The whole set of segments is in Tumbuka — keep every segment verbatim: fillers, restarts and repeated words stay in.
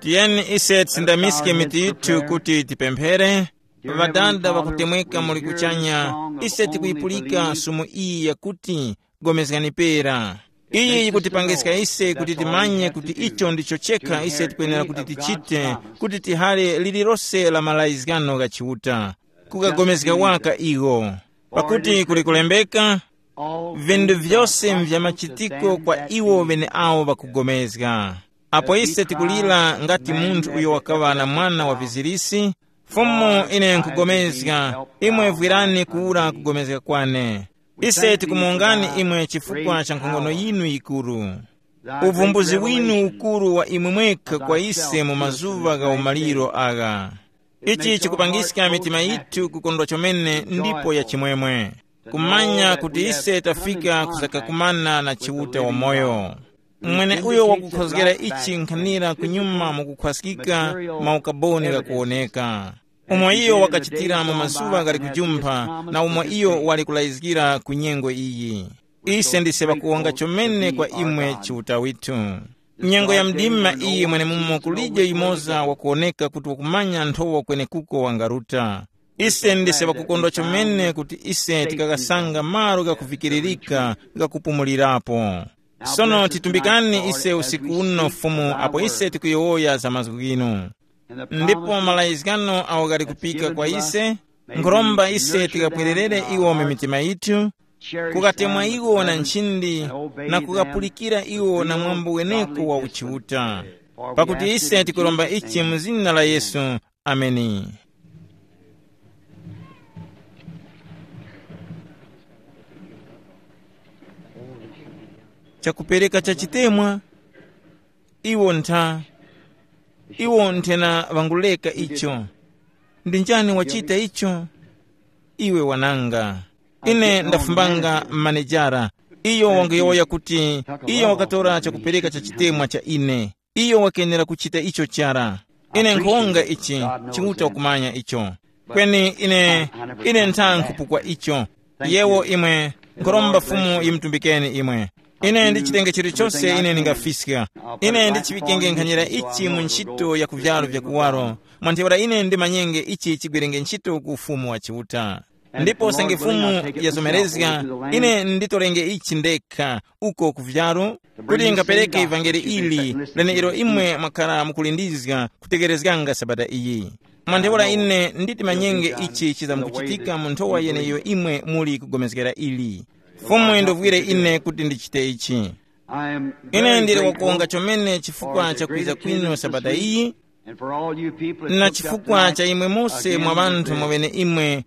Tiyeni ise tisindamiske mitu yithu kuti tipemphere. Ŵadada ŵakutemweka muli kuchanya, ise tikuyipulika sumu iyi yakuti, gomezgani pera. Iyi yikutipangiska ise kuti timanye kuti icho ndicho chekha ise tikwenera kuti tichite, kuti tihale lililose la malayizgano gha Chiuta, kukagomezga waka iwo. Pakuti kuli kulembeka, vinthu vyose mvya machitiko kwa iwo ŵeneawo ŵakugomezga. Apo ise tikulira ngati munthu uyo wakaŵa na mwana wa vizirisi, Fumu, ine nkugomezga, imwe vwirani kuwura kugomezga kwane. Ise tikumuwongani imwe chifukwa cha nkhongono yinu yikuru. Uvumbuzi winu ukuru wa imwe mwekha kwa ise mu mazuŵa gha umaliro agha. Ichi chikupangiska mitima yithu kukondwa chomene ndipo ya chimwemwe. Kumanya kuti ise tafika kusakakumana na Chiuta wamoyo. Mweneuyo wakukhozgera ichi nkhanira kunyuma mukukhwaskika maukaboni ghakuwoneka, umo iyo wakachitira mu mazuŵa ghali kujumpha na umo iyo wali kulayizgira ku nyengo iyi. Ise ndise ŵakuwonga chomene kwa imwe Chiuta withu. Nyengo ya mdima iyi mwenemumo kulije yumoza wakuwoneka kuti wakumanya nthowa kwenekuko wangaruta. Ise ndise ŵakukondwa chomene kuti ise tikakasanga malo ghakuvikiririka ghakupumulirapo. Sono titumbikani ise usiku uno Fumu apo ise tikuyowoya za mazgu ghinu. Ndipo malayizgano awo ghali kupika kwa ise, nkhuromba ise tikapwererere iwo mu mitima yithu, kukatemwa iwo na nchindi, na kukapulikira iwo na mwambo weneko wa uchiuta. Pakuti ise tikuromba ichi mu zina la Yesu. Ameni. Chakupereka cha chitemwa, iwo ntha, iwo nthena ŵanguleka icho. Ndi njani wachita icho? Iwe wananga. Ine ndafumbanga manejara. Iyo wanguyowoya kuti iyo wakatora chakupereka cha chitemwa cha ine. Iyo wakenera kuchita icho chara. Ine nkhonga ichi, Chiuta wakumanya icho. Kweni ine, ine ntha nkhupukwa icho. Yewo imwe, nkhuromba Fumu yimutumbikeni imwe. Ine ndichitenge chilichose ine ndingafiska. Ine ndichiŵikenge nkhanyira ichi mu ntchito ya ku vyaro vya kuwaro, mwa ntheura ine ndimanyenge ichi chigwerenge ntchito ku Ufumu wa Chiuta. Ndipo usange Fumu yazomerezga, ine nditorenge ichi ndekha uko ku vyaru, kuti ngapereke ivangeli ili, leneilo imwe mwakhara mukulindizga kutekerezganga sabata iyi. Mwa ntheura ine nditi manyenge ichi chizamkuchitika mu nthowa yeneyo imwe muli kugomezgera ili. Fumu indovwire ine kuti ndichite ichi. Ine ndili wakuwonga chomene chifukwa cha kwiza kwinu sabata iyi, na chifukwa cha imwe mose mwa ŵanthu mwaŵene imwe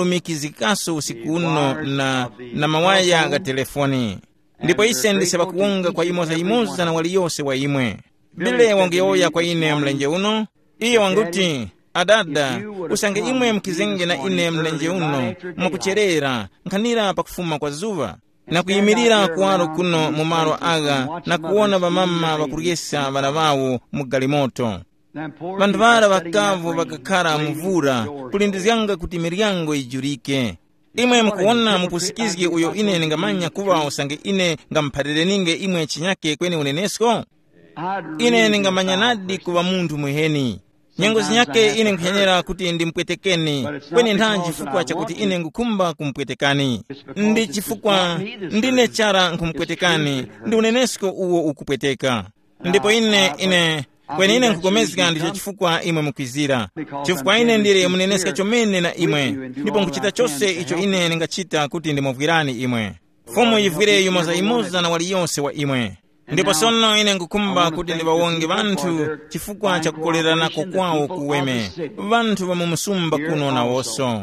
mwalumikizikaso usiku uno na, na mawaya gha telefoni. Ndipo ise ndise ŵakuwonga kwa yimoza-yimoza na waliyose wa imwe. Bile wanguyowoya kwa ine mlenje uno, iyo wanguti, adada, usange imwe mukizenge na ine mlenje uno, mwakucherera, nkhanira pakufuma kwa zuŵa, na kuyimirira kuwaro kuno mu malo agha na kuwona ŵamama ŵakuryesa ŵana ŵawo mu galimoto. Ŵanthu ŵara ŵakavu ŵakakhara mu vura, kulindizganga kuti miryango yijurike. Imwe mukuwona mupusikizgi uyo ine ndingamanya kuŵa usange ine ngamuphalirireninge imwe chinyake kweni unenesko? Ine ndingamanya nadi kuŵa munthu mwiheni. Nyengo zinyake ine nkuphenyera kuti ndimupwetekeni, kweni ntha chifukwa chakuti ine ngukhumba kumupwetekani. Ndi chifukwa ndine chara nkhumupwetekani, ndi unenesko uwo ukupweteka. Ndipo ine, ine, kweni ine nkhupulikana ndicho chifukwa imwe mukwizira. Chifukwa ine ndili muneneska chomene na imwe, ndipo nkhuchita chose icho ine ndingachita kuti ndimuvwirani imwe. Fumu yivwire yumoza-yumoza na waliyose wa imwe. Ndipo sono ine nkhukhumba kuti ndiŵawonge ŵanthu chifukwa cha kukoleranako kwawo kuweme, ŵanthu ŵa mu msumba kuno nawonso.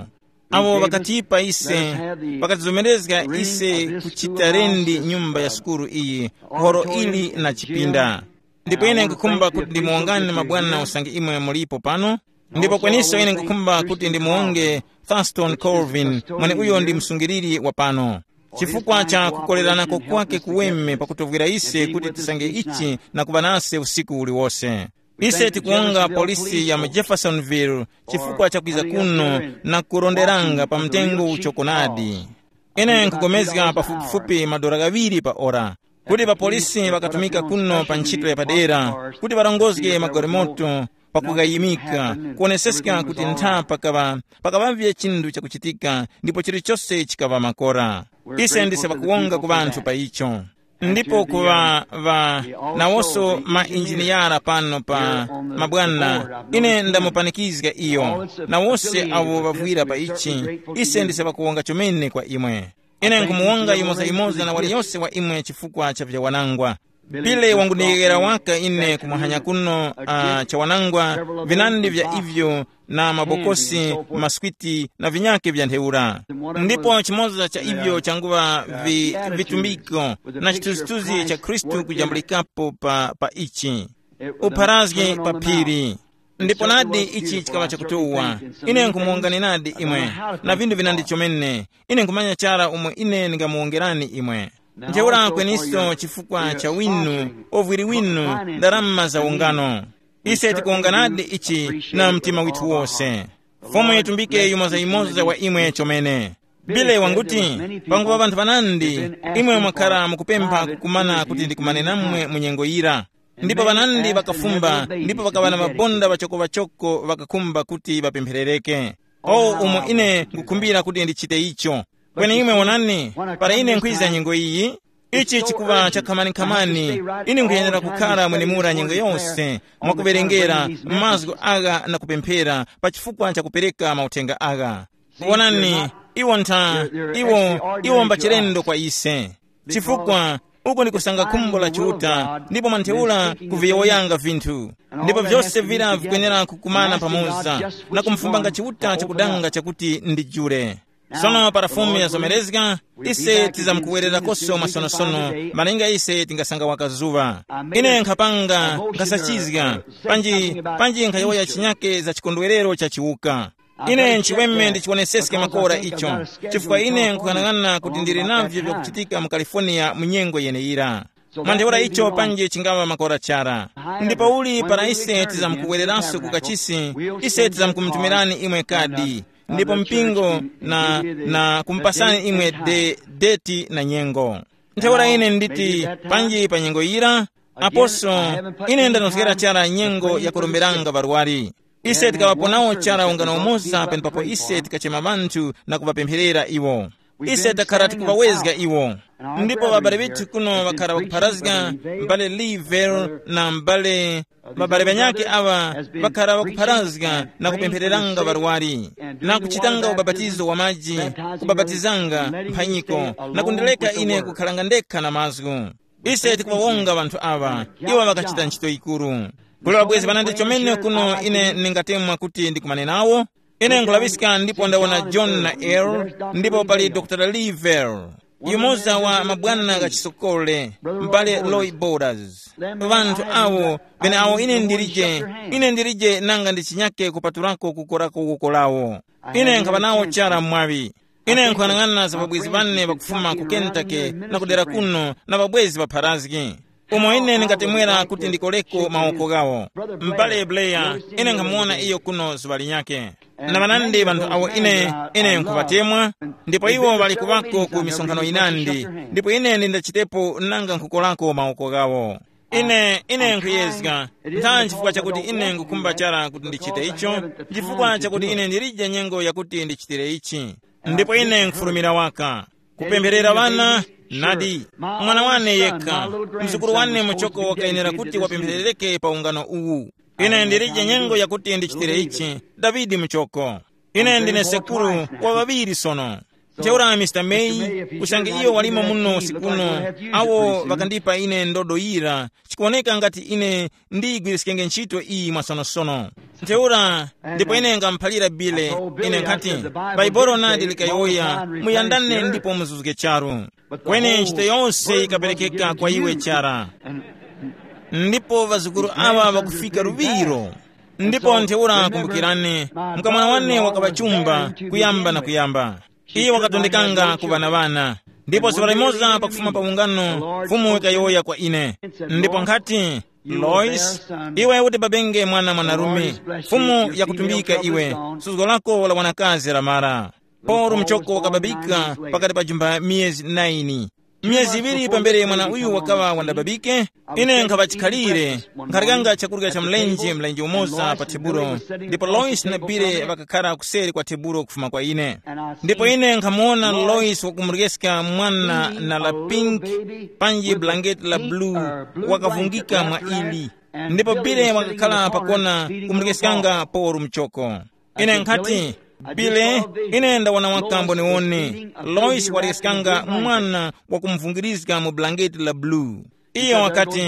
Awo ŵakatipa ise, ŵakatizomerezga ise kuchita rendi nyumba ya sukulu iyi, horo ili na chipinda. Ndipo ine nkhukhumba kuti ndimuwongani mabwana usange imwe mulipo pano. Ndipo kweniso ine nkhukhumba kuti ndimuwonge Thurston Colvin, mweneuyo ndi msungiliri wa pano, chifukwa cha kukoleranako kwake kuweme pakutovwera ise kuti tisange ichi na kuŵa nase usiku uliwose. Ise tikuwonga polisi ya mu Jeffersonville chifukwa cha kwiza kuno na kuronderanga pa mtengo uchokonadi. Ine nkugomezga pafupifupi madora ghaŵiri pa ora, kuti ŵapolisi ŵakatumika kuno pa ntchito yapadera, kuti ŵarongozge magalimoto, pakugayimika, kuwoneseska kuti ntha pakaŵa pakaŵavye chinthu chakuchitika, ndipo chilichose chikaŵa makora. Ise ndise ŵakuwonga ku ŵanthu pa icho. Ndipo ku ŵa ŵa nawonso mainjiniyara pano pa mabwana, ine ndamupanikizga iyo, na wose awo ŵavwira pa ichi. Ise ndise ŵakuwonga chomene kwa imwe. Ine nkumuwonga yimoza-yimoza na waliyose wa imwe chifukwa cha vyawanangwa. Pile wangundiyeghera waka ine kumwahanya kuno uh, chawanangwa, vinandi vya ivyo, na mabokosi, maswiti, na vinyake vya ntheura. Ndipo chimoza cha ivyo changuva vi, vitumbiko na chithunzithunzi cha Khristu kujambulikapo pa, pa ichi, upharazgi pa phiri. Ndipo nadi ichi chikaŵa chakutuwa. Ine nkumuwongani nadi imwe, na vindu vinandi chomene. Ine nkhumanya chara umo ine ndingamuwongerani imwe. Ntheura kweniso chifukwa cha winu, ovwiri winu, ndarama za ungano. Ise tikuwonganadi ichi na mtima withu wose. Fumu yitumbike yumoza-yumoza wa imwe chomene. Bile wanguti, pangupa ŵanthu ŵanandi, imwe mwakhara mukupempha kukumana kuti ndikumane namwe mu nyengo yira. Ndipo ŵanandi ŵakafumba, ndipo ŵakaŵa na mabonda ŵachoko-ŵachoko ŵakakhumba kuti ŵapempherereke. O umo ine nkukhumbira kuti ndichite icho. Kweni imwe wonani, para ine nkhwiza nyengo iyi, ichi chikuŵa chakhamani-khamani. Ine nkhuyenera kukhala mwenemura nyengo yose, mwakuwerengera mazgu agha na kupemphera pa chifukwa cha kupereka mauthenga agha. Wonani, iwo ntha, iwo, iwo mbachilendo kwa ise. Chifukwa uku ndi kusanga khumbo la Chiuta, ndipo mwa ntheura kuviyowoyanga vinthu. Ndipo vyose vira vikwenera kukumana pamoza na kumfumbanga Chiuta chakudanga chakuti ndi jule. Sono para Fumu yazomerezga, ise tizamkuwererakoso masonosono, malinga ise tingasanga wakazuŵa. Ine nkhapanga, nkhasachizga, panji, panji nkhayowoya chinyake za chikondwerero cha chiwuka. Ine nchiweme ndichiwoneseske makora icho, chifukwa ine nkukhanang'ana kuti ndili navyo vyakuchitika mu California mu nyengo yeneyira. Mwa ntheura icho panji chingaŵa makora chara. Ndipo uli para ise tizamkuwereranso ku kachisi, ise tizamkumutumirani imwe kadi, ndipo mpingo na, na kumupasani imwe de, deti na nyengo. Ntheura ine nditi, panji pa nyengo yira, aposo, ine ndanozgera chara nyengo yakuromberanga ŵarwari. Ise tikaŵapo nawo chara ungano umoza penepapo ise tikachema ŵanthu na kuŵapempherera iwo. Ise takhara tikuŵawezga iwo. Ndipo ŵabale ŵithu kuno ŵakhara ŵakupharazga, m'bale Lever na m'bale, ŵabale ŵanyakhe aŵa ŵakhara ŵakupharazga na kupemphereranga ŵarwari, na kuchitanga ubapatizo wa maji, kubapatizanga mphanyiko, na kundileka ine kukhalanga ndekha na mazgu. Ise tikuŵawonga ŵanthu aŵa, iwo ŵakachita ntchito yikuru. Kuli ŵabwezi ŵanandi chomene kuno ine ndingatemwa kuti ndikumane nawo. Ine nkhulaŵiska ndipo ndawona John na Earl, ndipo pali Dr Lever, yumoza wa mabwana gha chisokole, m'bale Roy Borders. Ŵanthu awo, ŵeneawo ine ndilije, ine ndilije nanga ndi chinyake kupatulako kukorako woko lawo. Ine nkhaŵa nawo chara mwaŵi. Ine nkuyang'ana za ŵabwezi ŵane ŵakufuma ku Kentucky na kudera kuno na ŵabwezi ŵapharazgi, umo ine ndingatemwera kuti ndikoleko mawoko ghawo. M'bale Blair, ine nkhamuwona iyo kuno zuŵa linyakhe. Na ŵanandi ŵanthu awo ine, ine nkhuŵatemwa, ndipo iwo ŵali kuŵako ku misonkhano yinandi, ndipo ine ndindachitepo nanga nkhukolako mawoko ghawo. Ine, ine nkhuyezga, ntha chifukwa chakuti ine nkhukhumba chara kuti ndichite icho, chifukwa chakuti ine ndilije nyengo yakuti ndichitire ichi. Ndipo ine nkhufulumira waka kupempherera ŵana. Nadi, mwana wane yekha, mzukuru wane muchoko wakayenera kuti wapempherereke pa ungano uwu. Ine ndilije nyengo yakuti ndichitire ichi. Davidi muchoko, ine ndine sekuru wa ŵaŵiri sono. Ntheura Mr May, usange iyo walimo muno usiku uno, awo ŵakandipa ine ndodo yira, chikuwoneka ngati ine ndiyigwiriskenge ntchito iyi mwasonosono. Ntheura, ndipo ine ngamuphalira Bile, ine nkhati, Baibolo nadi likayowoya, muyandane ndipo muzuzge charu. Kweni ntchito yonse yikaperekeka kwa iwe chara. Ndipo ŵazukuru awa ŵakufika luŵiro. Ndipo ntheura kumbukirani, mkamwana wane wakaŵa chumba, kuyamba na kuyamba. Iyo wakatondekanga ku ŵana-ŵana. Ndipo zuŵa limoza pakufuma pa ungano, Fumu yikayowoya kwa ine. Ndipo nkhati, Lois, iwe uti babenge mwana mwanarume, Fumu yakutumbika iwe, suzgo lako la wanakazi lamara. Paulo mchoko wakababika pakati pa jumba miyezi naini. Miyezi iŵiri pambere mwana uyu wakaŵa wandababike, ine nkhaŵa chikhalire, nkharyanga chakurya cha mlenje mlenje umoza pa tebulo, ndipo Lois na Bile ŵakakhara kuseri kwa tebulo kufuma kwa ine. Ndipo ine nkhamuwona Lois wakumuryeska mwana na la pink, panji bulangeti la blue, wakavungika mwa ili. Ndipo Bile wakakhala pakona kumuryesyanga Paulo mchoko. Ine nkhati, Bile, ine ndawana waka mboniwoni. Lois waryeskanga mwana wakumuvungirizga mu bulangeti la blue. Iyo wakati,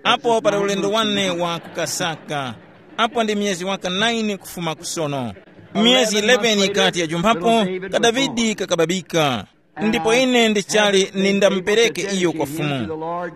apo pali ulendo wane wa kukasaka, apo ndi miyezi waka naini kufuma kusono. Miyezi eleven ikati yajumphapo, ka Davide kakababika. Ndipo ine ndichali nindamupereke iyo kwa Fumu,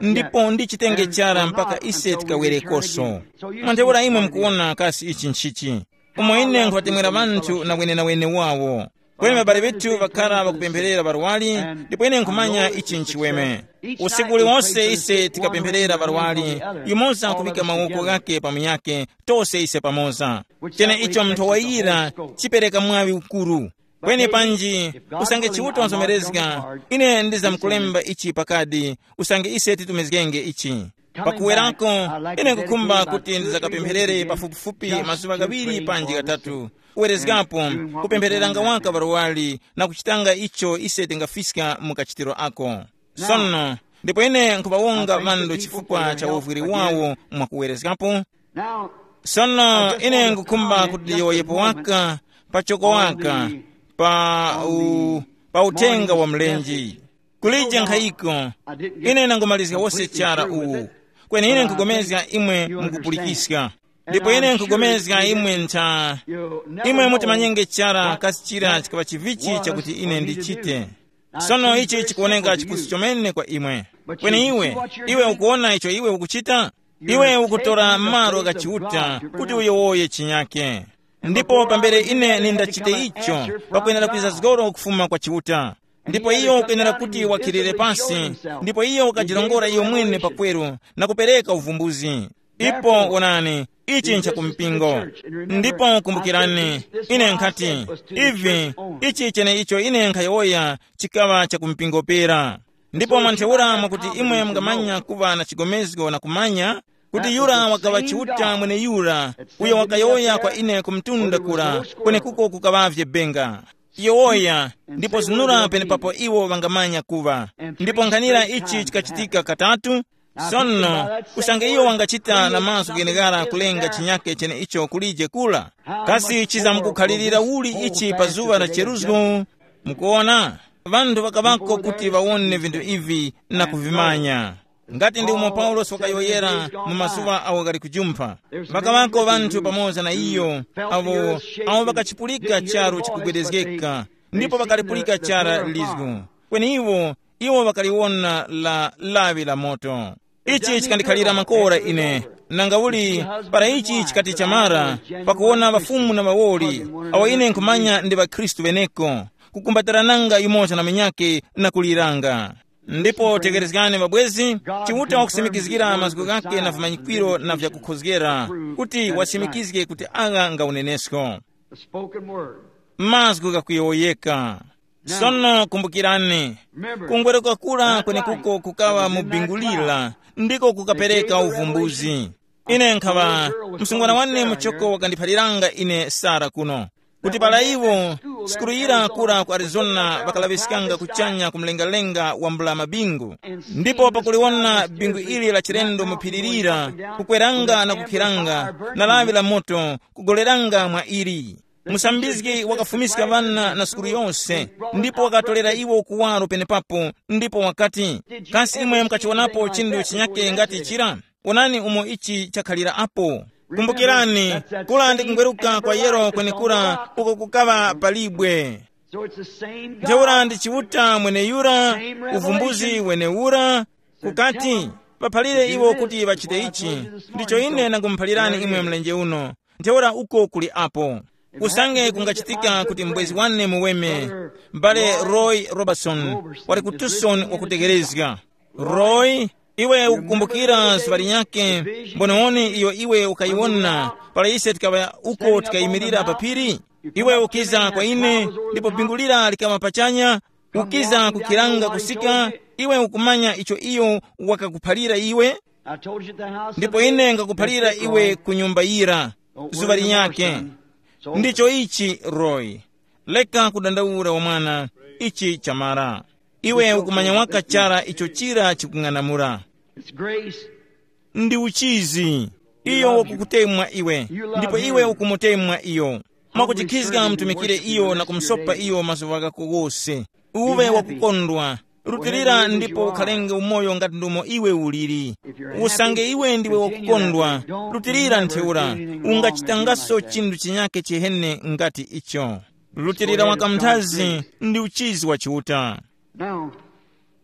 ndipo ndichitenge chara mpaka ise tikawerekoso. Mwa ntheura imwe mukuwona kasi ichi nchichi? Umo ine nkhuŵatemwera ŵanthu na wenenawene wawo. Kweni ŵabale ŵethu ŵakhara ŵakupempherera ŵarwari, ndipo ine nkhumanya ichi nchiweme. Usiku uliwonse ise tikapempherera ŵarwari, yumoza kuŵika mawoko ghake pa munyakhe, tose ise pamoza. Chene icho munthu wayira chipereka mwaŵi ukuru. Kweni panji, usange Chiuta wazomerezga, ine ndizamkulemba ichi pakadi, usange ise titumizgenge ichi. Pakuwerako, ine nkukhumba kuti ndizakapempherere pafupifupi mazuŵa ghaŵiri panji ghatatu. Kuwerezgapo, kupemphereranga waka ŵarwari na kuchitanga icho ise tingafiska mu kachitiro ako. Sono, ndipo ine nkhuŵawonga ŵandu chifukwa cha uvwiri wawo mwakuwerezgapo. Sono ine ngukhumba kuti ndiyowoyepo waka, pachoko waka, pa, u, pa uthenga wa mlenje. Kulije nkhayiko, ine nangomalizga wose chara uwu. Kweni ine nkugomezga imwe mukupulikiska. Ndipo ine nkugomezga imwe ntha, imwe mutimanyenge chara kasi chira chikaŵa chivichi chakuti ine ndichite. Sono ichi chikuwoneka chipusu chomene kwa imwe. Kweni iwe, iwe ukuwona icho iwe ukuchita? Iwe ukutora malo gha Chiuta kuti uyowoye chinyake. Ndipo pambere ine nindachite icho, pakwenera kwiza zgoro kufuma kwa Chiuta. Ndipo iyo ukwenera kuti wakhilire pasi, ndipo iyo ukajirongora iyo mwene pakweru na kupereka uvumbuzi. Ipo wonani, ichi nchakumpingo. Ndipo kumbukirani, ine nkhati, ivi, ichi chene icho ine nkhayowoya chikaŵa chakumpingo pera. Ndipo mwa ntheura mwakuti imwe mungamanya kuŵa na chigomezgo na kumanya kuti yura wakaŵa Chiuta mweneyura, uyo wakayowoya kwa ine ku mtunda kura, kwenekuko kukaŵavye benga. Yowoya, ndipo zunura penepapo iwo ŵangamanya kuŵa. Ndipo nkhanira ichi chikachitika katatu. Sono, usange iyo wangachita na mazgu gheneghara kulenga chinyake cheneicho kulije kura, kasi chizamkukhalirira uli ichi pa zuŵa la cheruzgo? Mukuona, ŵanthu ŵakaŵako kuti ŵawone vinthu ivi na kuvimanya. Ngati ndi umo Paulosi wakayowoyera mu mazuŵa awo ghali kujumpha, ŵakaŵako ŵanthu pamoza na iyo, awo, awo ŵakachipulika charu chikugwedezgeka, ndipo ŵakalipulika chara lizgu. Kweni iwo, iwo ŵakaliwona la lawi la moto. Ichi chikandikhalira makora ine, nanga uli, para ichi chikati chamara, pakuwona ŵafumu na ŵawoli, awo ine nkhumanya ndi ŵakhristu ŵeneko, kukumbatarananga yumoza na munyakhe na kuliranga. Ndipo tegherezgani mabwezi, Chiuta wakusimikizgira mazgu ghakhe na vimanyikwiro na vyakukhozgera, kuti wasimikizge kuti agha nga unenesko. The spoken word. Mazgu ghakuyowoyeka. Sono kumbukirani, kungweruka kura kwenekuko kukaŵa mu bingu lira, ndiko kukapereka uvumbuzi. Ine nkhaŵa, msungwana wane muchoko wakandiphaliranga ine Sara kuno, kuti para iwo, sukulu yira kura ku Arizona ŵakalaŵiskanga kuchanya ku mlengalenga wa mbula mabingu. Ndipo pakuliwona bingu ili la chilendo mu phiri lira, kukweranga na kukhiranga, na lawi la moto kugoleranga mwa ili. Musambizgi wakafumiska ŵana na sukulu yose, ndipo wakatolera iwo kuwaro penepapo, ndipo wakati, kasi imwe mukachiwonapo chinthu chinyake ngati chira? Onani umo ichi chakhalira apo. Kumbukirani, kula ndi kungweruka kwa yero kwenekura uko kukaŵa palibwe. Ntheura ndi Chiuta mweneyura, uvumbuzi wenewura, kukati, paphalire iwo kuti ŵachite ichi, ndicho ine ndangumuphalirani imwe mlenje uno. Ntheura uko kuli apo. Usange kungachitika kuti mbwezi wane muweme, m'bale Roy Robertson wali ku Tucson wakutegherezga. Roy, iwe ukukumbukira zuŵa linyakhe, mbonewoni iyo iwe ukayiwona, para ise tikaŵa uko tikayimirira pa phiri? Iwe ukiza kwa ine, ndipo bingu lira likaŵa pachanya, ukiza kukhiranga kusika, iwe ukumanya icho iyo wakakuphalira iwe. Ndipo ine ngakuphalira iwe ku nyumba yira zuŵa linyakhe. Ndicho ichi, Roy. Leka kudandaula wa mwana, ichi chamara. Iwe ukumanya waka chara icho chira chikung'anamula. Ndi uchizi. Iyo wakukutemwa iwe, ndipo iwe ukumutemwa iyo. Mwakuchikhizga mtumikire iyo na kumusopa iyo mazuŵa ghako ghose. Uwe wakukondwa. Rutilira ndipo ukhalenge umoyo ngati ndumo iwe uliri. Usange iwe ndiwe wakukondwa, rutilira ntheura, ungachitangaso chinthu chinyake chihene ngati icho. Rutilira waka mnthazi ndi uchizi wa Chiuta.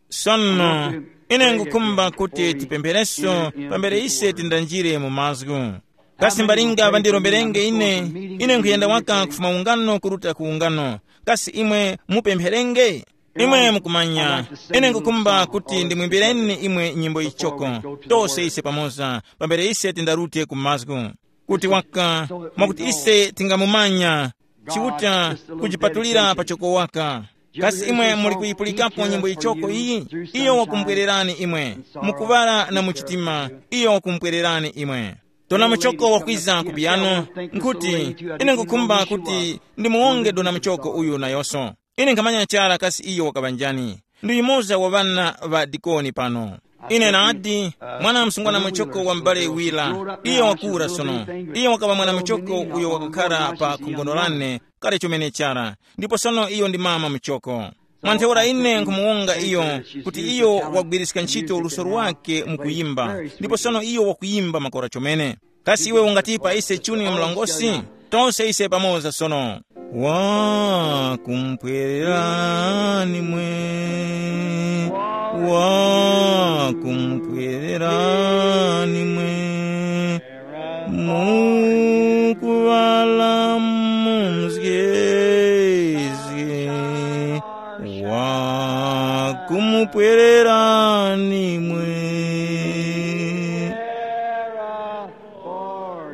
Sono, ine ngukhumba kuti tipemphereso pambere ise tindanjire mu mazgu. Kasi mbalinga ŵandiromberenge ine, ine nkhuyenda waka kufuma ungano kuruta ku ungano? Kasi imwe mupempherenge? Imwe mukumanya, ine ngukhumba kuti ndimwimbireni imwe nyimbo yichoko, tose ise pamoza, pambere ise tindarute ku mazgu, kuti waka, mwakuti ise tingamumanya Chiuta kujipatulira pachoko waka. Kasi imwe muli kuyipulikapo nyimbo yichoko iyi? Iyo wakumpwererani imwe. Mukuŵala na muchitima, iyo wakumpwererani imwe. Dona muchoko wakwiza ku piyano, nkuti, ine ngukhumba kuti ndimuwonge dona muchoko uyu nayonso. Ine nkhamanya chara kasi iyo wakaŵa njani. Ndi yumoza wa ŵana ŵa dikoni pano. Ine nadi, mwana msungwana muchoko wa m'bale wira, iyo wakura sono. Iyo wakaŵa mwana muchoko uyo wakakhara pa khongono lane kale chomene chara, ndipo sono iyo ndi mama muchoko. Mwa ntheura ine nkhumuwonga iyo, kuti iyo wagwiriska ntchito luso lwake mu kuyimba, ndipo sono iyo wakuyimba makora chomene. Kasi iwe ungatipa ise chuni mlongosi? Tonse ise pamoza sono. Wa kumpwererani mwe, wa kumpwererani mwe, mukuŵala mumzgezge, wa kumupwererani mwe.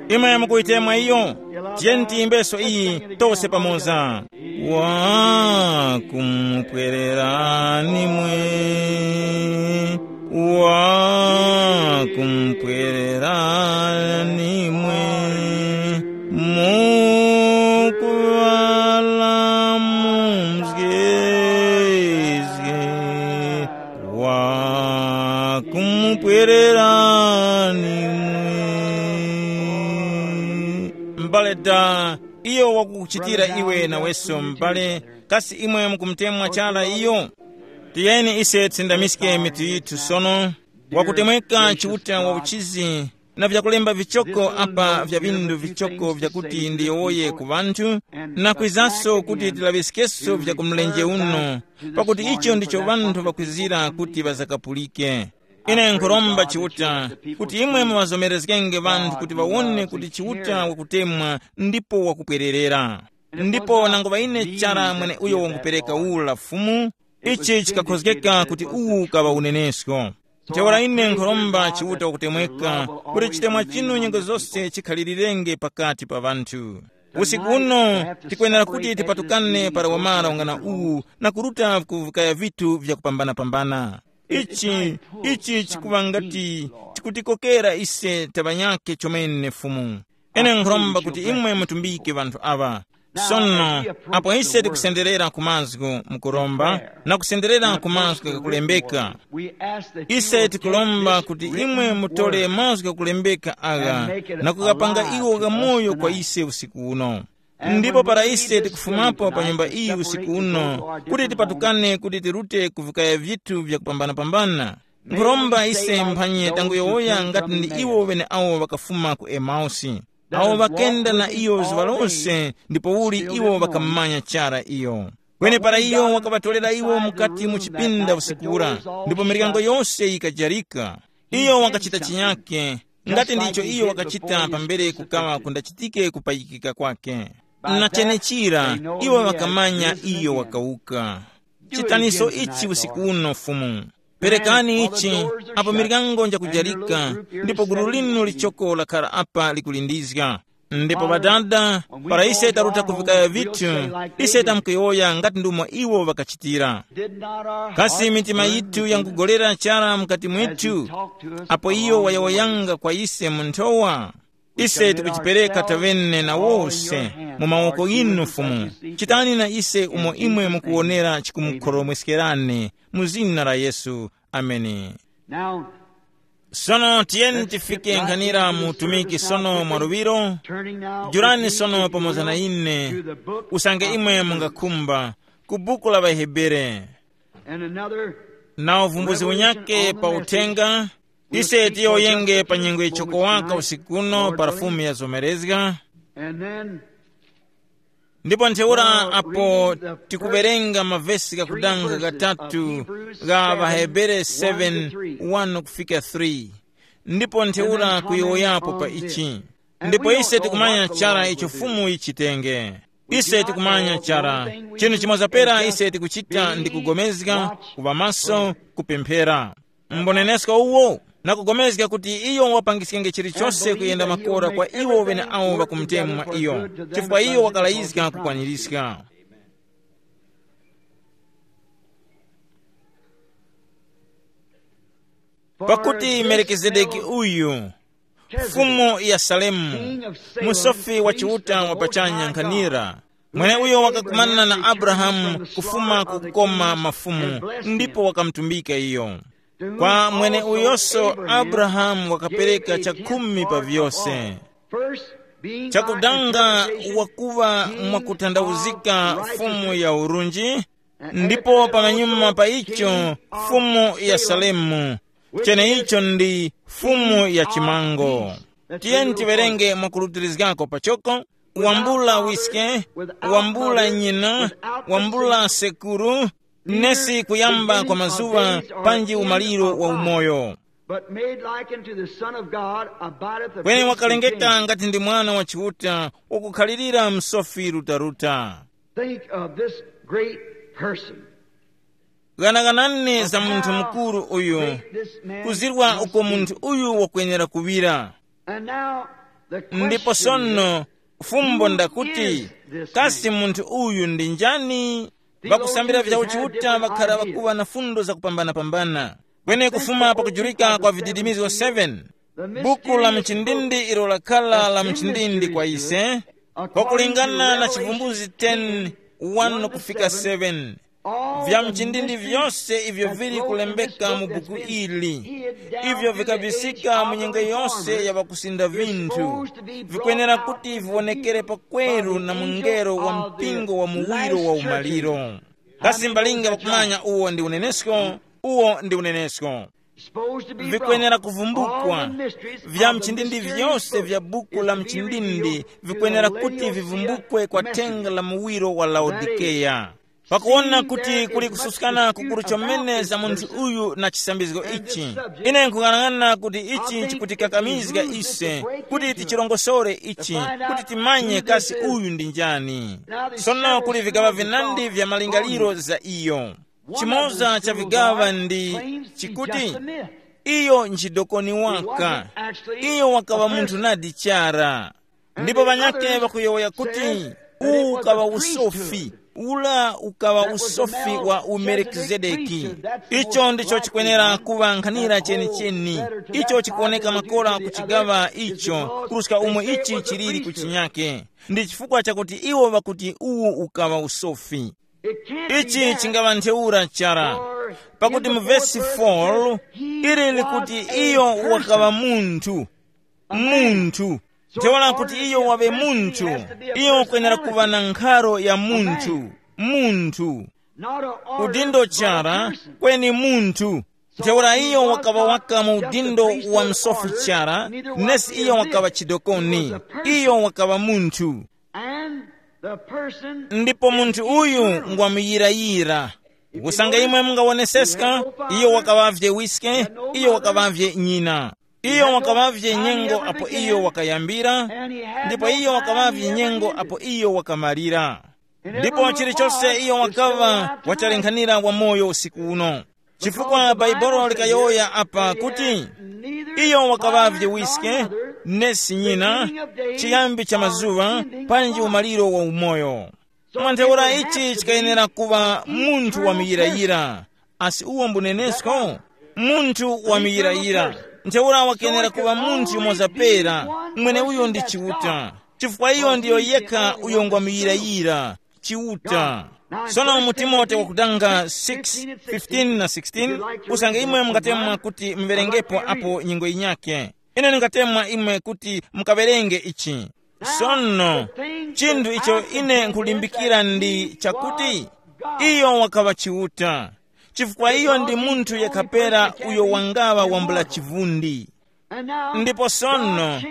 Imwe mukuyitemwa iyo? Tiyeni tiyimbeso iyi tose pamoza. Wa kumupwererani mwe, wa kumupwererani mwe, mukuŵala mumzgezge, wa kumupwererani mwe. M'bale da, iyo wakukuchitira iwe naweso m'bale, kasi imwe mukumutemwa chara iyo? Tiyeni ise tisindamiske mitu yithu sono. Wakutemweka Chiuta wa uchizi, na vyakulemba vichoko apa vya vindu vichoko vyakuti ndiyowoye ku ŵanthu, na kwizanso kuti tilaŵiskeso vya ku mlenje uno, pakuti icho ndicho ŵanthu ŵakwizira kuti ŵazakapulike. Ine nkhuromba Chiuta kuti imwe muŵazomerezgenge ŵanthu kuti ŵawone kuti Chiuta wakutemwa ndipo wakupwererera. Ndipo nango ŵa ine chara mwene uyo wangupereka ula Fumu, ichi chikakhozgeka kuti uwu ukaŵa unenesko. Ntheura ine nkhuromba Chiuta wakutemweka kuti chitemwa chinu nyengo zose chikhalilirenge pakati pa ŵanthu. Usiku uno tikwenera kuti tipatukane para wamara ungana uwu na kuruta ku vikaya vithu vyakupambana-pambana. Ichi, ichi chikuŵa ngati chikutikokera ise taŵanyake chomene Fumu. Ine nkhuromba kuti imwe mutumbike ŵanthu aŵa. Sono, apo ise tikusenderera ku mazgu mukuromba na kusenderera ku mazgu ghakulembeka, ise tikuromba kuti imwe mutore mazgu ghakulembeka agha na kughapanga iwo ghamoyo kwa ise usiku uno. Ndipo para ise tikufumapo pa nyumba iyi usiku uno, kuti tipatukane kuti tirute ku vikaya vyithu vyakupambana-pambana, nkhuromba ise mphanye tanguyowoya ngati ndi iwo ŵeneawo ŵakafuma ku Emausi, awo ŵakenda na iyo zuŵa lose, ndipouli iwo ŵakammanya chara iyo. Kweni para iyo wakaŵatorera iwo mukati mu chipinda usiku ura, ndipo miryango yose yikajarika. Iyo wakachita chinyake, ngati ndicho iyo wakachita pambere kukaŵa kundachitike kupayikika kwake. Na chenechira, iwo ŵakamanya iyo wakawuka. Chitaniso ichi usiku uno, Fumu. Perekani ichi, apo miryango njakujarika, ndipo gulu linu lichoko lakhara apa likulindizga. Ndipo Ŵadada, para ise taruta kuvikaya vithu, ise tamkuyowoya ngati ndumo iwo ŵakachitira. Kasi mitima yithu yangugolera chara mukati mwithu, apo iyo wayowoyanga kwa ise mu nthowa? Ise tikuchipereka tavene na wose mu mawoko ghinu, Fumu. Chitani na ise umo imwe mukuwonera chikumukhoromweskerani, mu zina la Yesu. Ameni. Now, sono tiyeni tifike nkhanira mu utumiki sono mwa luŵiro. Jurani sono pamoza na ine, usange imwe mungakhumba, ku buku la ŵahebere. And another na uvumbuzi unyake pa uthenga. Ise tiyoyenge pa nyengo yichoko waka usiku uno pa lafumu ya zomerezga. And then ndipo ntheura apo tikuwerenga mavesi gakudanga gatatu ga ŵahebere seven, one kufika three. Ndipo ntheura kuyowoyapo pa ichi. Ndipo ise tikumanya chara icho Fumu yichitenge. Ise tikumanya chara chinthu chimoza pera ise tikuchita ndi kugomezga, kuŵa maso, kupemphera. Mbonenesko uwo, na kugomezga kuti iyo wapangiskenge chilichose kuyenda makora kwa iwo ŵeneawo ŵakumutemwa iyo, chifukwa iyo wakalayizga kukwanirizga. Pakuti Melkizedeki uyu, Fumu ya Salemu, musofi wa Chiuta wa pachanya nkhanira, mweneuyo wakakumana na Abrahamu kufuma ku kukoma mafumu, ndipo wakamutumbika iyo. Kwa mweneuyoso Abrahamu wakapereka chakhumi pa vyose. Chakudanga, wakuŵa mwakuthandauzika Fumu ya urunji, ndipo pamanyuma pa icho, Fumu ya Salemu, cheneicho ndi Fumu ya chimango. Tiyeni tiwerenge mwakulutirizgako pachoko. Wambula wiske, wambula nyina, wambula sekuru, nesi kuyamba kwa mazuŵa, panji umaliro wa umoyo. But made like unto the Son of God abideth a kweni great wakalengeka content. Ngati ndi mwana wa Chiuta, wakukhalirira msofi rutaruta. Think of this great person. Ghanaghanani za munthu mukuru uyu, kuzirwa uko munthu uyu wakwenera kuŵira. And now the ndipo question sono, is, fumbo who ndakuti, is this kasi man? Munthu uyu ndi njani? Vakusambira vya uchiuta ŵakhara ŵakuŵa na fundo zakupambanapambana. Kweni kufuma pakujurika kwa vididimizgo seven, buku la mchindindi ilo lakhala la mchindindi kwa ise, kwakulingana na Chivumbuzi ten, one kufika seven, vya mchindindi vyose ivyo vili kulembeka mu buku ili, ivyo vikabisika mu nyengo yose ya ŵakusinda vinthu, vikwenera kuti viwonekere pakweru na mungelo wa mpingo wa muwiro wa umaliro. Kasi mbalinga ŵakumanya uwo ndi unenesko? Uwo ndi unenesko. Vikwenera kuvumbukwa. Vya mchindindi vyose vya buku la mchindindi vikwenera kuti vivumbukwe kwa thenga la muwiro wa Laodikeya, pakuwona kuti kuli kususkana kukuru chomene za munthu uyu na chisambizgo ichi. Ine nkung'anang'ana kuti ichi chikutikakamizga ise kuti tichirongosore ichi, kuti timanye kasi uyu ndi njani. Sono kuli vigaŵa vinandi vya malingaliro za iyo. Chimoza cha vigaŵa ndi chikuti iyo nchidokoni waka. Iyo wakaŵa munthu nadi chara. Ndipo ŵanyakhe ŵakuyowoya kuti uwu ukaŵa usofi, ula ukaŵa usofi wa uMelkizedeki. Icho ndicho chikwenera kuŵa nkhanira chenicheni. Icho chikuwoneka makora ku chigaŵa icho kuruska umo ichi chiliri ku chinyake. Ndi chifukwa chakuti iwo ŵakuti uwu ukaŵa usofi. Ichi chingaŵa ntheura chara, pakuti mu vesi four ili likuti iyo wakaŵa munthu. Munthu. Ntheura kuti iyo waŵe munthu, iyo wakwenera kuŵa na nkharo ya munthu. Munthu. Udindo chara, kweni munthu. Ntheura iyo wakaŵa waka mu udindo wa msofi chara, nesi iyo wakaŵa chidokoni. Iyo wakaŵa munthu. And the person ndipo munthu uyu ngwamuyirayira. Kusanga imwe mungawoneseska, iyo wakaŵavye wiske, iyo wakaŵavye nyina. Iyo wakaŵavye nyengo apo iyo wakayambira, ndipo iyo wakaŵavye nyengo apo iyo wakamalira. Ndipo chilichonse iyo wakaŵa wachalenghanira wamoyo usiku uno. Chifukwa Bhaibuli likayowoya apa kuti, iyo wakaŵavye wiske, nesi nyina, chiyambi cha mazuŵa, panji umaliro wa umoyo. Mwa ntheura ichi chikayenera kuŵa munthu wa muyirayira. Asi uwo mbunenesko? Munthu wa muyirayira. Ntheura wakenera kuŵa munthu yumoza pera. Mweneuyo ndi Chiuta, chifukwa iyo ndiyo yekha uyo ngwa muyirayira. Chiuta. Sono mu Timote wakutanga six fifteen na sixteen, usange imwe mungatemwa kuti muverengepo apo nyengo yinyakhe, ine ndingatemwa imwe kuti mukawerenge ichi. Sono, chinthu icho ine nkulimbikira ndi chakuti, iyo wakaŵa Chiuta, chifukwa iyo ndi munthu yekhapera uyo wangaŵa wambula chivundi. Ndipo sono,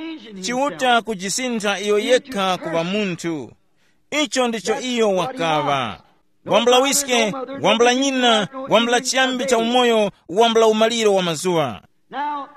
Chiuta kujisintha iyo yekha kuŵa munthu. Icho ndicho iyo wakaŵa. Wambula wiske, wambula nyina, wambula chiyambi cha umoyo, wambula umaliro wa mazuwa. Now,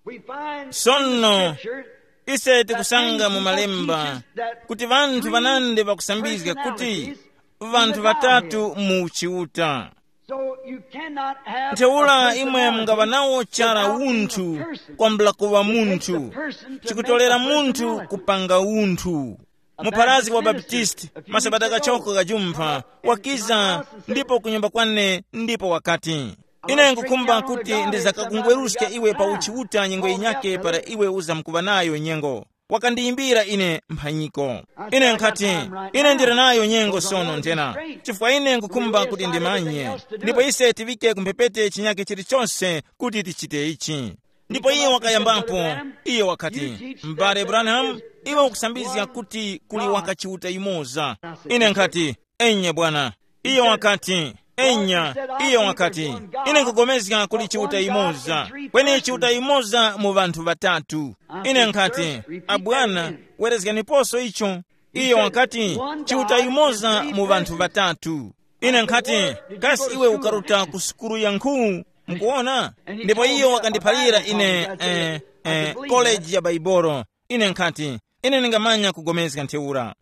we find Sono, in Scripture ise tikusanga mu malemba kuti vanthu vanandi vakusambizga kuti vanthu vatatu mu Chiuta. So you cannot have Ntheura a imwe personality mungava nawo chara without being a unthu person. Kwambula kuva It takes a munthu person to chikutolera make a munthu personality. Kupanga unthu. Mupharazgi wa Baptisti, masabata kachoko kajumpha, wakiza ndipo kunyumba kwane ndipo wakati, ine nkukhumba kuti ndizakakungweruska iwe pa uchiuta nyengo yinyake para iwe uzamkuŵa nayo nyengo. Wakandiyimbira ine mphanyiko. Ine nkhati, ine ndili nayo nyengo sono nthena, chifukwa ine nkukhumba kuti ndimanye. Ndipo ise tiŵike ku mphepete chinyake chilichonse kuti tichite ichi. Ndipo iye wakayambapo, iye wakati, m'bale Branham, iwe ukusambizga kuti kuli waka Chiuta yumoza. Ine nkhati, enya bwana. Iye wakati, enya. Iye wakati, ine nkugomezga kuli Chiuta yumoza. Kweni Chiuta yumoza mu ŵanthu ŵatatu. Ine nkhati, abwana, werezganiposo icho. Iye wakati, Chiuta yumoza mu ŵanthu ŵatatu. Ine nkhati, kasi iwe ukaruta ku sukulu ya nkhu? Mukuona? Ndipo iyo wakandiphalira ine eh, eh, koleji ya baibolo. Ine nkhati, ine ndingamanya kugomezga ntheura.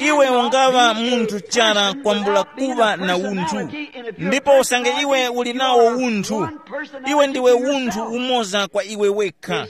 Iwe ungaŵa munthu chara kwambula kuŵa na unthu. Ndipo usange iwe uli nawo unthu, iwe ndiwe unthu umoza kwa iwe wekha.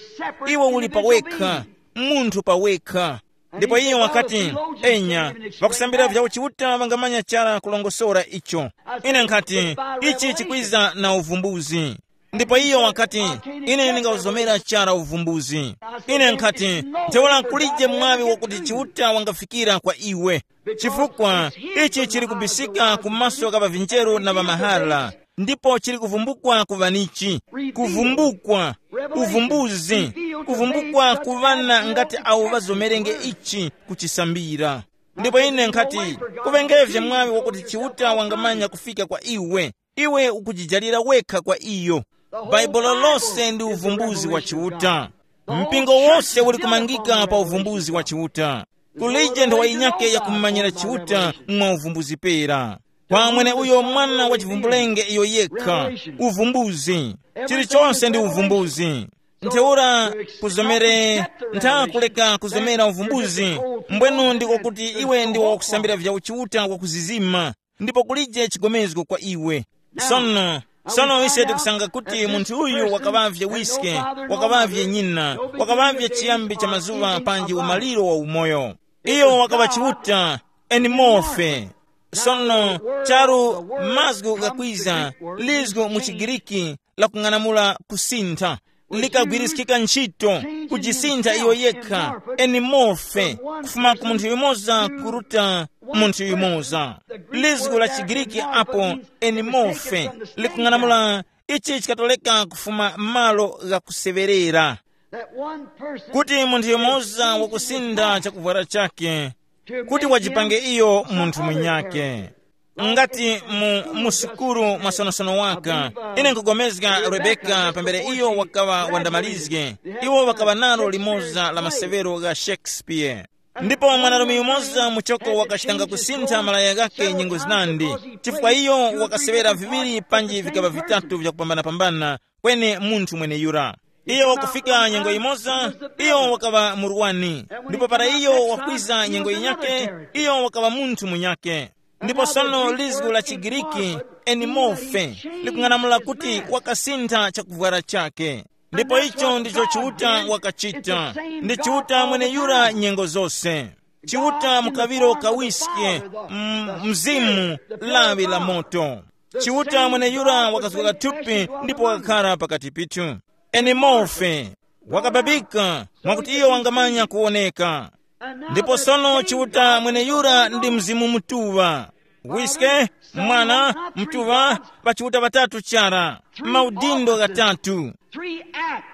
Iwe uli pawekha, munthu pawekha. Ndipo iye wakati, enya, pakusambira vya uchiuta vangamanya chara kulongosora icho. Ine nkhati, ichi chikwiza na uvumbuzi. Ndipo iyo wakati, ine ndingawuzomera chara uvumbuzi. Ine nkhati, ntheura kulije mwaŵi wakuti Chiuta wangafikira kwa iwe. Chifukwa ichi chili kubisika ku maso gha ŵavinjeru na ŵamahala, ndipo chili kuvumbukwa ku ŵanichi. Kuvumbukwa, uvumbuzi, kuvumbukwa ku ŵana ngati awo ŵazomerenge ichi kuchisambira. Ndipo ine nkhati, kuŵengevye mwaŵi wakuti Chiuta wangamanya kufika kwa iwe. Iwe ukujijalira wekha kwa iyo. Baibulo lose ndi uvumbuzi wa Chiuta. Mpingo wose uli kumangika pa uvumbuzi wa Chiuta. Kulije nthowa yinyakhe yakumumanyira Chiuta mwa uvumbuzi pera. Kwa mwene uyo mwana wa chivumbulenge iyo yekha, uvumbuzi. Chilichonse ndi uvumbuzi. Ntheura kuzomere ntha kuleka kuzomera uvumbuzi. Mbwenu ndiko kuti iwe ndiwe wakusambira vya uchiuta wakuzizima. Ndipo kulije chigomezgo kwa iwe. Sono, sono ise tikusanga kuti munthu uyu wakaŵavye wiske, wakaŵavye nyina, wakaŵavye chiyambi cha mazuŵa panji umaliro wa umoyo. Iyo wakaŵa Chiuta, eni mofe. Sono, charu mazgu ghakwiza, lizgu mu Chigiriki lakung'anamula kusintha, likagwiriskika ntchito, kujisintha iyo yekha, eni mofe, kufuma ku munthu yumoza kuruta munthu yumoza. Lizgu la Chigiriki apo, eni mofe, likung'anamula ichi chikatoleka kufuma malo ghakuseŵerera. Kuti munthu yumoza wakusintha chakuvwara chake, kuti wajipange iyo munthu munyake. Ngati mu, mu sukulu mwasonosono waka, ine nkugomezga Rebeka pambere iyo wakaŵa wandamalizge, iwo wakaŵa nalo limoza la maseŵero gha Shakespeare. Ndipo mwanarume yumoza muchoko wakachitanga kusintha malaya ghakhe nyengo zinandi, chifukwa iyo wakaseŵera viŵiri panji vikaŵa vitatu vyakupambanapambana, kweni munthu mweneyura. Iyo wakufika nyengo yimoza, iyo wakaŵa murwani, ndipo para iyo wakwiza nyengo yinyakhe, iyo wakaŵa munthu munyakhe. Ndipo sono lizgu la Chigiriki, enimofe, likung'anamula kuti wakasintha chakuvwara chakhe. Ndipo icho ndicho Chiuta wakachita. Ndi Chiuta mweneyura nyengo zose. Chiuta mukaŵiro kawiske, m- mzimu, lawi la moto. Chiuta mweneyura wakazgoka thupi ndipo wakakhara pakati pithu. Eni morfe, wakababika, mwakuti iyo wangamanya kuwoneka. Ndipo sono Chiuta mweneyura ndi Mzimu Mutuŵa. Wiske, Mwana, Mutuŵa, pa Chiuta ŵatatu chara, maudindo ghatatu,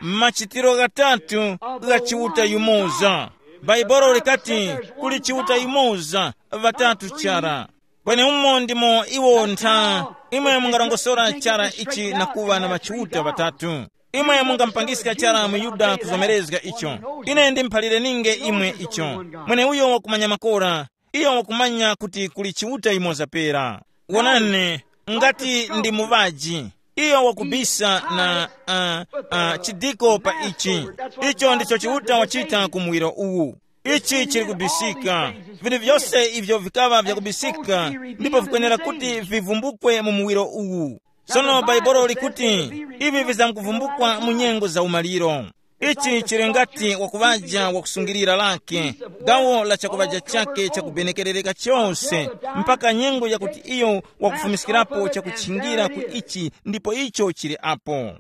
machitiro ghatatu gha Chiuta yumoza. Bhaibolo likati, kuli Chiuta yumoza, ŵatatu chara. Kweni umo ndimo iwo ntha. Imwe mungarongosora chara ichi na kuŵa na ŵachiuta ŵatatu. Imwe mungamupangiska chara muYuda kuzomerezga icho. Ine ndimuphalire ninge imwe icho. Mweneuyo wakumanya makora, iyo wakumanya kuti kuli Chiuta yumoza pera. Wonani, ngati ndi muŵaji, iyo wakubisa na uh, uh, chidiko pa ichi. Icho ndicho Chiuta wachita ku muwiro uwu. Ichi chili kubisika. Vinthu vyose ivyo vikaŵa vyakubisika ndipo vikwenera kuti vivumbukwe mu muwiro uwu. Sono Bhaibuli likuti ivi vizamkuvumbukwa mu nyengo za umaliro. Ichi chili ngati wakuŵaja wakusungilira lake, gawo la chakuŵaja chake chakubenekerereka chose, mpaka nyengo yakuti iyo wakufumiskirapo chakuchingira ku ichi ndipo icho chili apo.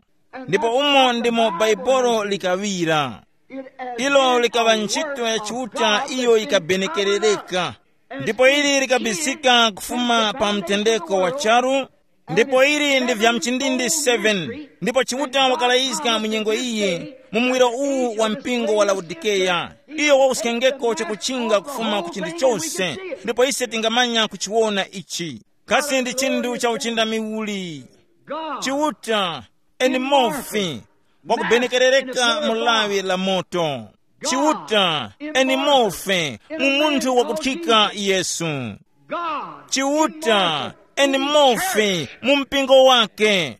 Ndipo umo ndimo Bhaibuli likaŵira. Ilo likaŵa ntchito ya Chiuta iyo yikabenekerereka. Ndipo ili likabisika kufuma pa mtendeko wa charu. Ndipo ili ndi vya mchindindi seven. Ndipo Chiuta wakalayizga mu nyengo iyi, mu muwiro uwu wa mpingo wa Laodikeya, iyo wauskengeko chakuchinga kufuma ku chinthu chose. Ndipo ise tingamanya kuchiwona ichi. Kasi ndi chinthu cha uchindami uli? Chiuta, eni mofi, wakubenekerereka mu lawi la moto. Chiuta, eni mofe, mu munthu wakuthika Yesu. Chiuta, eni mofe, mu mpingo wake.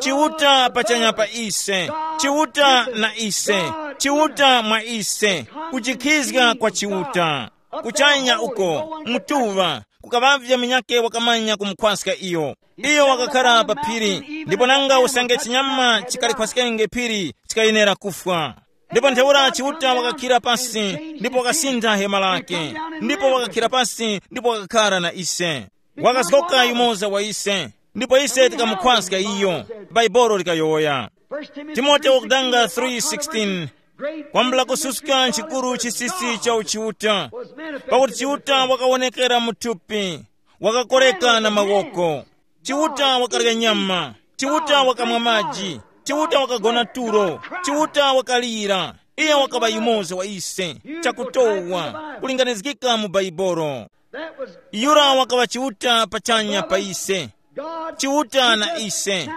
Chiuta pachanya pa ise. Chiuta na ise. Chiuta mwa ise. Kuchikhizga kwa Chiuta. Kuchanya uko, mutuŵa, kukaŵavye munyakhe wakamanya kumukhwaska iyo. Iyo wakakhara pa phiri, ndipo nanga usange chinyama chikalikhwaskenge phiri, chikayenera kufwa. Ndipo ntheura Chiuta wakakhira pasi, ndipo wakasintha hema lake, ndipo wakakhira pasi, ndipo wakakhara na ise. Wakazgoka yumoza wa ise, ndipo ise tikamukhwaska iyo. Bhaibuli likayowoya. Timote wakudanga three sixteen, kwambula kususka chikuru chisisi cha uchiuta, pakuti Chiuta wakawonekera mu thupi, wakakoreka na mawoko. Chiuta wakarya nyama, Chiuta wakamwa maji, Chiuta wakagona tulo, Chiuta wakalira. Iye wakaŵa yumoza wa ise, chakutowa, kulinganizgika mu Bhaibuli. Yura wakaŵa Chiuta pachanya pa ise. Chiuta na ise.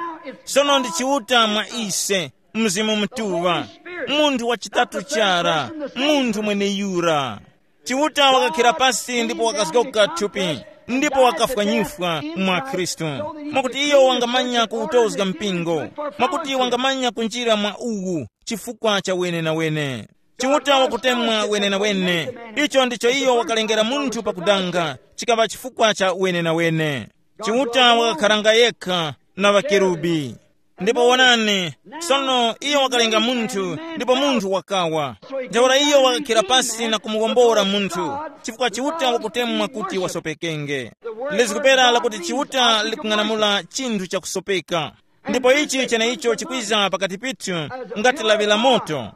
Sono ndi Chiuta mwa ise, Mzimu Mutuŵa, munthu wa chitatu chara, munthu mweneyura. Chiuta wakakhira pasi ndipo wakazgoka thupi, ndipo wakafwa nyifwa mwa Khristu, mwakuti iyo wangamanya kuwutozga mpingo, mwakuti wangamanya kunjira mwa uwu chifukwa cha wenenawene. Chiuta wakutemwa wenenawene. Icho ndicho iyo wakalengera munthu pakudanga, chikaŵa chifukwa cha wenenawene. Chiuta wakakharanga yekha na ŵakerubi. Ndipo wonani, sono iyo wakalenga munthu, ndipo munthu wakawa. Ntheura iyo wakakhira pasi na kumuwombora munthu, chifukwa Chiuta wakutemwa kuti wasopekenge. Lizikupera lakuti Chiuta likung'anamula chinthu chakusopeka. Ndipo ichi cheneicho chikwiza pakati pithu ngati lawi la moto,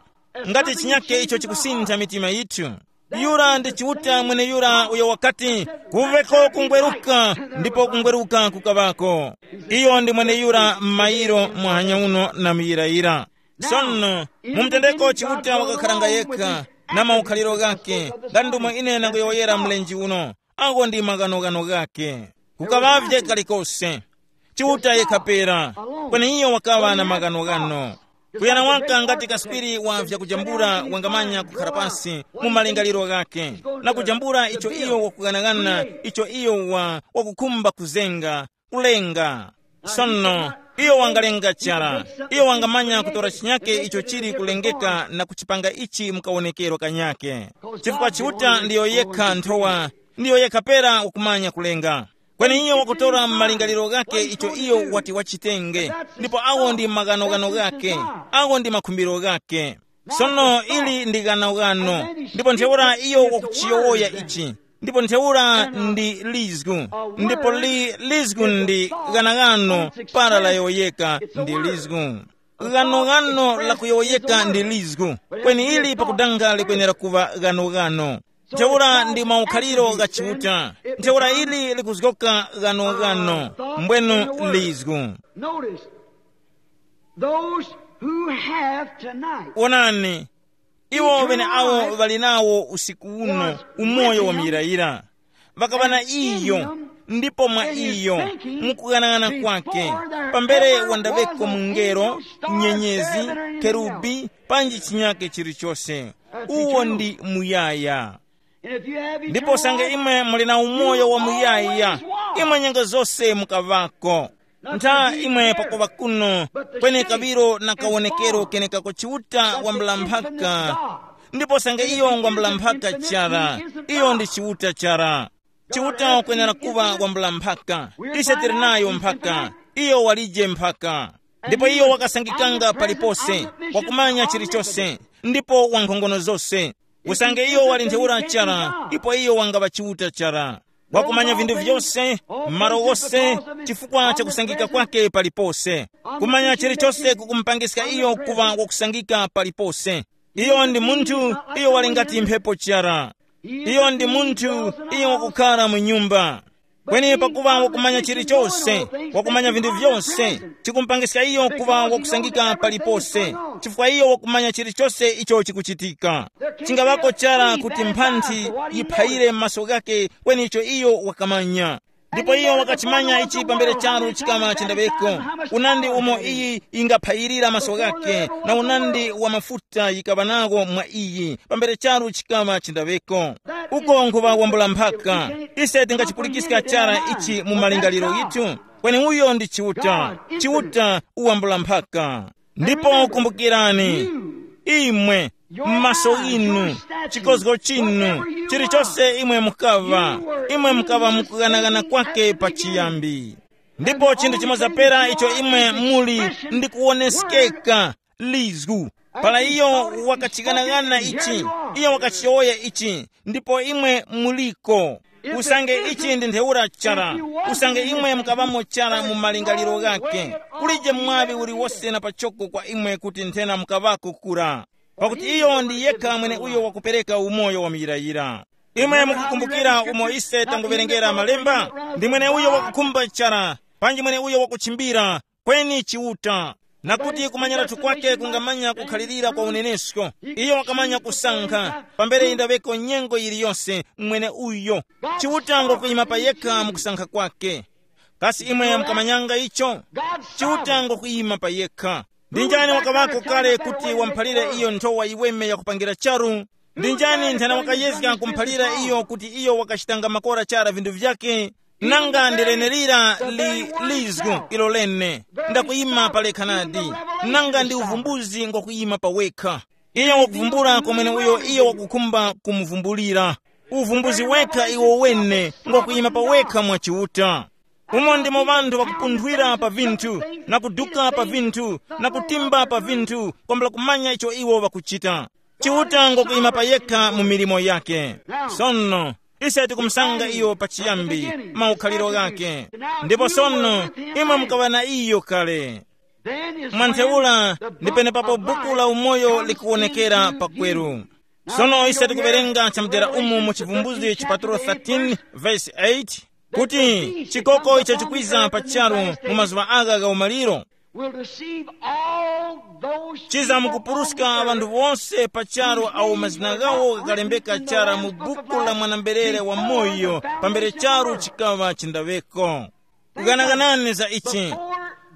ngati chinyake icho chikusintha mitima yithu. Yura ndi Chiuta mweneyura uyo wakati, "Kuveko kungweruka, ndipo kungweruka kukavako." Iyo ndi mweneyura m'mayiro muhanya uno na muyirayira. Sono, mu mtendeko Chiuta wakakharanga yekha na maukhaliro ghake, ngati ndomwe ine nangoyowoyera mlenje uno. Agho ndi maghanoghano ghakhe. Kukaŵavye kalikose. Chiuta yekha pera, kweni iyo wakaŵa na maghanoghano. Kuyana waka ngati kaswiri wa vyakujambula wangamanya kukhara pasi mu malingaliro ghakhe, na kujambula icho iyo wakughanagana, icho iyo wa wakukhumba kuzenga, kulenga. Sono, iyo wangalenga chara. Iyo wangamanya kutora chinyake icho chili kulengeka na kuchipanga ichi mu kawonekero kanyake. Chifukwa Chiuta ndiyo yekha nthowa, ndiyo yekha pera ukumanya kulenga. Kweni iyo wakutora m'malingaliro ghake icho iyo wati wachitenge, ndipo awo ndi maghanoghano ghake, awo ndi makhumbiro ghake. Sono ili ndi ghanoghano, ndipo ntheura iyo wakuchiyowoya ichi, ndipo ntheura ndi lizgu, ndipo li lizgu ndi ghanaghano para layowoyeka ndi lizgu. Ghanoghano lakuyowoyeka ndi lizgu, kweni ili pakudanga likwenera kuŵa ghanoghano. Ntheura ndi maukhaliro gha Chiuta. Ntheura ili likuzgoka ghanoghano, mbwenu lizgu. Notice, those who have tonight, wonani, iwo ŵeneawo ŵali nawo usiku uno umoyo wa muyirayira, ŵakaŵa na iyo, ndipo mwa iyo, mukughanag'ana kwake, pambere wandaŵeko mungelo, nyenyezi, kerubi, panji chinyake chilichose. Uwo ndi muyaya. Ndipo sange imwe muli na umoyo wa muyaya, imwe nyengo zose mukaŵako. Ntha imwe pakuŵa kuno, kweni kaŵiro na kawonekero kenekako Chiuta wambula mphaka. Ndipo sange iyo ngwambula mphaka chara, iyo ndi Chiuta chara. Chiuta ukwenera kuŵa wambula mphaka. Ise tili nayo mphaka. Iyo walije mphaka. Ndipo iyo wakasangikanga palipose, wakumanya chilichose, ndipo wankhongono zose. Usange iyo wali ntheura chara, ipo iyo wangaŵa Chiuta chara. Wakumanya vinthu vyose, m'malo ghose, chifukwa cha kusangika kwake palipose. Kumanya chilichose kukumupangiska iyo kuŵa wakusangika palipose. Iyo ndi munthu, iyo wali ngati mphepo chara. Iyo ndi munthu, iyo wakukhala mu nyumba. Kweni pakuŵa wakumanya chilichose, wakumanya vinthu vyose, chikumupangiska iyo kuŵa wakusangika palipose, chifukwa iyo wakumanya chilichose icho chikuchitika. Chingaŵako chara kuti mphanthi yiphayire m'maso ghake, kweni icho iyo wakamanya. Ndipo iyo wakachimanya ichi pambere charu chikaŵa chendaŵeko, unandi umo iyi ingaphayirira maso ghake, na unandi wa mafuta yikaŵa nawo mwa iyi pambere charu chikaŵa chendaŵeko. Uko nkhuŵa wambula mphaka. Ise tingachipulikiska chara ichi mu malingaliro ghithu. Kweni uyo ndi Chiuta. Chiuta uwambula mphaka. Ndipo kumbukirani, imwe, m'maso ghinu, chikozgo chinu, chilichose imwe mukaŵa, imwe mukaŵa mukughanagana kwake pachiyambi. Ndipo chinthu chimoza pera icho imwe muli, ndi kuwoneskeka, lizgu. Para iyo wakachighanagana ichi, iyo wakachiyowoya ichi, ndipo imwe muliko. Usange ichi ndi ntheura chara, usange imwe mukaŵamo chara mu malingaliro ghake, kulije mwaŵi uliwose na pachoko kwa imwe kuti nthena mukaŵako kura. Pakuti iyo ndi yekha mwene uyo wakupereka umoyo wa muyirayira. Imwe mukukumbukira umo ise tanguwerengera malemba? Ndi mwene uyo wakukhumba chara, panji mwene uyo wakuchimbira, kweni Chiuta. Na kuti kumanyiratu kwake kungamanya kukhalirira kwa unenesko. Iyo wakamanya kusankha, pambere indaŵeko nyengo yiliyose mwene uyo. Chiuta ngokuyima pa yekha mu kusankha kwake. Kasi imwe mukamanyanga icho? Chiuta ngokuyima pa yekha. Ndi njani wakaŵako kale kuti wamphalire iyo nthowa yiweme yakupangira charu? Ndi njani nthena wakayezga kumuphalira iyo kuti iyo wakachitanga makora chara vinthu vyake? Nanga ndi lenerira li lizgu ilo lene, ndakuyima pa lekha nadi. Nanga ndi uvumbuzi ngwakuyima pa wekha. Iyo wakuvumbula kwa mwene uyo iyo wakukhumba kumuvumbulira. Uvumbuzi wekha iwo wene ngwakuyima pa wekha mwa Chiuta. Umo ndimo ŵanthu ŵakupunthwira pa vinthu, na kuduka pa vinthu, na kutimba pa vinthu, kwambula kumanya icho iwo ŵakuchita. Chiuta ngokuyima pa yekha mu milimo yake. Sono, ise tikumusanga iyo pachiyambi, maukhaliro ghake. Ndipo sono, imwe mukaŵa na iyo kale. Mwa ntheura, ndi penepapo buku la umoyo likuwonekera pakweru. Sono ise tikuwerenga chamudera umu mu Chivumbuzgi chipatulo thirteen, verse eight, kuti, chikoko icho chikwiza pa charu mu mazuŵa agha gha umaliro, will deceive all those chiza mukupuruska ŵanthu wonse pa charu awo mazina ghawo ghakalembeka chara mu buku la mwanamberere wa moyo, pambere charu chikaŵa chindaŵeko. Kuganaganani za ichi.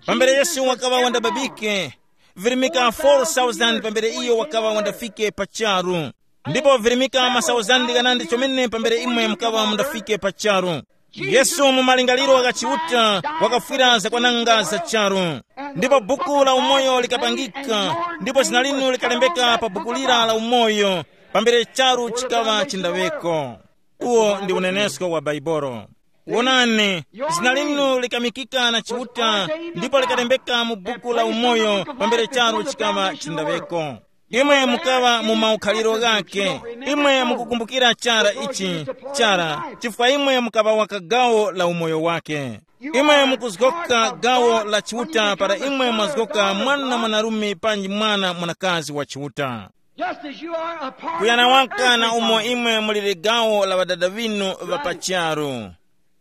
Pambere Yesu wakaŵa wandababike, virimika four thousand pambere iyo wakaŵa wandafike pa charu. Ndipo virimika masauzandi ghanandi chomene pambere imwe mukaŵa mundafike pa charu. Yesu mu malingaliro gha Chiuta wakafwira zakwananga za charu. Ndipo buku la umoyo likapangika, ndipo zina linu likalembeka pa buku lira la umoyo, pambere charu chikaŵa chindaŵeko. Uwo ndi unenesko wa Baibolo. Wonani, zina linu likamikika na Chiuta, ndipo likalembeka mu buku la umoyo pambere charu chikaŵa chindaweko. Imwe mukaŵa mu maukhaliro ghake. Imwe mukukumbukira chara ichi, chara, chifukwa imwe mukaŵa waka gawo la umoyo wake. Imwe mukuzgoka gawo la Chiuta para imwe mwazgoka mwana mwanarume panji mwana mwanakazi wa Chiuta. Just as you are a part kuyana of the waka earthly na umo body. Imwe muli ligawo la ŵadada ŵinu ŵa pa charu.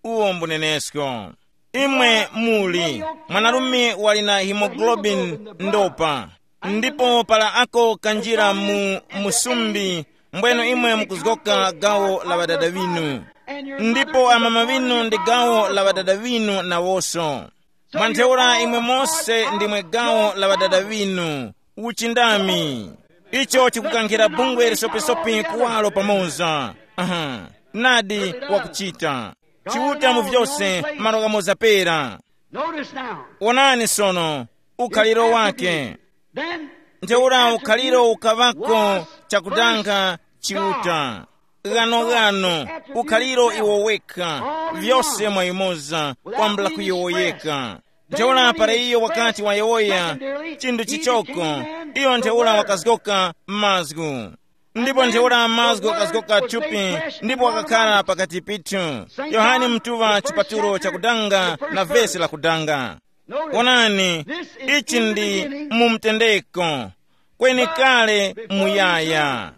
Uwo mbunenesko. Imwe muli mwanarume wali na hemoglobin ndopa, ndipo para ako kanjira mu musumbi, mbweno imwe mukuzgoka gawo la ŵadada ŵinu, ndipo amama ŵinu ndi gawo la ŵadada ŵinu nawoso. Mwa ntheura imwe mose ndimwe gawo la ŵadada ŵinu. Uchindami. Icho chikukankhira bungwe lisopisopi kuwalo pamoza. Aha. Nadi, wakuchita. Chiuta mu vyose, malo ghamoza pera. Notice now. Onani sono, ukhaliro wake. Then ntheura ukhaliro ukaŵako chakudanga Chiuta. Ghanoghano, ukhaliro iwo wekha, vyose mwa yumoza, kwambula kuyowoyeka. Ntheura para iyo wakati wayowoya chinthu chichoko, iyo ntheura wakazgoka mazgu. Ndipo ntheura mazgu akazgoka thupi, ndipo wakakhala pakati pithu. Yohane mtuŵa chipatulo chakudanga na vesi lakudanga. Wonani, ichi ndi mu mtendeko, kweni kale muyaya.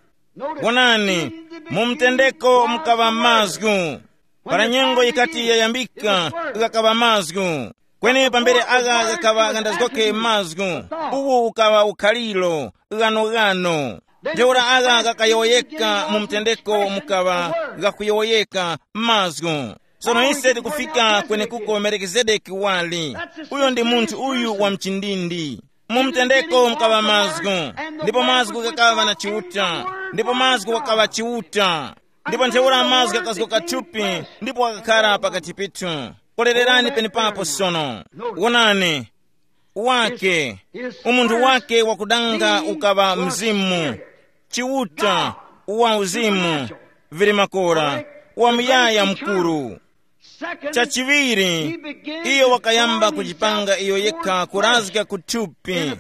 Wonani, mu mtendeko mukaŵa mazgu. Para nyengo yikati yayambika, ghakaŵa mazgu. Kweni pambere agha ghakaŵa ghandazgoke mazgu, uwu ukaŵa ukhaliro, ghanoghano. Ntheura agha ghakayowoyeka mu mtendeko mukaŵa ghakuyowoyeka mazgu. Sono ise tikufika kwenekuko Melikizedeki wali. Uyo ndi munthu uyu wa mchindindi. Mu mtendeko mukaŵa mazgu, ndipo mazgu ghakaŵa na Chiuta, ndipo mazgu ghakaŵa Chiuta. Ndipo ntheura mazgu ghakazgoka thupi, ndipo ghakakhala pakati pithu. Kolererani penepapo sono. Wonani, wake, umunthu wake wakudanga ukaŵa mzimu, Chiuta, wa uzimu, vili makora, wa muyaya mukuru. Chachiŵiri, iyo wakayamba kujipanga iyo yekha kurazga ku thupi,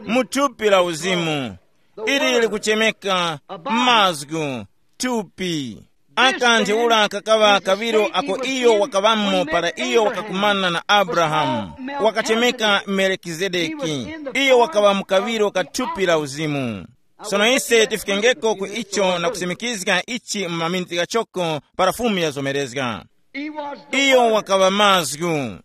mu thupi la uzimu, ili likuchemeka mazgu, thupi. Aka ntheura kakaŵa kaŵiro ako iyo wakaŵamo para iyo wakakumana na Abrahamu, wakachemeka Melikizedeki, iyo wakaŵa mu kaŵiro ka thupi la uzimu. Sono ise tifikengeko ku icho na kusimikizga ichi mu maminiti ghachoko para Fumu yazomerezga. Iyo wakaŵa mazgu.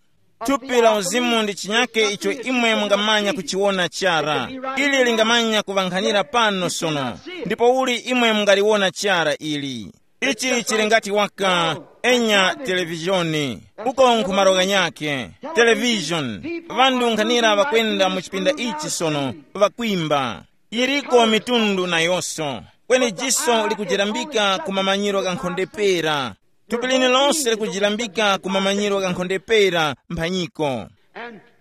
Thupi la uzimu ndi chinyake icho imwe mungamanya kuchiwona chara. Ili lingamanya kuŵankhanira pano sono. Ndipo uli imwe mungaliwona chara ili? Ichi chili ngati waka enya televizhoni. Uko nkhumalo ghanyakhe. Televizhoni. Ŵanthu nkhanira ŵakwenda mu chipinda ichi sono, ŵakwimba. Yiriko mitundu nayonso. Kweni jiso likujirambika ku mamanyiro ghankhondepera. Thupi linu lose likujilambika ku mamanyiro ghankhondepera mphanyiko.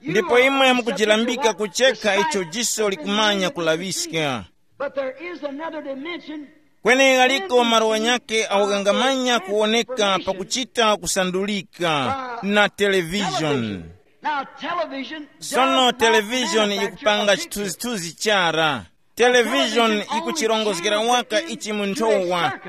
Ndipo imwe mukujilambika kuchekha icho jiso likumanya kulaŵiska. But there is another dimension. Kweni ghaliko malo ghanyakhe awo ghangamanya kuwoneka pakuchita kusandulika na televizhoni. Now, television sono does not televizhoni manufacture yikupanga a picture. Chithunzithunzi chara. Televizhoni yikuchirongozgera waka ichi mu nthowa.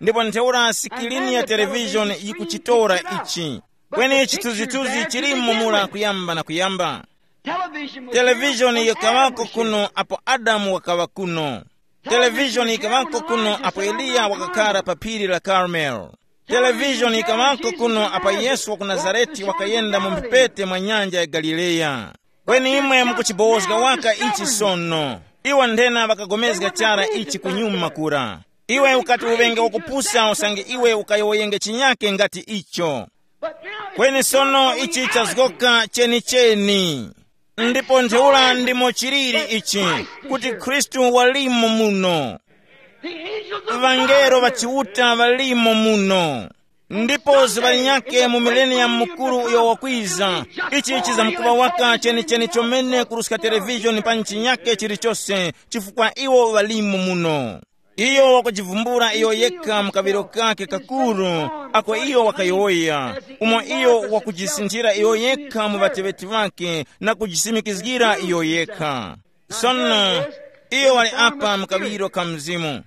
Ndipo ntheura sikilini ya televizhoni yikuchitora ichi. Kweni chithunzithunzi chilimo mura kuyamba na kuyamba. Television was here televizhoni when Adam yikaŵako was here. Kuno apo Adamu wakaŵa kuno. Television yikaŵako kuno apo Eliya wakakhala pa phiri la Karmeli. Television yikaŵako kuno apo Yesu wa ku Nazareti wakayenda mu mphepete mwa nyanja ya Galileya. Kweni imwe mukuchibowozga waka ichi sono. Iwo nthena ŵakagomezga chara ichi kunyuma kura. Iwe ukati uŵenge wakupusa usange iwe ukayowoyenge chinyake ngati icho. Kweni sono ichi chazgoka chenicheni. Ndipo ntheura ndimo chiliri ichi, kuti Khristu walimo muno. Ŵangelo ŵa Chiuta ŵalimo muno. Ndipo zuŵa linyakhe mu mileniyamu mukuru uyo wakwiza, ichi chizamkuŵa waka chenicheni chomene kuruska televizhoni panji chinyakhe chilichose, chifukwa iwo ŵalimo muno. Iyo wakujivumbula iyo yekha mu kaŵiro kake kakuru, ako iyo wakayowoya, umo iyo wakujisinthira iyo yekha mu ŵateŵeti ŵake na kujisimikizgira iyo yekha. Sono iyo wali apa mu kaŵiro ka Mzimu,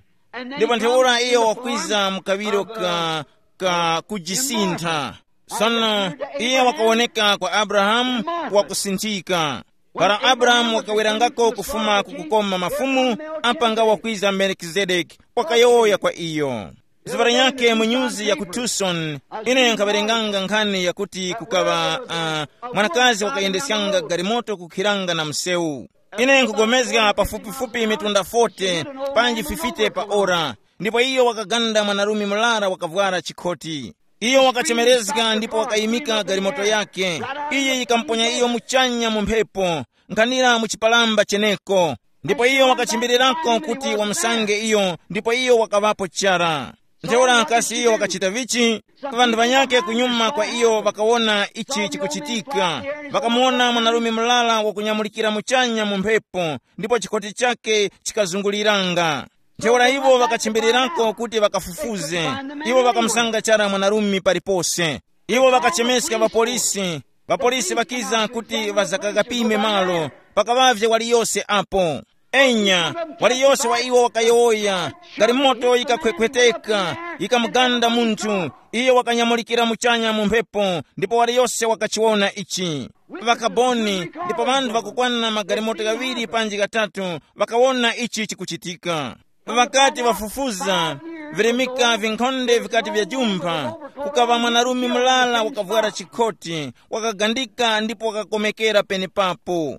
ndipo ntheura iyo wakwiza mu kaŵiro ka, ka kujisintha. Sono iye wakawoneka kwa Abrahamu wakusinthika. Para Abrahamu wakawerangako kufuma ku kukoma mafumu, apa nga wakwiza Melikizedeki, wakayowoya kwa iyo. Zuŵa linyakhe mu nyuzi ya ku Tucson, ine nkhawerenganga nkhani yakuti kukaŵa uh, mwanakazi wakayendesyanga galimoto kukhiranga na msewu. Ine nkugomezga pafupifupi mitunda forty panji fifty pa ora, ndipo iyo wakaganda mwanarume murara wakavwara chikhoti. Iyo wakachemerezga ndipo wakayimika galimoto yake. Iye yikamuponya iyo muchanya mu mphepo, nkhanira mu chipalamba cheneko. Ndipo iyo wakachimbirirako kuti wamusange iyo, ndipo iyo wakaŵapo chara. Ntheura kasi iyo wakachita vichi? Ŵanthu ŵanyakhe kunyuma kwa iyo ŵakawona ichi chikuchitika. Ŵakamuwona mwanarume mulala wakunyamulikira muchanya mu mphepo, ndipo chikhoti chake chikazunguliranga. Ntheura iwo ŵakachimbirirako kuti ŵakafufuze. Iwo ŵakamusanga chara mwanarume palipose. Iwo ŵakachemeska ŵapolisi. Ŵapolisi ŵakiza kuti ŵazakagapime malo. Pakaŵavye waliyose apo. Enya, waliyose wa iwo wakayowoya. Galimoto yikakhwekhweteka, yikamuganda munthu. Iyo wakanyamulikira muchanya mu mphepo, ndipo waliyose wakachiwona ichi. Ŵakaboni, ndipo ŵanthu ŵakukwana magalimoto ghaŵiri panji ghatatu ŵakawona ichi chikuchitika. Ŵakati ŵafufuza, virimika vinkhonde vikati vyajumpha, kukaŵa mwanarume mulala wakavwara chikhoti, wakagandika ndipo wakakomekera penepapo.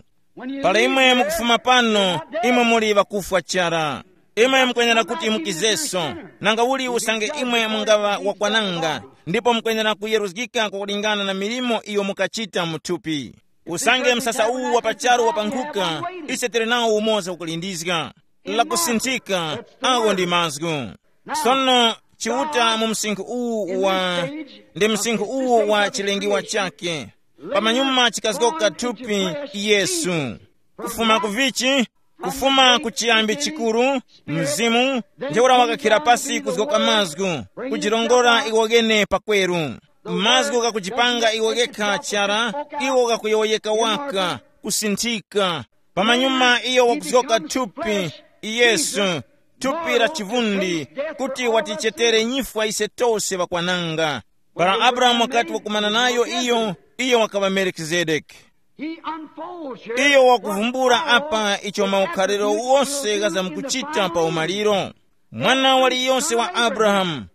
Para imwe mukufuma pano, imwe muli ŵakufwa chara. Imwe mukwenera kuti mukizeso, nanga uli usange imwe mungaŵa wakwananga, ndipo mukwenera kuyeruzgika kwakulingana na milimo iyo mukachita mu thupi. Usange msasa uwu wa pa charu wapankhuka, ise tili nawo umoza ukulindizga. Lakusinthika, awo ndi mazgu. Sono, chiuta mu msinkhu uwu wa, ndi msinkhu uwu wa chilengiwa chake. Pamanyuma chikazgoka thupi, Yesu. Kufuma ku vichi? Kufuma ku chiyambi chikuru, mzimu, ntheura wakakhira pasi kuzgoka mazgu, kujirongora iwo ghene pakweru. Mazgu gakujipanga iwo ghekha chara, iwo gakuyowoyeka waka, kusinthika. Pamanyuma iyo wakuzgoka thupi, Yesu, thupi la chivundi, kuti watichetere nyifwa ise tose ŵakwananga. Para Abrahamu wakati wakumana nayo iyo, iyo wakaŵa Melikizedeki. He unfolds here iyo wakuvumbula apa icho maukhaliro wose ghazamkuchita pa umaliro. Mwana waliyonse wa Abrahamu,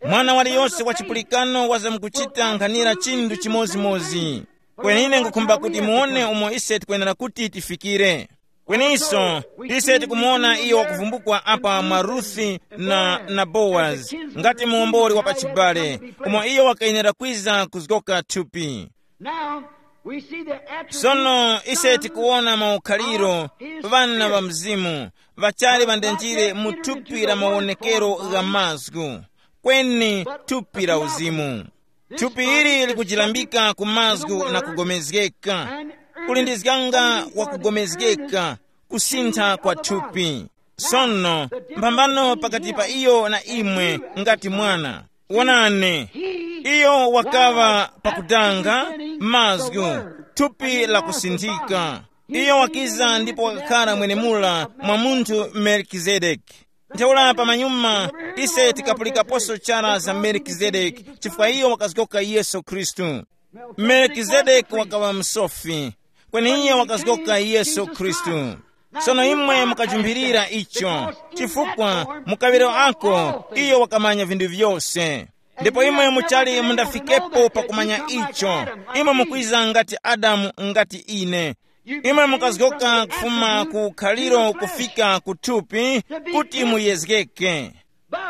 mwana waliyonse wa chipulikano wazamkuchita nkhanira chinthu chimozimozi. Kwenine ngukhumba kuti muone umo ise tikwenera kuti tifikire. Kweniso, ise tikumuwona iyo wakuvumbukwa apa mwa Ruthi na, na Bowazi, ngati muwomboli wa pachibale, umo iyo wakayenera kwiza kuzgoka thupi. Now, we see the attributes sono ise of tikuwona maukhaliro, his ŵana ŵa spirit. Mzimu, ŵachali ŵandenjire mu thupi la mawonekero gha mazgu, kweni thupi la uzimu. Thupi ili likujilambika ku mazgu na kugomezgeka, kulindizganga wakugomezgeka, kusintha kwa thupi. Sono, mphambano pakati pa iyo na imwe, ngati mwana. Wonani, iyo wakaŵa pakudanga, mazgu, thupi la kusinthika. Iyo wakiza ndipo wakakhala mwenemula mwa munthu Melikizedeki. Ntheura pamanyuma, ise tikapulikaposo chara za Melikizedeki, chifukwa iyo wakazgoka Yesu Khristu. Melikizedeki wakaŵa msofi, kweni iye wakazgoka Yesu Khristu. Sono imwe mukajumbirira icho, chifukwa mu kaŵiro ako iyo wakamanya vinthu vyose. Ndipo imwe muchali mundafikepo pakumanya icho, imwe mukwiza ngati Adamu ngati ine. Imwe mukazgoka kufuma ku khaliro kufika ku thupi kuti muyezgeke. But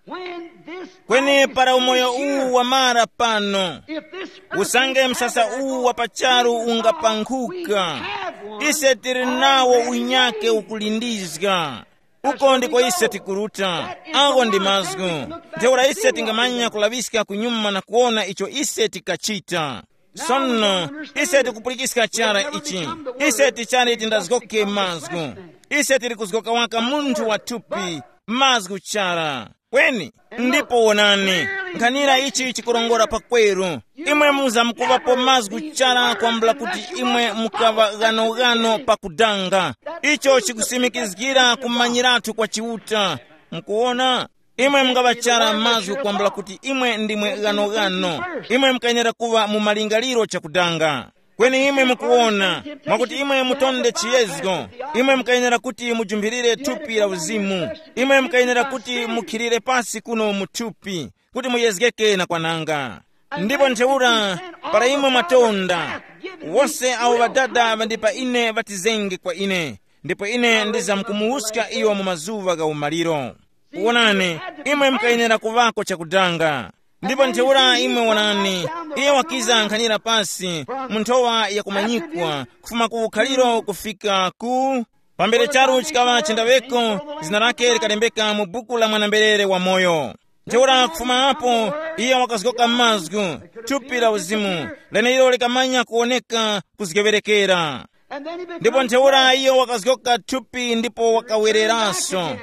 when this kweni life para umoyo is uwu here, wamara pano, if this usange earthly msasa habit uwu wa pacharu ungapankhuka, have one ise tili nawo already unyake made. Ukulindizga. Uko ndiko ise tikuruta. Ako ndi mazgu. Ntheura ise tingamanya kulaŵiska kunyuma na kuwona icho ise tikachita. Sono, ise tikupulikiska chara ichi. Ise tichali tindazgoke mazgu. Ise tili kuzgoka waka munthu wa thupi. Mazgu chara. Kweni, ndipo wonani, nkhanira ichi chikurongora pakweru. Imwe muzamkuŵapo mazgu chara kwambula kuti imwe mukaŵa ghanoghano pakudanga. Icho chikusimikizgira kumanyiratu kwa Chiuta. Mukuwona? Imwe mungaŵa chara mazgu kwambula kuti imwe ndimwe ghanoghano. Imwe mukayenera kuŵa mu malingaliro chakudanga. Kweni imwe mukuwona, mwakuti imwe mutonde chiyezgo, imwe mukayenera kuti mujumphirire thupi la uzimu. Imwe mukayenera kuti mukhirire pasi kuno mu thupi, kuti muyezgeke na kwananga. Ndipo ntheura, para imwe mwatonda, wose awo Ŵadada ŵandi pa ine ŵatizenge kwa ine, ndipo ine ndizamkumuwuska iyo mu mazuŵa gha umaliro. Wonani, imwe mukayenera kuŵako chakudanga. Ndipo ntheura imwe wonani, iye wakiza nkhanira pasi mu nthowa yakumanyikwa, kufuma ku ukhaliro kufika ku pambere charu chikaŵa chendaŵeko, zina lake likalembeka mu buku la mwanamberere wamoyo. Ntheura kufuma apo, iye wakazgoka mazgu, thupi la uzimu, leneilo likamanya kuwoneka kuzgewerekera. Ndipo ntheura iyo wakazgoka thupi ndipo wakawereranso,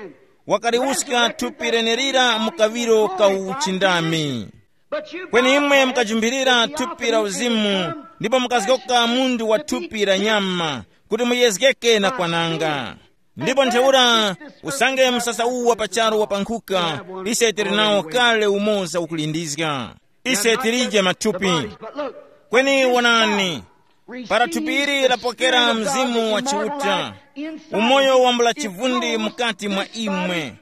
wakaliwuska thupi lenelira mu kaŵiro ka uchindami. Kweni imwe mukajumphirira thupi la uzimu, ndipo mukazgoka mundu wa thupi la nyama, kuti muyezgeke na kwananga. Ndipo ntheura, usange msasa uwu wa pacharo wapankhuka, ise tili nawo kale umoza ukulindizga. Ise tilije mathupi. Kweni wonani, para thupi ili lapokera Mzimu wa Chiuta, umoyo wambula chivundi mukati mwa imwe.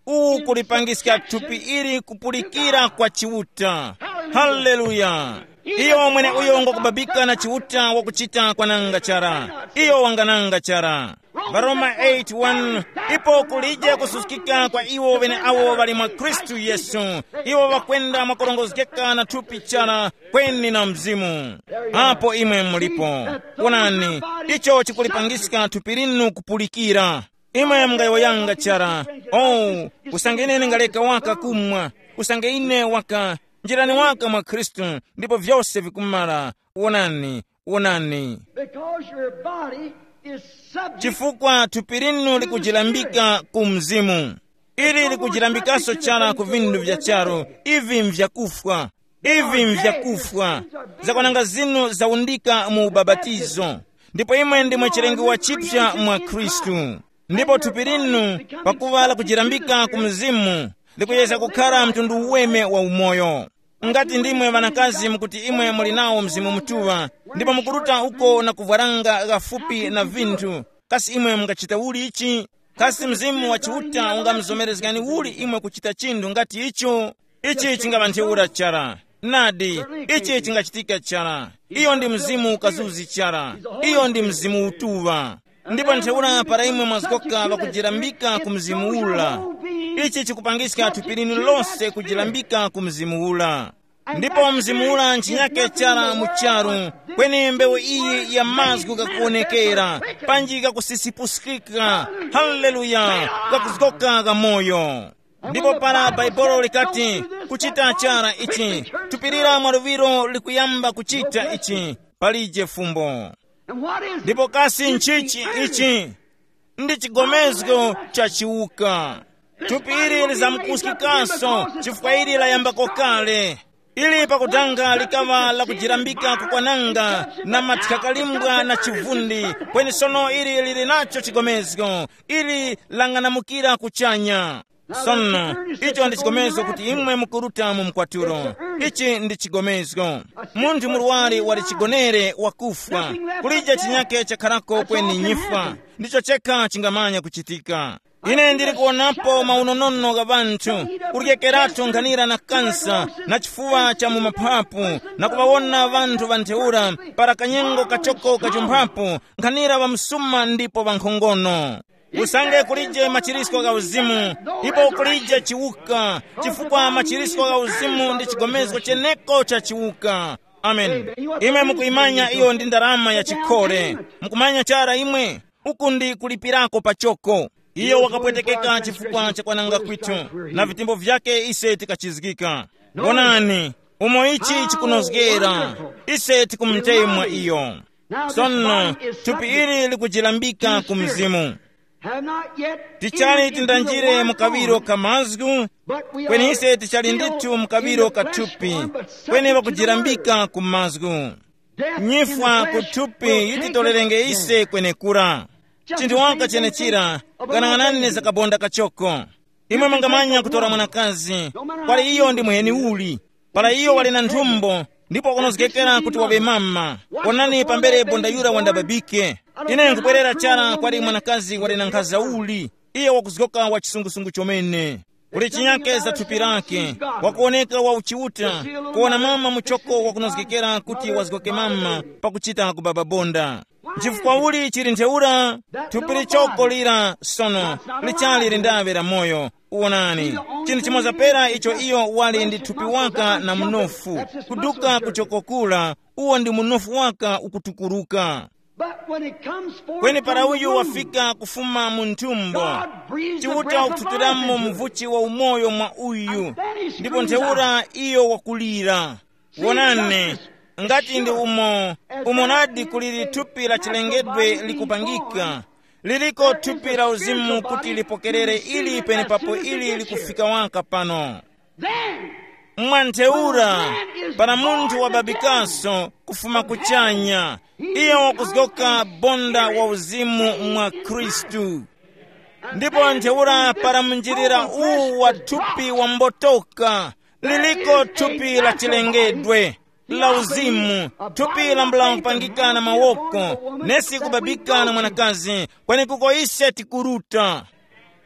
Uwu kulipangiska thupi ili kupulikira kwa Chiuta. Haleluya! Iyo mwene uyo ngokubabika na Chiuta wakuchita kwananga chara. Iyo wangananga chara. Varoma eight one. Ipo kulije kususkika kwa iwo ŵeneawo ŵali mwa Khristu Yesu. Iwo ŵakwenda mwakurongozgeka na thupi chara, kweni na Mzimu. Apo imwe mulipo. Wonani, icho chikulipangiska thupi linu kupulikira. Imwe mungayowoyanga chara, oh, usange ine ndingaleka waka kumwa, usange ine waka, njirani waka mwa Khristu, ndipo vyose vikumara. Wonani, wonani. Because your body is subject. Chifukwa thupi linu likujilambika ku mzimu, ili likujilambikanso chara ku vinthu vya charu. Ivi mvyakufwa. Ivi mvyakufwa. Zakwananga zinu zaundika mu ubabatizo, ndipo imwe ndimwe chilengiwa chipya mwa Khristu. Ndipo thupi linu, pakuva lakujilambika ku mzimu, likuyeza kukhara mtundu uweme wa umoyo. Ngati ndimwe ŵanakazi mukuti imwe muli nawo Mzimu Mutuŵa, ndipo mukuruta uko na kuvwaranga ghafupi na vinthu, kasi imwe mungachita uli ichi? Kasi Mzimu wa Chiuta ungamuzomerezgani uli imwe kuchita chinthu ngati icho? Ichi chingaŵa ntheura chara. Nadi, ichi chingachitika chara. Iyo ndi Mzimu ukazuzi chara. Iyo ndi Mzimu Utuŵa. Ndipo ntheura para imwe mwazgoka ŵakujilambika ku Mzimu ula, ichi chikupangiska thupi linu lose kujilambika ku Mzimu ula. Ndipo Mzimu ula nchinyake chara mu charu, kweni mbewu iyi ya mazgu ghakuwonekera, panji ghakusisipuskika. Haleluya! Ghakuzgoka gha moyo. Ndipo para Bhaibuli likati, kuchita chara ichi, thupi lira mwa luŵiro likuyamba kuchita ichi, palije fumbo. Ndipo kasi nchichi ichi? Ndi chigomezgo cha chiwuka. Thupi ili lizamkuskikanso chifukwa ili layambako kale. Ili pakutanga likaŵa lakujilambika kukwananga na mathyakalimbwa na chivundi, kweni sono ili lili nacho chigomezgo. Ili lang'anamukira kuchanya. Sono, icho ndi chigomezgo kuti imwe mukuruta mu mkwatulo. Ichi ndi chigomezgo. Munthu murwari wali chigonere wakufwa. Kulije chinyake chakharako kweni nyifwa. Ndicho chekha chingamanya kuchitika. Ine ndili kuwonapo maunonono gha ŵanthu, kuryekeratu nkhanira na kansa na chifuwa cha mu maphapu, na kuŵawona ŵanthu ŵa ntheura para kanyengo kachoko kachumphapo, nkhanira ŵamsuma ndipo ŵankhongono. Usange kulije machirisko gha uzimu, ipo kulije chiwuka, chifukwa machirisko gha uzimu ndi chigomezgo cheneko cha chiwuka. Amen. Imwe mukuyimanya iyo ndi ndarama ya chikhole. Mukumanya chara imwe? Uku ndi kulipirako pachoko. Iyo wakapwetekeka chifukwa cha kwananga kwithu, na vitembo vyake ise tikachizgika. Wonani, umo ichi chikunozgera, ise tikumtemwa iyo. Sono, thupi ili likujilambika ku mzimu. Have not yet tichali entered into the tindanjire one mu kaŵiro body, ka mazgu, but we kweni are ise tichali still ndithu mu kaŵiro in the ka flesh thupi, form, but kweni subject to the ŵakujirambika word. Ku mazgu. Death in the nyifwa ku flesh thupi will take yititorerenge us ise death. Kwenekura. Just chinthu the waka same thing chenechira, about ghanang'anani za kabonda kachoko. Imwe mungamanya kutora mwanakazi, kwali iyo ndi muheni uli, para iyo wali na nthumbo, ndipo wakunozgekera kuti waŵe mama. Onani pambere bonda yura wandababike. Ine nkubwerera chara kwali mwanakazi wali na nkhaza uli, iye wakuzgoka wa chisungusungu chomene. Kuli chinyake za thupi lake, wakuoneka wa uchiuta, kuona mama muchoko wakunozgekera kuti wazgoke mama pakuchita kubaba bonda. Nchifukwa uli chili ntheura? Thupi lichoko lira sono lichali lindaŵe la moyo. Uwonani, chinthu chimoza pera icho iyo wali ndi thupi waka na mnofu, kuduka kuchokokula, uwo ndi mnofu waka ukutukuruka. But when it comes forth kweni para from the uyu womb, wafika kufuma mu nthumbo, God breathes the chiuta breath of ukututiramo life into it. Muvuchi wa umoyo mwa uyu, ndipo ntheura iyo wakulira. Wonani, ngati ndi umo, umo nadi kuliri thupi la chilengedwe likupangika, liliko thupi la uzimu kuti lipokerere ili penepapo ili likufika waka pano. Then, mwa ntheura, para munthu wababikaso kufuma kuchanya, iyo wakuzgoka bonda wa uzimu mwa Khristu. Ndipo ntheura para munjirira uwu wa thupi wambotoka, liliko thupi la chilengedwe, la uzimu, thupi lambula kupangika na mawoko, nesi kubabika na mwanakazi, kwenekuko ise tikuruta.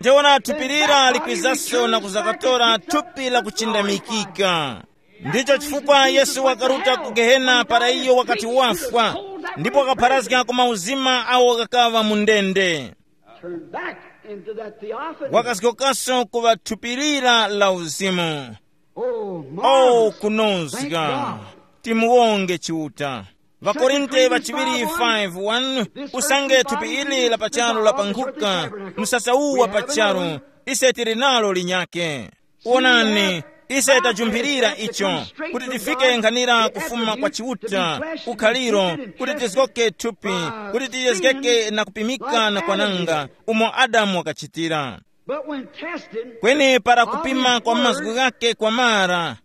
Ntheura thupi lira likwizaso na kuzakatora thupi la kuchindamikika. Ndicho chifukwa Yesu wakaruta ku Gehena para iyo wakati wafwa, ndipo wakapharazga ku mauzima awo ghakaŵa mu ndende. Turn back into that theophany. Wakazgokaso ku ŵathupirira la uzimu. Oh, oh, marvelous. Kunozga. Thank God. Timuwonge Chiuta. Vakorinte vachiŵiri five one. Usange thupi ili la pachalo la pankhuka, msasa uwu wa pachalo, ise tili nalo linyake. Wonani, ise tajumphirira icho, kuti tifike nkhanira kufuma kwa Chiuta, ukhaliro, kuti tizgoke thupi, kuti tiyezgeke na kupimika na kwananga, umo Adamu wakachitira. But when tested, kweni para kupima kwa mazgu ghake kwamara,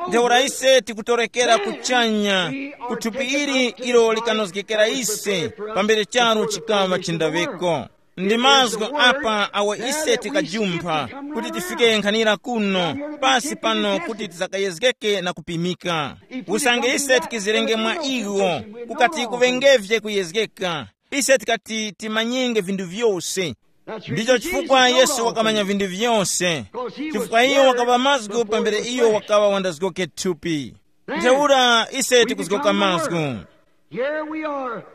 ntheura ise tikutorekera kuchanya, ku thupi ili ilo likanozgekera ise pambere charu chikaŵa chindaweko. Ndi mazgu apa awo ise tikajumpha kuti tifike nkhanira kuno pasi pano kuti tizakayezgeke na kupimika. Usange ise tikizirenge mwa iwo, kukati kuŵengevye kuyezgeka, ise tikati timanyenge vinthu vyose. Ndicho chifukwa Yesu wakamanya vinthu vyose, chifukwa iyo wakaŵa mazgu pambere iyo wakaŵa wandazgoke thupi. Ntheura ise tikuzgoka mazgu.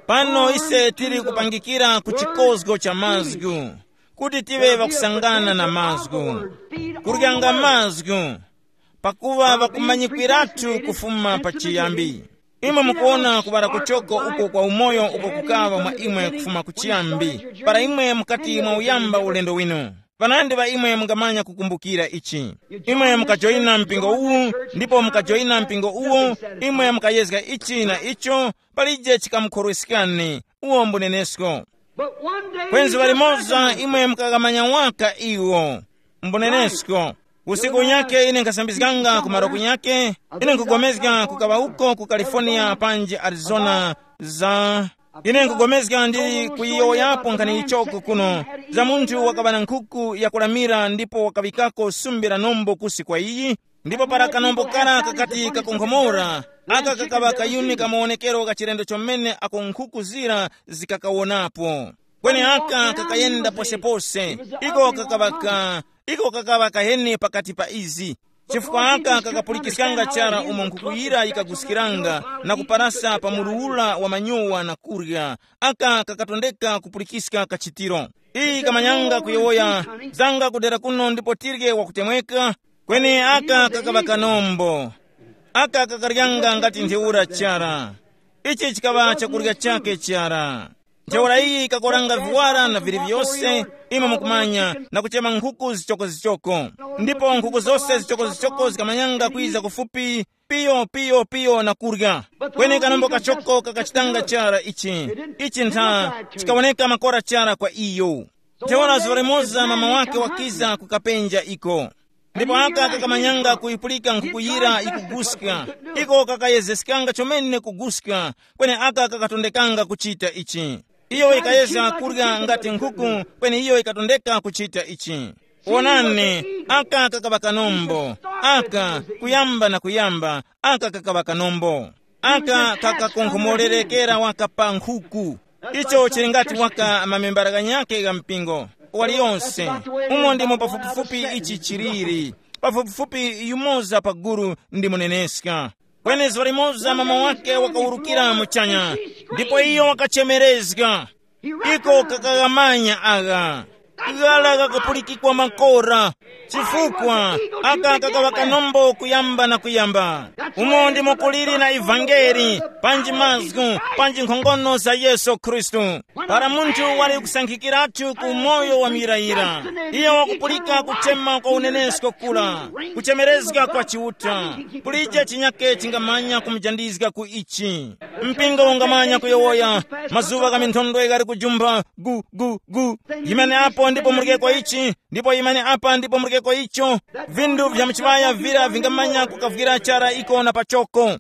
Pano ise tili kupangira ku chikozgo cha mazgu, kuti tive ŵakusangana na mazgu, kuryanga mazgu, pakuŵa ŵakumanyikwiratu kufuma pachiyambi. Imwe mukuwona kuŵala kuchoko uko kwa umoyo uko kukaŵa mwa imwe kufuma kuchiyambi, para imwe mukati mwa uyamba ulendo winu. Panandi ŵa imwe mungamanya kukumbukira ichi. Imwe mukajoyina mpingo uwu, ndipo mukajoyina mpingo uwo, imwe mukayezga ichi na icho, palije chikamukhorweskani. Uwo mbunenesko. Kwenzi ŵalimoza imwe mukaghamanya waka iwo. Mbunenesko. Usiku unyakhe ine nkasambizganga ku maroku nyakhe, ine nkugomezga kukaŵa uko ku California panji Arizona, za ine nkugomezga ndili kuyiyowoyapo nkhani yichoko kuno, za munthu wakaŵa na nkhuku yakulamira ndipo wakaŵikako sumbi la nombo kusi kwa iyi. Ndipo para kanombo kara kakati kakonkhomora, aka kakaŵa kayuni kamawonekero ka chilendo chomene ako nkhuku zira zikakawonapo. Kweni aka kakayenda posepose, iko kakaŵa ka iko kakaŵa kaheni pakati pa izi. Chifukwa aka kakapulikiskanga chara umo nkhuku yira yikaguskiranga na kuparasa pa mulu ura wa manyowa na kurya. Aka kakatondeka kupulikiska kachitiro. Iyi kamanyanga kuyowoya, zanga kudera kuno ndipo tirye wakutemweka. Kweni aka kakaŵa kanombo. Aka kakaryanga ngati ntheura chara. Ichi chikaŵa chakurya chake chara. Ntheura iyi ikakoranga viwara na vili vyose, imwe mukumanya, na kuchema nkhuku zichokozichoko. Ndipo nkhuku zose zichokozichoko zikamanyanga kwiza kufupi, piyo piyo piyo na kurya. Kweni kanombo kachoko kakachitanga chara ichi. Ichi ntha, chikawoneka makora chara kwa iyo. Ntheura zuŵa limoza mama wake wakiza kukapenja iko. Ndipo aka kakamanyanga kuyipulika nkhuku yira ikuguska. Iko kakayezeskanga chomene kuguska, kweni aka kakatondekanga kuchita ichi. Iyo yikayezga kurya ngati nkhuku, kweni iyo yikatondeka kuchita ichi. Wonani, aka kakaŵa kanombo. Aka kuyamba na kuyamba, aka kakaŵa kanombo. Aka kakakonkhomorereka waka pa nkhuku. Icho chili ngati waka mamembala ghanyakhe gha mpingo waliyonse. Umo ndimo pafupifupi ichi chiliri. Pafupifupi yumoza pa gulu ndi muneneska. Kweni zuŵa limoza mama wake wakawurukira muchanya, ndipo iyo wakachemerezga. Iko kakaghamanya agha. Ghala gakapulikikwa makora. Chifukwa aka kakaŵa kanombo kuyamba na kuyamba. Umo ndimo kuliri na ivangeli, panji mazgu, panji nkhongono za Yesu Khristu. Para munthu wali kusankhikiratu ku moyo wa muyirayira, iyo wakupulika kuchema kwa unenesko kula, kuchemerezga kwa Chiuta. Kulije chinyake chingamanya kumujandizga ku ichi. Mpingo ungamanya kuyowoya, mazuŵa gha minthondwe ghali kujumpha, gu gu gu. Yimani apo ndipo murikeko ichi, ndipo yimani apa ndipo murikeko icho. Vindu vya muchiŵaya vira vingamanya kukavwira chara iko na pachoko.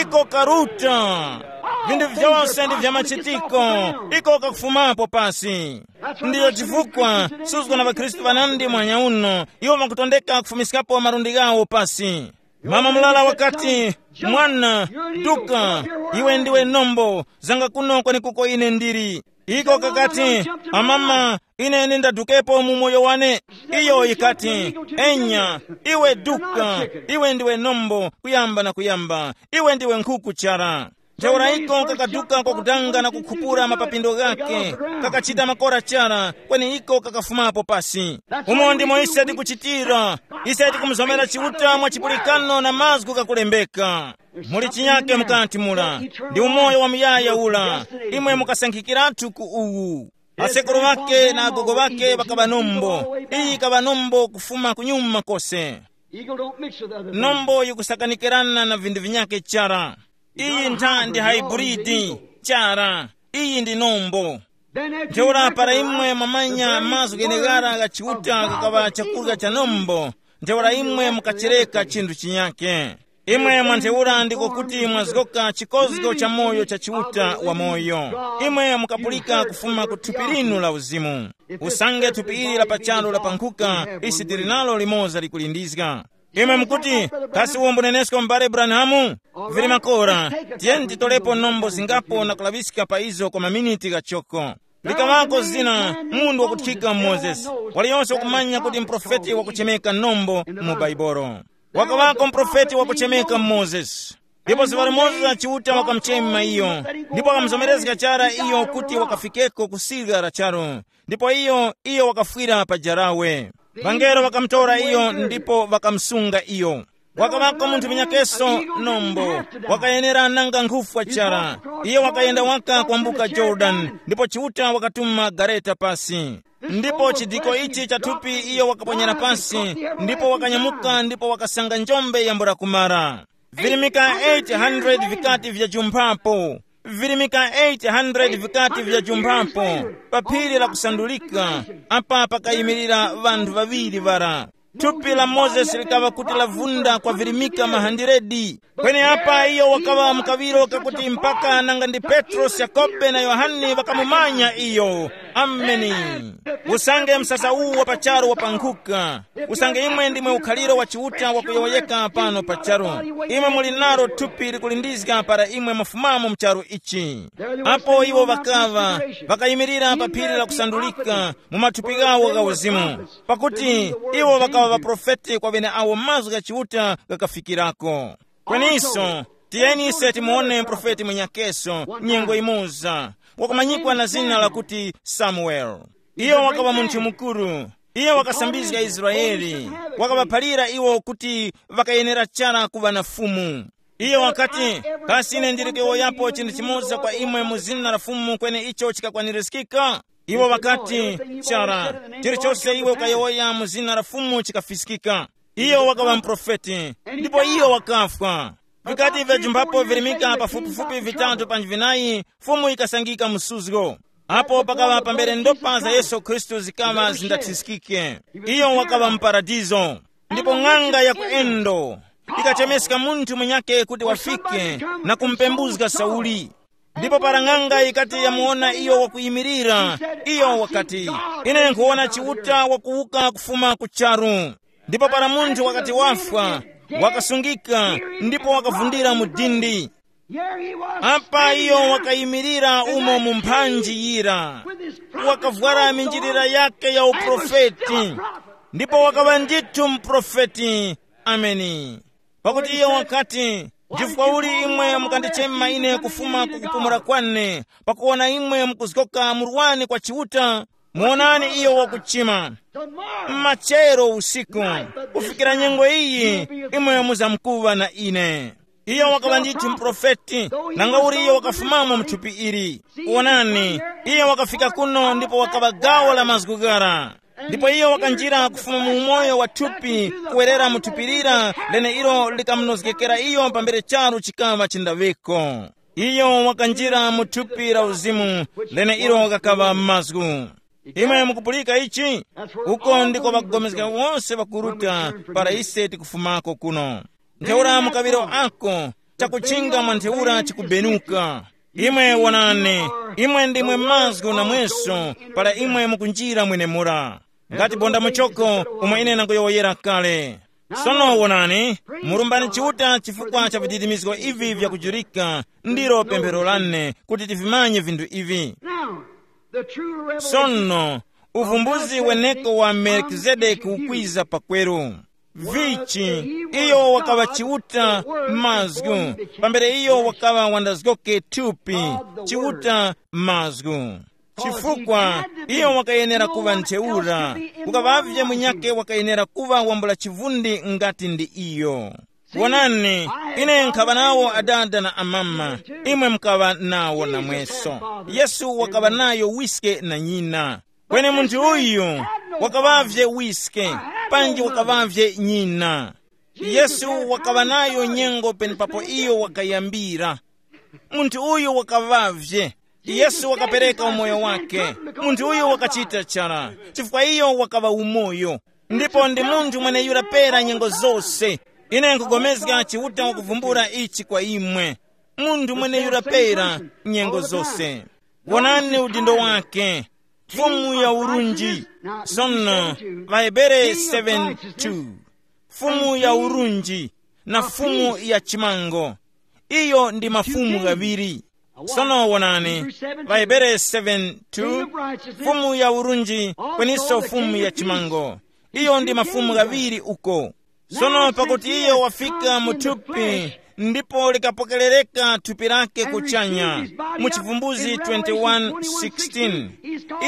Iko karuta. Vindu vyose ndi vya machitiko. Iko kakufumapo pasi. Ndiyo chifukwa suzgo na ŵakhristu ŵanandi mwanya uno, iwo ŵakutondeka kufumiskapo malundi ghawo pasi. Mama mulala wakati, "Mwana, duka, iwe ndiwe nombo, zanga kuno kwenekuko ine ndili." Iko kakati, "Amama, ine nindadukepo mu moyo wane." Iyo yikati, "Enya, iwe duka, iwe ndiwe nombo, kuyamba na kuyamba, iwe ndiwe nkhuku chara." Ntheura iko kakaduka kwakudanga na kukhupura mapapindo ghake, kakachita makora chara, kweni iko kakafumapo pasi. Umo ndimo ise tikuchitira. Ise tikumuzomera Chiuta mwa chipulikano na mazgu ghakulembeka. Muli chinyake mukati mura. Ndi umoyo wa muyaya ura. Imwe mukasankhikiratu ku uwu. Asekuru ŵake na agogo ŵake ŵakaŵa nombo. Iyi ikaŵa nombo kufuma kunyuma kose. Eagle don't mix with other things. Nombo yikusakanikirana na vinthu vinyake chara. Iyi ntha ndi haiburidi chara. Iyi ndi nombo. Ntheura para imwe mwamanya mazgu gheneghara gha Chiuta gakaŵa chakurya cha nombo, ntheura imwe mukachereka chinthu chinyake. Imwe mwa ntheura ndiko kuti mwazgoka chikozgo cha moyo cha Chiuta wa moyo. Imwe mukapulika kufuma ku thupi linu la uzimu. Usange thupi ili la pachalo lapankhuka, isi tili nalo limoza likulindizga. Imwe mukuti, "Kasi uwo mbunenesko m'bale Branhamu?" Vili makora, tiyeni titolepo nombo zingapo na kulaŵiska pa izo kwa maminiti ghachoko. Likaŵako zina, munthu wakuthika Mozesi, waliyonse wakumanya kuti mprofeti wakuchemeka nombo mu Baibolo. Wakaŵako mprofeti wakuchemeka Mozesi. Ndipo zuŵa limoza Chiuta wakamuchema iyo, ndipo wakamuzomerezga chara iyo kuti wakafikeko ku sirya la charu. Ndipo iyo, iyo wakafwira pa jarawe. Vangelo ŵakamutora iyo ndipo ŵakamusunga iyo. Wakaŵako munthu munyakeso nombo, wakayenera nanga nkhufwa chara. Iyo wakayenda waka kwambuka Yorodani, ndipo Chiuta wakatuma gareta pasi. Ndipo chidiko ichi cha thupi iyo wakaponyera pasi, ndipo wakanyamuka ndipo wakasanga njombe yambula kumara. Virimika eight hundred vikati vyajumphapo. Virimika eight hundred vikati vyajumphapo pa phiri la kusandulika, apa pakayimirira ŵanthu ŵaŵiri ŵara. Thupi la Mozesi likaŵa kuti lavunda kwa virimika mahandiredi. Kweni apa iyo wakaŵa mu kaŵiro kakuti mpaka nanga ndi Petrosi, Yakobe na Yohane ŵakamumanya iyo. Ameni. Usange msasa uwu wa pacharo wapankhuka, usange imwe ndimwe ukhaliro wa Chiuta wakuyowoyeka pano pacharo, imwe muli nalo thupi likulindizga para imwe mwafumamo mu charu ichi. Apo iwo ŵakaŵa, ŵakayimirira pa phiri la kusandulika mu mathupi ghawo gha uzimu, pakuti iwo ŵakaŵa ŵaprofeti kwa ŵeneawo mazgu gha Chiuta ghakafikirako. Kweniso, tiyeni ise timuwone mprofeti mwenyakeso nyengo imoza, wakumanyikwa na zina lakuti Samuele. Iyo wakaŵa munthu mukuru. Iyo wakasambizga Israele, wakaŵaphalira iwo kuti ŵakayenera chara kuŵa na fumu. Iyo wakati, "Kasi ine ndili kuyowoyapo chinthu chimoza kwa imwe mu zina la Fumu kweni icho chikakwanirizgika?" Iwo ŵakati, "Chara, chilichose iwe ukayowoya mu zina la Fumu chikafiskika." Iyo wakaŵa muprofeti, ndipo iyo wakafwa. Vikati vyajumphapo virimika pafupifupi vitatu panji vinayi, Fumu yikasangika mu suzgo. Apo pakaŵa pambere ndopa za Yesu Khristu zikaŵa zindathiskike. Iyo wakaŵa mu paradizo. Ndipo ng'anga ya ku Endo ikachemeska munthu munyakhe kuti wafike na kumupembuzga Sauli. Ndipo para ng'anga yikati yamuwona iyo wakuyimirira, iyo wakati, "Ine nkhuwona Chiuta wakuwuka kufuma ku charu." Ndipo para munthu wakati wafwa, wakasungika, ndipo wakavundira mu dindi. Apa iyo wakayimirira umo mu mphanji yira, wakavwara minjilira yake ya uprofeti, ndipo wakaŵa ndithu muprofeti. Ameni. Pakuti iyo wakati, "Chifukwa uli imwe mukandichema ine kufuma ku kupumula kwane, pakuwona imwe mukuzgoka murwani kwa Chiuta? Muwonani iyo wakuchima. Machero usiku, kufikira nyengo iyi, imwe muzamkuŵa na ine." Iyo wakaŵa ndithu muprofeti, nanga uli iyo wakafumamo mu thupi ili. Wonani, iyo wakafika kuno ndipo wakaŵa gawo la mazgu ghara. Ndipo iyo wakanjira kufuma mu umoyo wa thupi, kuwerera mu thupi lira leneilo likamunozgekera iyo pambere charu chikaŵa chindaŵeko. Iyo wakanjira mu thupi la uzimu, leneilo kakaŵa mazgu. Imwe mukupulika ichi? Uko ndiko ŵakupulikana wose ŵakuruta para ise tikufumako kuno. Ntheura mu kaŵiro ako, chakuchinga mwa ntheura chikubenuka. Imwe wonani, imwe ndimwe mazgu namweso para imwe mukunjira mwenemura. Ngati bonda muchoko umo ine nangoyowoyera kale. Sono wonani, murumbani Chiuta chifukwa cha vididimizgo ivi vyakujurika, ndilo pemphero lane kuti tivimanye vinthu ivi. Now, the true revelation Sono, uvumbuzi weneko wa Melkizedeki ukwiza pakweru. Vichi, iyo wakaŵa Chiuta mazgu, pambere iyo wakaŵa wandazgoke thupi, Chiuta mazgu. Chifukwa iyo wakayenera kuŵa ntheura, kukaŵavye munyakhe wakayenera kuŵa wambula chivundi ngati ndi iyo. Wonani, ine nkhaŵa nawo adada na amama, imwe mukaŵa nawo namweso. Yesu wakaŵa nayo wiske na nyina. Kweni munthu uyu wakaŵavye wiske, panji wakaŵavye nyina. Yesu wakaŵa nayo nyengo penepapo iyo wakayambira. Munthu uyu wakaŵavye. Yesu wakapereka umoyo wake. Munthu uyu wakachita chara, chifukwa iyo wakaŵa umoyo. Ndipo ndi munthu mweneyura pera nyengo zose. Ine nkugomezga Chiuta wakuvumbula ichi kwa imwe. Munthu mweneyura pera nyengo zose. Wonani udindo wake. Fumu ya urunji. Sono, Vahebere seven two. Fumu ya urunji na fumu ya chimango. Iyo ndi mafumu ghaŵiri. Sono wonani, Vahebere seven two, fumu ya urunji, kweniso fumu ya chimango. Iyo ndi mafumu ghaŵiri uko. Sono pakuti iyo wafika mu thupi, ndipo likapokerereka thupi lake kuchanya, mu Chivumbulutso twenty-one sixteen,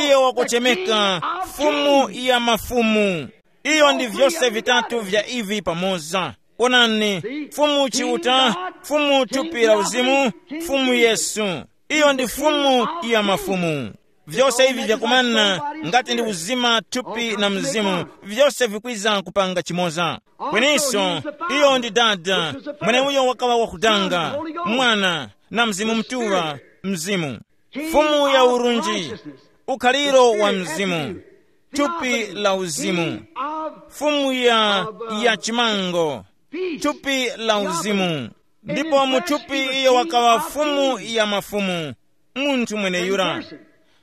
iyo wakuchemeka Fumu ya mafumu. Iyo ndi vyose vitatu vya ivi pamoza. Onani, Fumu Chiuta, Fumu thupi la uzimu, Fumu Yesu. Iyo ndi Fumu ya mafumu. Vyose ivi vyakumana, ngati ndi uzima, thupi na mzimu, vyose vikwiza kupanga chimoza. Kweniso, iyo ndi Dada, mweneuyo wakaŵa wakutanga, Mwana, na Mzimu Mutuŵa, Mzimu. Fumu ya urunji, ukhaliro wa Mzimu, thupi la uzimu. Fumu ya, ya chimango, thupi la uzimu. Ndipo mu thupi iyo wakaŵa Fumu ya mafumu, munthu mweneyura.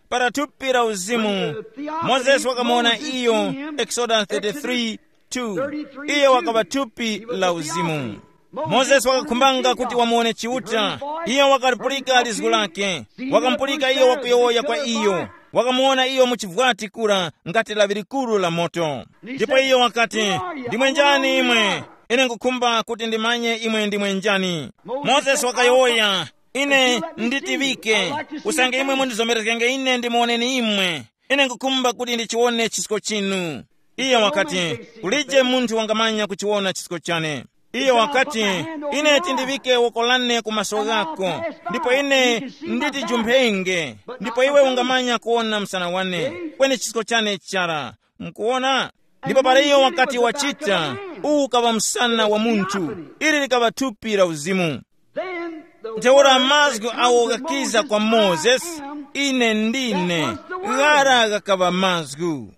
Para thupi la uzimu, Mozesi wakamuwona iyo, Exodus thirty-three two. Iyo wakaŵa thupi la uzimu. Mozesi wakakhumbanga kuti wamuwone Chiuta. Iyo wakalipulika lizgu lake. Wakamupulika iyo wakuyowoya kwa iyo. Wakamuwona iyo mu chivwati kura ngati lawi likuru la moto. Ndipo iyo wakati, "Ndimwe njani imwe? Ine nkhukhumba kuti ndimanye imwe ndimwe njani." Mozesi wakayowoya, "Ine nditiŵike, usange imwe mundizomerezgenge ine ndimuwoneni imwe. Ine nkhukhumba kuti ndichiwone chisko chinu." Iyo wakati, "Kulije munthu wangamanya kuchiwona chisko chane." Iyo wakati, "Ine tindiŵike woko lane ku maso ghako, ndipo ine nditijumphenge, ndipo iwe ungamanya kuwona msana wane, kweni chisko chane chara. Mukuwona?" Ndipo para iyo wakati wachita, uwu ukaŵa msana wa munthu, ili likaŵa thupi la uzimu. Ntheura mazgu awo ghakiza kwa Mozesi, Ine ndine. Ghara ghakaŵa mazgu.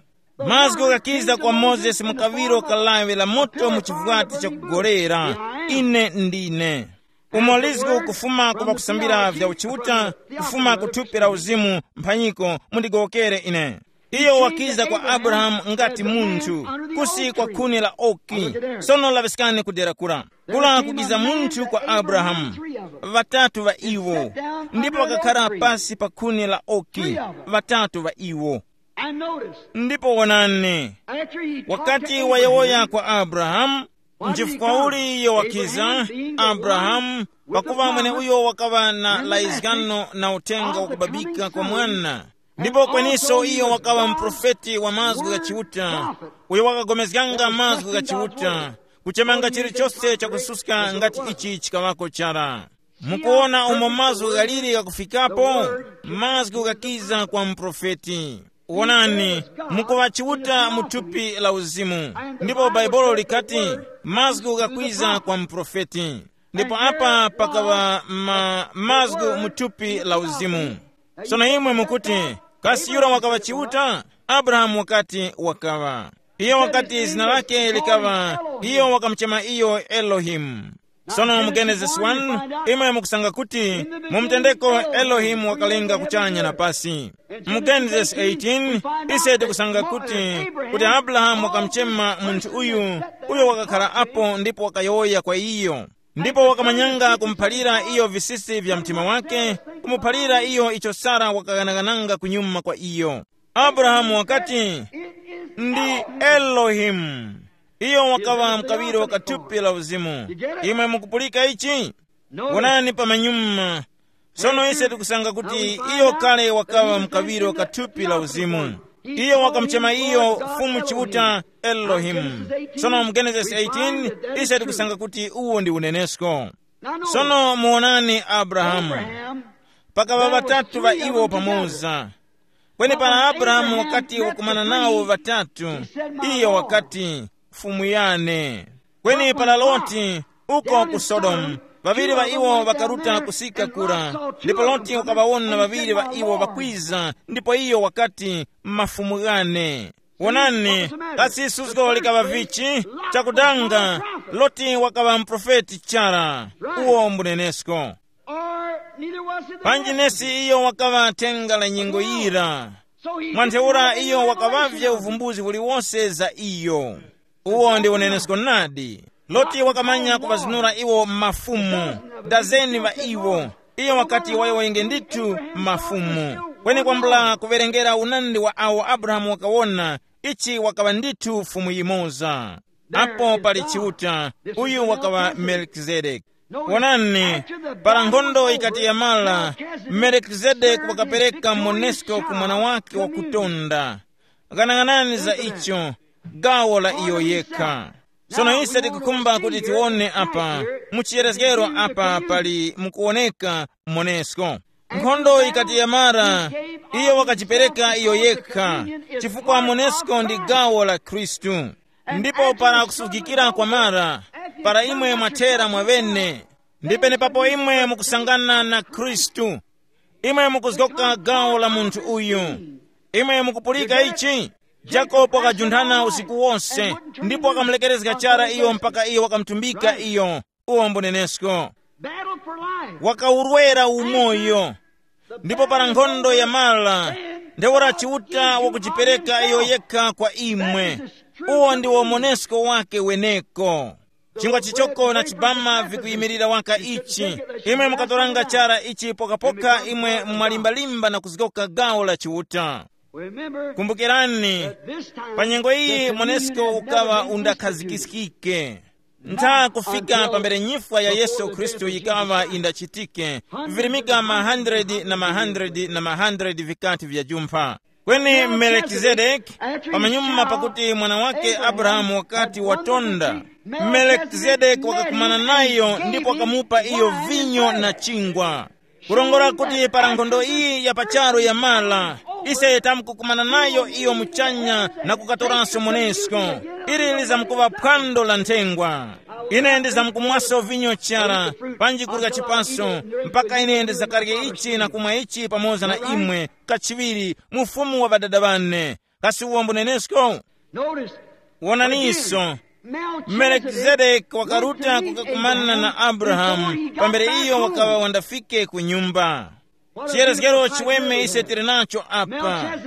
Mazgu ghakiza kwa Mozesi mu kaŵiro kalaŵe la moto mu chivwati chakugolera. Ine ndine. Umo lizgu kufuma ku ŵakusambira vya uchiuta, kufuma ku thupi la uzimu, mphanyiko, mundigowokere ine. Iyo wakiza kwa Abrahamu ngati munthu, kusi kwa khuni la oki. Sono laŵiskani kudera kura. Kula kukiza munthu kwa Abrahamu, ŵatatu ŵa iwo, ndipo wakakhara pasi pa khuni la oki, ŵatatu ŵa iwo. And notice, ndipo wonani, after he talked to wakati Abraham, wayowoya kwa Abrahamu, nchifukwa uli iyo wakiza Abrahamu, pakuva mwene uyo wakaŵa na layizgano na uthenga wakubabika kwa mwana. Ndipo kweninso iyo wakaŵa muprofeti wa mazgu gha Chiuta, uyo wakagomezganga mazgu gha Chiuta, kuchemanga chilichose chakususka ngati ichi chikaŵako chara. Mukuwona umo mazgu ghaliri ghakufikapo? Mazgu ghakiza kwa muprofeti. Wonani, mukuŵa Chiuta mu thupi la uzimu. Ndipo Baibulo likati, mazgu ghakwiza kwa muprofeti. Ndipo apa pakaŵa ma, mazgu mu thupi la uzimu. Sono imwe mukuti, kasi yura wakaŵa Chiuta? Abrahamu wakati wakaŵa. Iyo wakati zina lake likaŵa, iyo wakamuchema iyo Elohimu. Sono mu Genesis one, imwe mukusanga kuti mu mtendeko Elohimu wakalenga kuchanya na pasi. Mu Genesis eighteen, ise tikusanga kuti, kuti Abrahamu wakamuchema munthu uyu, uyo wakakhala apo ndipo wakayowoya kwa iyo. Ndipo wakamanyanga kumuphalira iyo visisi vya mtima wake, kumuphalira iyo icho Sara wakaghanaghananga kunyuma kwa iyo. Abrahamu wakati, ndi Elohimu. Iyo wakaŵa mkaŵiro wa thupi la uzimu. Imwe mukupulika ichi? Wonani pamanyuma. Sono ise tikusanga kuti iyo kale wakaŵa mkaŵiro wa thupi la uzimu. Iyo wakamuchema iyo Fumu Chiuta Elohimu. Sono mu Genesis eighteen, ise tikusanga kuti uwo ndi unenesko. Sono muwonani Abrahamu. Pakaŵa ŵatatu ŵa iwo pamoza. Kweni para Abrahamu wakati wakumana nawo ŵatatu, iyo wakati, Fumu yane. Kweni para Loti, uko ku Sodomu, ŵaŵiri ŵa iwo ŵakaruta kusika kura, ndipo Loti wakaŵawona ŵaŵiri ŵa iwo ŵakwiza, ndipo iyo wakati, mafumu ghane. Wonani, kasi suzgo likaŵa vichi? Chakudanga, Loti wakaŵa muprofeti chara. Uwo mbunenesko. Or neither was it the panji message. Nesi iyo wakaŵa thenga la nyengo yira. So he mwa ntheura didn't iyo have wakaŵavye revelation uvumbuzi uliwose za iyo. Uwo ndi unenesko nadi. Loti wakamanya kuŵazinura iwo mafumu, dazeni ŵa iwo. Iyo wakati wayowoyenge ndithu mafumu. Kweni kwambula kuwerengera unandi wa awo Abrahamu wakawona, ichi wakaŵa ndithu fumu yimoza. Apo pali Chiuta, uyu wakaŵa Melkizedeki. Wonani, para nkhondo ikati yamara, Melkizedeki wakapereka monesko ku mwana wake wakutonda. Ghanaghanani za icho, gawo la iyo yekha. Sono ise tikukhumba kuti tiwone apa, mu chiyerezgero apa pali mukuwoneka monesko. Nkhondo ikati yamara, iyo wakajipereka iyo yekha, chifukwa monesko ndi gawo la Khristu. Ndipo para kusuzgikira kwamara, para imwe mwathera mwaŵene, ndi penepapo imwe mukusangana na Khristu. Imwe mukuzgoka gawo la munthu uyu. Imwe mukupulika ichi? Jakobo wakajunthana usiku wonse, ndipo wakamulekerezga chara iyo mpaka iyo wakamutumbika iyo. Uwo mbunenesko. Battle for life. Wakawurwera umoyo. Ndipo para nkhondo yamara, ntheura Chiuta wakujipereka iyo yekha kwa imwe. Uwo ndiwo monesko wake weneko. Chingwa chichoko na chibama vikuyimirira waka ichi. Imwe mukatoranga chara ichi pokapoka imwe mwalimbalimba na kuzgoka gawo la Chiuta. Remember, kumbukirani, this time, pa nyengo iyi monesko ukaŵa undakhazikiskike. Ntha kufika pambere nyifwa ya Yesu Khristu yikaŵa indachitike, virimika ma hundred na ma hundred na ma hundred vikati vya jumpha. Kweni Melekizedeki, pamanyuma pakuti mwana wake Abrahamu wakati watonda, Melekizedeki wakakumana nayo ndipo wakamupa iyo vinyo na chingwa. Kurongora kuti para nkhondo iyi ya pacharo yamala, ise tamkukumana nayo iyo muchanya na kukatoranso monesko. Ili lizamkuŵa phwando la nthengwa. Ine ndizamkumwaso vinyo chara, panji kurya chipaso, mpaka ine ndizakarye ichi na kumwa ichi pamoza na imwe kachiŵiri mu ufumu wa Ŵadada ŵane. Kasi uwo mbunenesko? Notice, wonaniso, Melkizedeki wakaruta kukakumana na Abrahamu pambere iyo wakaŵa wandafike ku nyumba. Chiyerezgero chiweme ise tili nacho apa.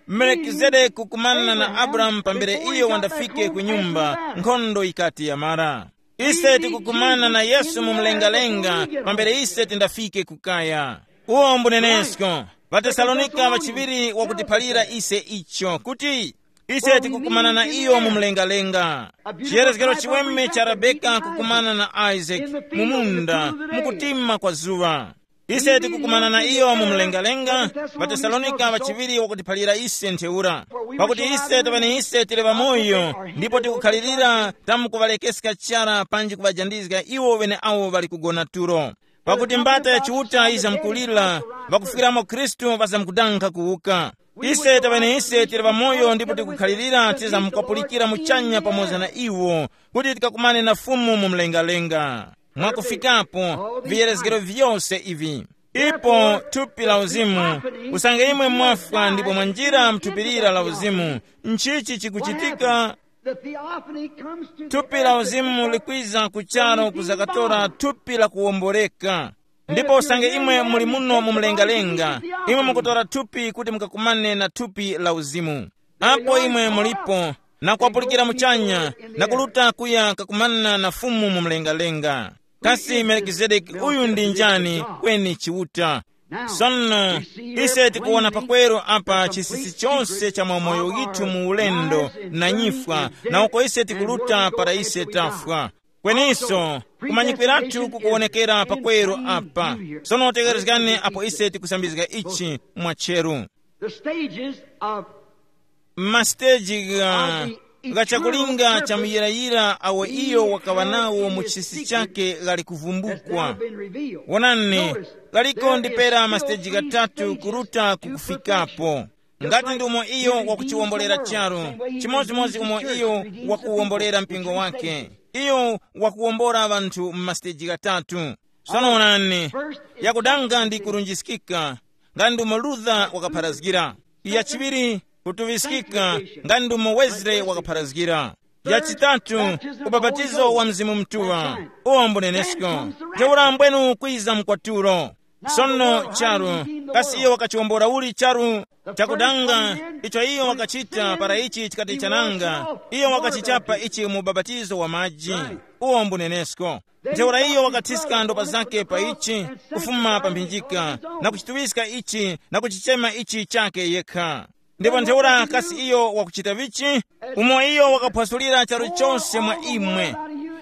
Melkizedeki kukumana na Abrahamu pambere iyo wandafike ku nyumba, nkhondo ikati yamara. Ise tikukumana na Yesu mu mlengalenga pambere ise tindafike kukaya. Uwo mbunenesko. Vatesalonika vachiŵiri wakutiphalira ise icho kuti ise tikukumana na iyo mu mlengalenga. Chiyerezgero chiweme cha Rebeka kukumana na Isaac mu munda, mukutima kwa zuŵa. Ise tikukumana na iyo mu mlengalenga. Vatesalonika vachiŵiri wakutiphalira ise ntheura, pakuti ise taŵa ni ise tili ŵamoyo, ndipo tikukhalirira tamkuŵalekeska chara panji kuŵajandizga iwo ŵeneawo ŵali kugona tulo. Pakuti mbata ya Chiuta yizamkulira, ŵakufwiramo Khristu ŵazamkudankha kuwuka. Ise taŵene ise tili ŵamoyo ndipo tikukhalirira tizamkukapulikira muchanya pamoza na iwo, kuti tikakumane na Fumu mu mlengalenga. Mwakufikapo, viyerezgero vyose ivi. Ipo thupi la uzimu, usange imwe mwafwa ndipo mwanjira mthupirira la uzimu, nchichi chikuchitika? The theophany comes to thupi la uzimu likwiza kucharo kuzakatora thupi la kuwomboreka. Ndipo usange imwe muli muno mu mlengalenga, imwe mukutora thupi kuti mukakumane na thupi la uzimu. Apo imwe mulipo, na kwapulikira muchanya, na kuluta kuya kakumana na Fumu mu mlengalenga. Kasi Melkizedeki uyu ndi njani? Kweni Chiuta. Sono, ise tikuwona pakweru apa chisisi chose cha mwa moyo withu mu ulendo na nyifwa, na uko ise tikuluta para ise tafwa. Kweniso, kumanyikwiratu kukuwonekera pakweru apa. Sono tekerezgani apo ise tikusambizga ichi mwa cheru. The stages of Masteji gha gha chakulinga cha muyirayira awo iyo wakaŵa nawo mu chisi chake ghali kuvumbukwa. Wonani, ghaliko ndi pera masteji ghatatu kuruta kukufikapo. Ngati ndi umo iyo wakuchiwombolera charu, chimodzimodzi umo iyo wakuwombolera mpingo wake, iyo wakuwombora ŵanthu mu masteji ghatatu. Sono wonani, yakudanga ndi kurunjiskika, ngati ndi umo Luther wakapharazgira. Yachiŵiri, kutuŵiskika, ngati ndi umo Wesley wakapharazgira. Yachitatu, ubapatizo wa Mzimu Mutuŵa, uwo mbunenesko. Ntheura mbwenu kwiza mkwatulo. Sono charu, kasi iyo wakachiwombora uli charu? Chakudanga icho iyo wakachita para ichi chikati chananga, iyo wakachichapa ichi mu ubapatizo wa maji. Uwo mbunenesko. Ntheura iyo wakathiska ndopa zake pa ichi, kufuma pa mphinjika, na kuchituŵiska ichi na kuchichema ichi chake yekha. Ndipo ntheura kasi iyo wakuchita vichi? Umo iyo wakaphwasulira charu chose mwa imwe,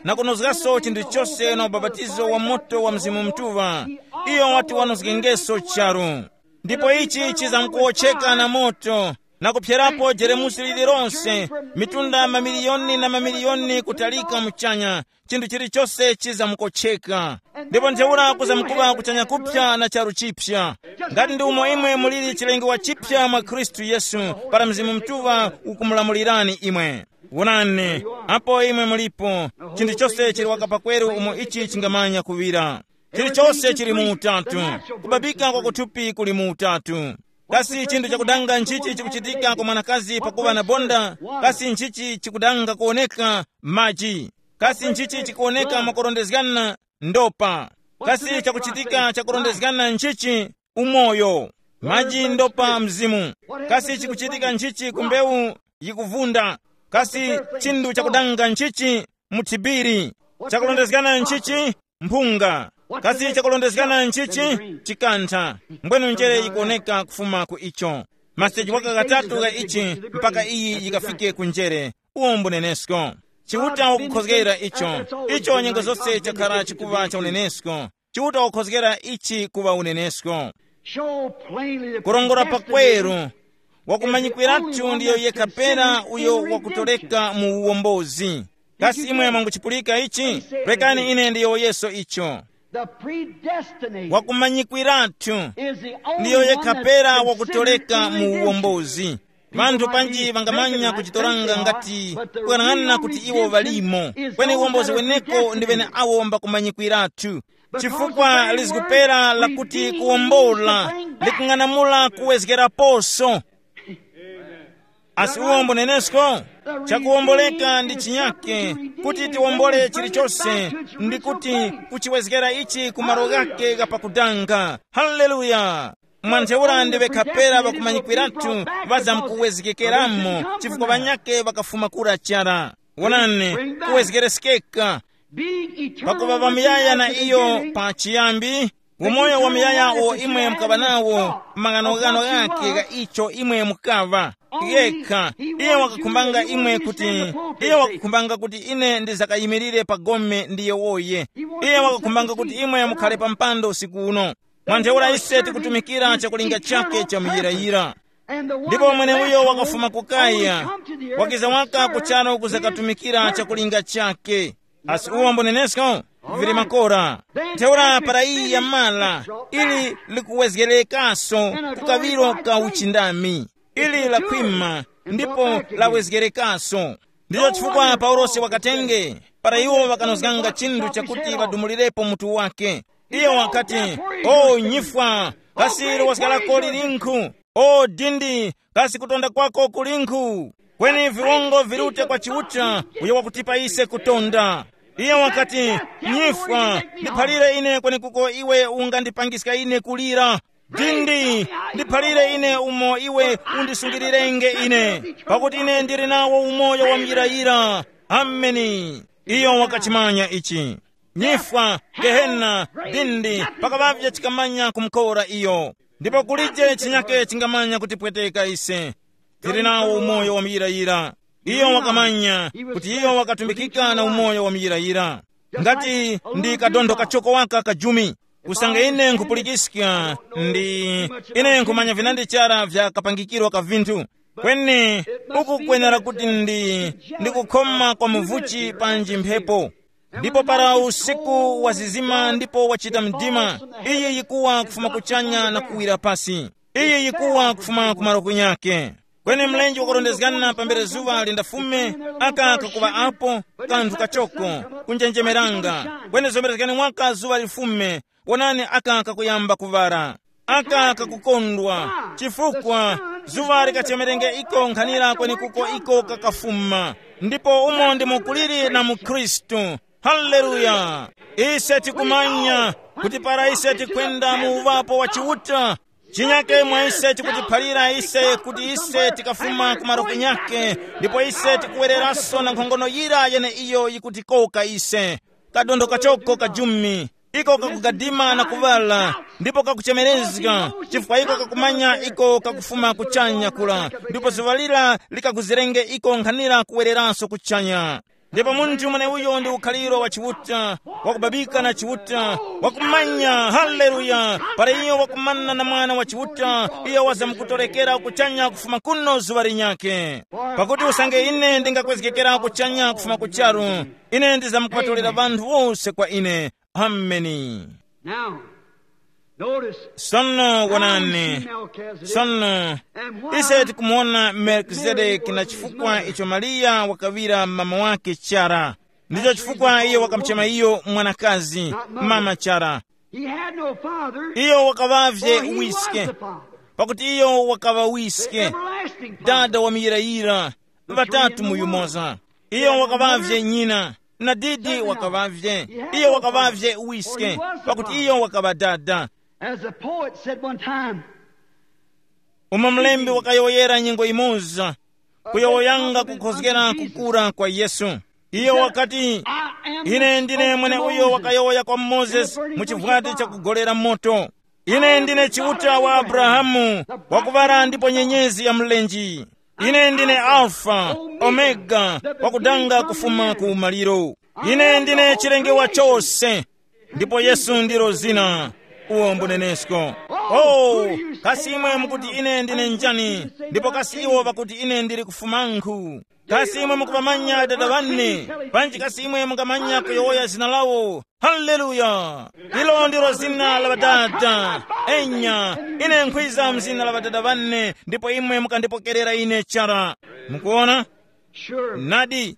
na kunozgaso chinthu chose na ubapatizo wa moto wa Mzimu Mutuŵa, iyo wati wanozgengeso charu. Ndipo ichi chizamkuwotcheka na moto, na kuphyerapo jeremusi lililonse, mitunda mamiliyoni na mamiliyoni kutalika muchanya, chinthu chilichose chizamukotcheka. Ndipo ntheura kuzamkuŵa kuchanya kuphya na charu chipya. Ngati ndi umo imwe muliri chilengewa chipya mwa Khristu Yesu, para Mzimu Mutuŵa ukumulamulirani imwe. Wonani, apo imwe mulipo, chinthu chose chili waka pakweru umo ichi chingamanya kuŵira. Chilichose chili mu utatu. Kubabika kwa kuthupi kuli mu utatu. Kasi chinthu chakudanga nchichi chikuchitika kwa mwanakazi pakuŵa na bonda? Kasi nchichi chikudanga kuwoneka? Maji. Kasi nchichi chikuwoneka mwakurondezgana? Ndopa. Kasi chakuchitika chakurondezgana nchichi? Umoyo. Maji, ndopa, mzimu. Kasi chikuchitika nchichi ku mbewu yikuvunda? Kasi chinthu chakudanga nchichi? Muthibiri. Chakurondezgana nchichi? Mphunga. Kasi chakurondezgana nchichi? Chikantha. Mbwenu njere yikuwoneka kufuma ku icho. Masteji waka katatu gha ichi, mpaka iyi yikafike ku njere. Uwo mbunenesko. Chiuta wakukhozgera icho. Icho nyengo zose chakhala chikuŵa cha unenesko. Chiuta wakukhozgera ichi kuŵa unenesko. Show plainly the kurongora predestination pakweru, wakumanyikwiratu ndiyo yekha pera uyo wakutoleka mu uwombozi. Kasi imwe mwanguchipulika ichi? Rekani ine ndiyowoyeso icho. The predestination wakumanyikwiratu is the only ndiyo one yekha that's pera considered wakutoleka in mu redemption. Uwombozi. Vanthu panji vangamanya kuchitoranga ngati kuyang'ana kuti iwo valimo, kweni uwombozi weneko ndi vene awo mbakumanyikwiratu. Chifukwa lizikupera lakuti kuwombola likung'anamula kuwezgeraposo. Asi uwombo nenesko, chakuwomboleka ndi chinyake, kuti tiwombole chilichose, ndi kuti kuchiwezgera ichi ku malo ghake ghapakudanga. Haleluya! Mwa ntheura ndi ŵekhapera ŵakumanyikwiratu ŵazamkuwezgekeramo, chifukwa ŵanyakhe ŵakafuma kura chara. Wonani, kuwezgereskeka. Pakuŵa ŵamuyaya na iyo pa chiyambi, umoyo wamuyaya uwo imwe mukaŵa nawo, maghanoghano ghakhe gha icho imwe mukaŵa. Yekha, iye wakakhumbanga imwe kuti, iye wakakhumbanga kuti ine ndizakayimirire pa gome ndi yewoye. Iye wakakhumbanga kuti imwe mukhale pa mpando usiku uno. Mwa ntheura ise tikutumikira chakulinga chake cha muyirayira. Ndipo mweneuyo wakafuma ku Kaya, wakiza waka kuchano kuzakatumikira chakulinga chake. Asi uwo mbonenesko, vili makora. Ntheura para iyi yamala, ili likuwezgerekaso ku kaŵiro ka uchindami. Ili lakhwima, ndipo lawezgerekaso. Ndicho chifukwa Paulosi wakatenge, para iwo ŵakanozganga chinthu chakuti ŵadumulirepo mutu wake. Iye wakati, "O nyifwa, kasi luwazga lako lilinkhu? O dindi, kasi kutonda kwako kulinkhu?" Kweni viwongo virute kwa Chiuta, uyo wakutipa ise kutonda. Iye wakati, "Nyifwa, ndiphalire ine kwenekuko iwe ungandipangiska ine kulira. Dindi, ndiphalire ine umo iwe undisungilirenge ine, pakuti ine ndili nawo umoyo wa muyirayira." Ameni. Iyo wakachimanya ichi. Nyifwa, gehena, dindi, pakaŵavye chikamanya kumukora iyo. Ndipo kulije chinyake chingamanya kutipweteka ise. Tili nawo umoyo wa muyirayira. Iyo wakamanya kuti iyo wakatumikika na umoyo wa muyirayira. Ngati ndi kadontho kachoko waka kajumi. Usange ine nkhupulikiska, ndi ine nkhumanya vinandi chara vya kapangikiro ka vinthu. Kweni uku kwenera kuti ndi, ndi kukhoma kwa muvuchi panji mphepo. Ndipo para usiku wazizima ndipo wachita mdima, iyi yikuwa kufuma kuchanya na kuwira pasi. Iyi yikuwa kufuma ku malo kunyake. Kweni mlenje wakurondezgana pambere zuŵa lindafume, aka kakuŵa apo, kanthu kachoko, kunjenjemeranga. Kweni zomerezgani mwaka zuŵa lifume, wonani aka kakuyamba kuŵara. Aka kakukondwa, chifukwa zuŵa likachemerenge iko nkhanira kwenekuko iko kakafuma. Ndipo umo ndimo kuliri na mukhristu. Haleluya! Ise tikumanya kuti para ise tikwenda mu uŵapo wa Chiuta, chinyake mwa ise chikutiphalira ise kuti ise tikafuma ku maroke nyake, ndipo ise tikuwereranso na nkhongono yira yene iyo yikutikoka ise. Kadondo kachoko kajumi, iko kakugadima na kuŵala, ndipo kakuchemerezga, chifukwa iko kakumanya iko kakufuma kuchanya kula, ndipo zuŵa lira likakuzirenge iko nkhanira kuwereranso kuchanya. Ndipo munthu mweneuyo ndi ukhaliro wa Chiuta, wakubabika na Chiuta, wakumanya. Haleluya! Para iyo wakumana na Mwana wa Chiuta, iyo wazamkutorekera kuchanya kufuma kuno zuŵa linyakhe. Pakuti usange ine ndingakwezgekera kuchanya kufuma ku charu, ine ndizamkuŵatolera ŵanthu wose kwa ine. Ameni. Now, notice. Sono wonani. Sono ise tikumuona Melkizedeki na chifukwa icho Mariya wakaŵira mama wake chara. Ndicho chifukwa iyo wakamuchema iyo mwanakazi, mama chara. He had no father. Iyo wakaŵavye wiske, pakuti iyo wakaŵa wiske, dada wa muyirayira, ŵatatu mu yumoza. Iyo wakaŵavye nyina, na didi wakaŵavye. Iyo wakaŵavye wiske, pakuti iyo wakaŵa dada. As the poet said one time, umo mlembi wakayowoyera nyengo imoza, kuyowoyanga kukhozgera kukura kwa Yesu. Iyo wakati, "Ine ndine mwene uyo wakayowoya kwa Mozesi mu chivwati chakugolera moto. Ine ndine Chiuta wa Abrahamu, wakuŵala ndipo nyenyezi ya mlenji. Ine ndine Alfa, Omega, wakudanga kufuma ku maliro. Ine ndine chilengewa chose." Ndipo Yesu ndilo zina. Uwo mbunenesko. Oh, kasi imwe mukuti ine ndine njani? Ndipo kasi iwo pakuti ine ndili kufumankhu? Kasi imwe mukuŵamanya Adada ŵane? Panji kasi imwe mungamanya kuyowoya zina lawo? Haleluya! Ilo ndilo zina la Ŵadada. Enya, ine nkhwiza mzina la Ŵadada ŵane, ndipo imwe mukandipokerera ine chara. Mukuona? Nadi,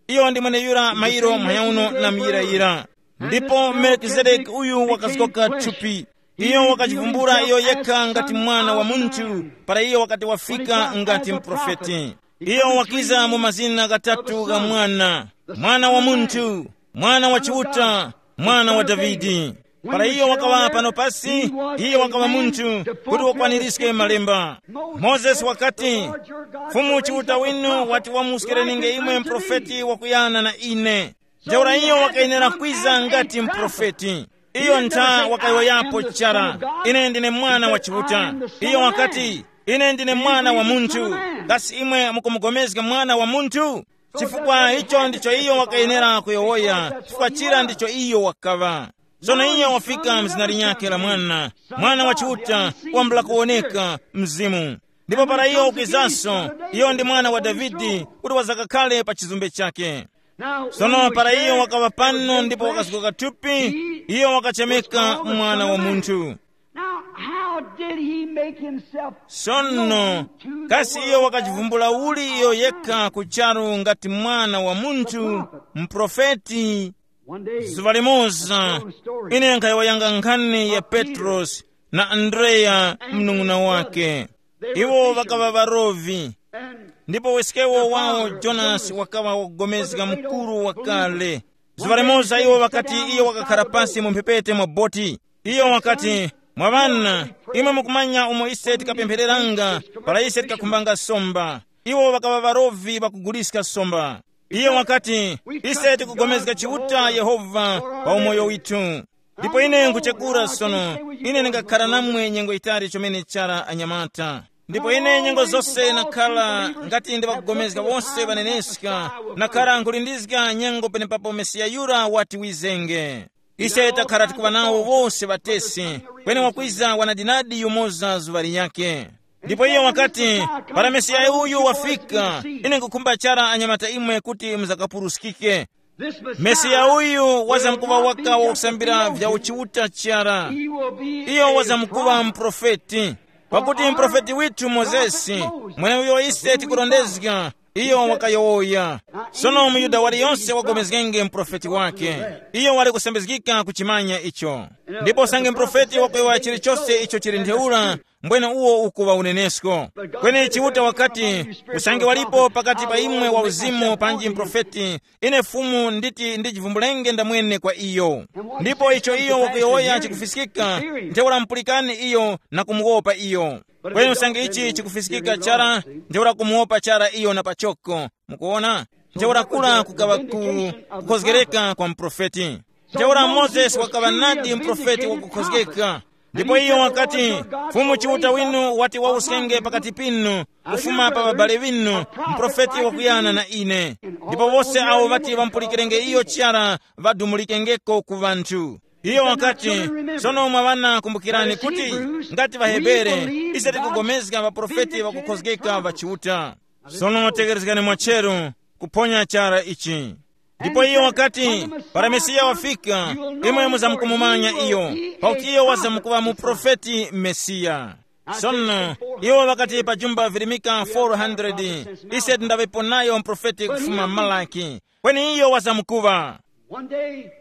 iyo ndi mweneyura mairo mphanyauno na muyirayira. Ndipo Melkizedeki uyu wakazgoka thupi. Iyo wakachivumbula iyo yekha ngati mwana wa munthu, para iyo wakati wafika ngati mprofeti. Iyo wakiza mu mazina ghatatu gha mwana: mwana wa munthu, mwana wa chiuta, mwana wa Davide. Para iyo wakaŵa pano pasi, iyo wakaŵa munthu kuti wakwanirizge malemba. Mozesi wakati, Fumu Chiuta winu wati wamuskirenge imwe mprofeti wakuyana na ine. Ntheura iyo wakayenera kwiza ngati mprofeti. Iyo ntha wakayowoyapo chara, ine ndine mwana wa Chiuta. Iyo wakati, ine ndine mwana wa munthu. Kasi imwe mukumugomezga mwana wa munthu? Chifukwa icho ndicho iyo wakayenera kuyowoya, chifukwa chira ndicho iyo wakaŵa. Sono iyo wafika mzina linyakhe la mwana, mwana wa Chiuta, wambula kuwoneka, mzimu. Ndipo para iyo ukwizanso, iyo ndi mwana wa Davide, kuti wazakakhale pa chizumbe chakhe. Sono para iyo wakaŵa pano ndipo wakazgoka thupi, iyo wakachemeka mwana wa munthu. Now, how did he make himself Sono, known to the kasi world iyo wakachivumbula uli iyo yekha ku charu ngati mwana wa munthu, mprofeti? One day, zuva limoza, ine nkhayawayanga nkhani ya Petrosi na Andreya, mnung'una wake. Iwo ŵakaŵa ŵarovi. Ndipo weskewo wawo Jonasi wakaŵa wagomezga mukuru wakale. Zuŵa limoza iwo ŵakati iyo wakakhara pasi mu mphepete mwa boti. Iyo wakati, mwa ŵana, imwe mukumanya umo ise tikapemphereranga, para ise tikakhumbanga somba. Iwo ŵakaŵa ŵarovi ŵakuguliska somba. Iyo wakati, ise tikugomezga Chiuta Yehova pa umoyo withu. Ndipo ine nkuchekura sono, ine ndingakhara namwe nyengo yitali chomene chara anyamata. Ndipo ine nyengo zose nakhala ngati ndiŵakugomezga wose ŵaneneska, nakhala nkulindizga nyengo penepapo Mesiya yura wati wizenge. Ise takhala tikuŵa nawo wose ŵatesi, kweni wakwiza wanadinadi yumoza zuŵa linyakhe. Ndipo iyo wakati, para Mesiya uyu wafika, ine nkukhumba chara anyamata imwe kuti muzakapuruskike. Mesiya uyu wazamkuŵa waka wakusambira vya uchiuta chara. Iyo wazamkuŵa mprofeti. Pakuti mprofeti withu Mozesi, mweneuyo ise tikurondezga, iyo wakayowoya. Sono muyuda waliyonse wagomezgenge mprofeti wake. Iyo wali kusambizgika kuchimanya icho. Ndipo usange mprofeti wakuyowoya chilichose icho chili ntheura, mbwene uwo ukuŵa unenesko. Kweni Chiuta wakati, usange walipo pakati pa imwe wa uzimu panji mprofeti, ine Fumu nditi ndichivumbulenge ndamwene kwa iyo. Ndipo icho iyo wakuyowoya chikufiskika, ntheura mupulikani iyo na kumuwopa iyo. Kweni usange ichi chikufiskika chara, ntheura kumuwopa chara iyo na pachoko. Mukuona? Ntheura kura kukaŵa ku kukhozgereka kwa muprofeti. Ntheura Mozesi wakaŵa nadi muprofeti wakukhozgeka. Ndipo iyo wakati, Fumu Chiuta winu wati wawuskenge pakati pinu, kufuma pa ŵabale ŵinu, muprofeti wakuyana na ine. Ndipo wose awo ŵati ŵamupulikirenge iyo chara ŵadumulikengeko ku ŵanthu. Iyo wakati, sono mwa ŵana kumbukirani kuti ngati ŵaHebere, ise tikugomezga ŵaprofeti ŵakukhozgeka ŵa Chiuta. Sono tekerezgani mwacheru kuphonya chara ichi. Ndipo iyo wakati, para Mesiya wafika, imwe muzamkumumanya iyo, pakuti iyo wazamkuŵa muprofeti Mesiya. Sono, iwo ŵakati pa jumba virimika four hundred, ise tindaŵepo nayo muprofeti kufuma Malaki, kweni iyo wazamkuŵa.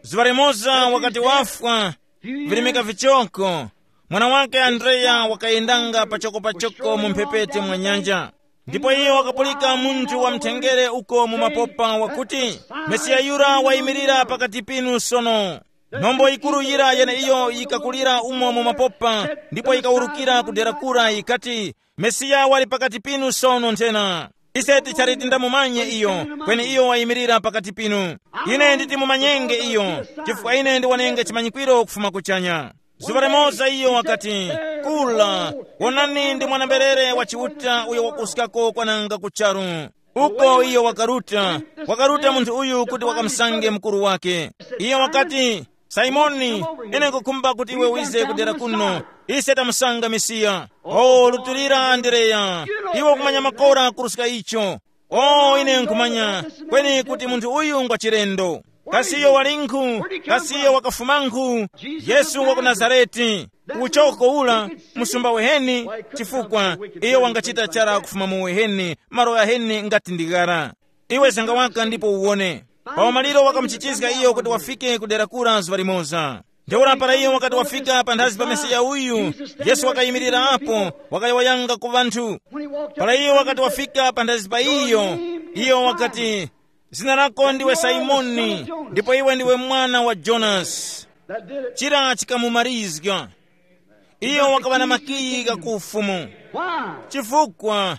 Zuŵa limoza wakati wafwa, virimika vichoko, mwana wake Andreya wakayendanga pachokopachoko mu mphepete mwa nyanja. Ndipo iyo wakapulika munthu wamthengere uko mu mapopa wakuti, Mesiya yura wayimirira pakati pinu sono. Nkhombo yikuru yira yeneiyo yikakulira umo mu mapopa, ndipo yikawurukira ku dera kura yikati, Mesiya wali pakati pinu sono nthena. Ise tichali tindamumanye iyo, kweni iyo wayimirira pakati pinu. Ine nditi mumanyenge iyo, chifukwa ine ndiwanenge chimanyikwiro kufuma kuchanya. Zuŵa limoza iyo wakati, kula, wonani ndi mwana-mberere wa Chiuta uyo wakuskako kwananga ku charu. Uko iyo wakaruta, wakaruta munthu uyu kuti wakamusange mukuru wake. Iyo wakati, Simoni, ine nkukhumba kuti iwe wize kudera kuno. Ise tamusanga Mesiya. O, lutulira Andereya. Iwe ukumanya makora kuruska icho. O, ine nkhumanya kweni kuti munthu uyu ngwa chilendo. Kasi iyo walinkhu? Kasi iyo wakafumankhu? Yesu wa ku Nazareti, uchoko ula, musumba weheni. Chifukwa iyo wangachita chara kufuma mu uheni, malo ghaheni ngati ndi ghara. Iwe zanga waka ndipo uwone. Pa umaliro wakamuchichizga iyo kuti wafike ku dera kura zuŵa limoza. Ntheura para iyo wakati wafika panthazi pa Mesiya uyu, Yesu wakayimirira apo, wakayowoyanga ku ŵanthu. Para iyo wakati wafika panthazi pa iyo, iyo wakati, "Zina lako ndiwe Simoni, ndipo iwe ndiwe mwana wa Jonasi." Chira chikamumarizga. Iyo wakaŵa na makiyi gha ku ufumu. Chifukwa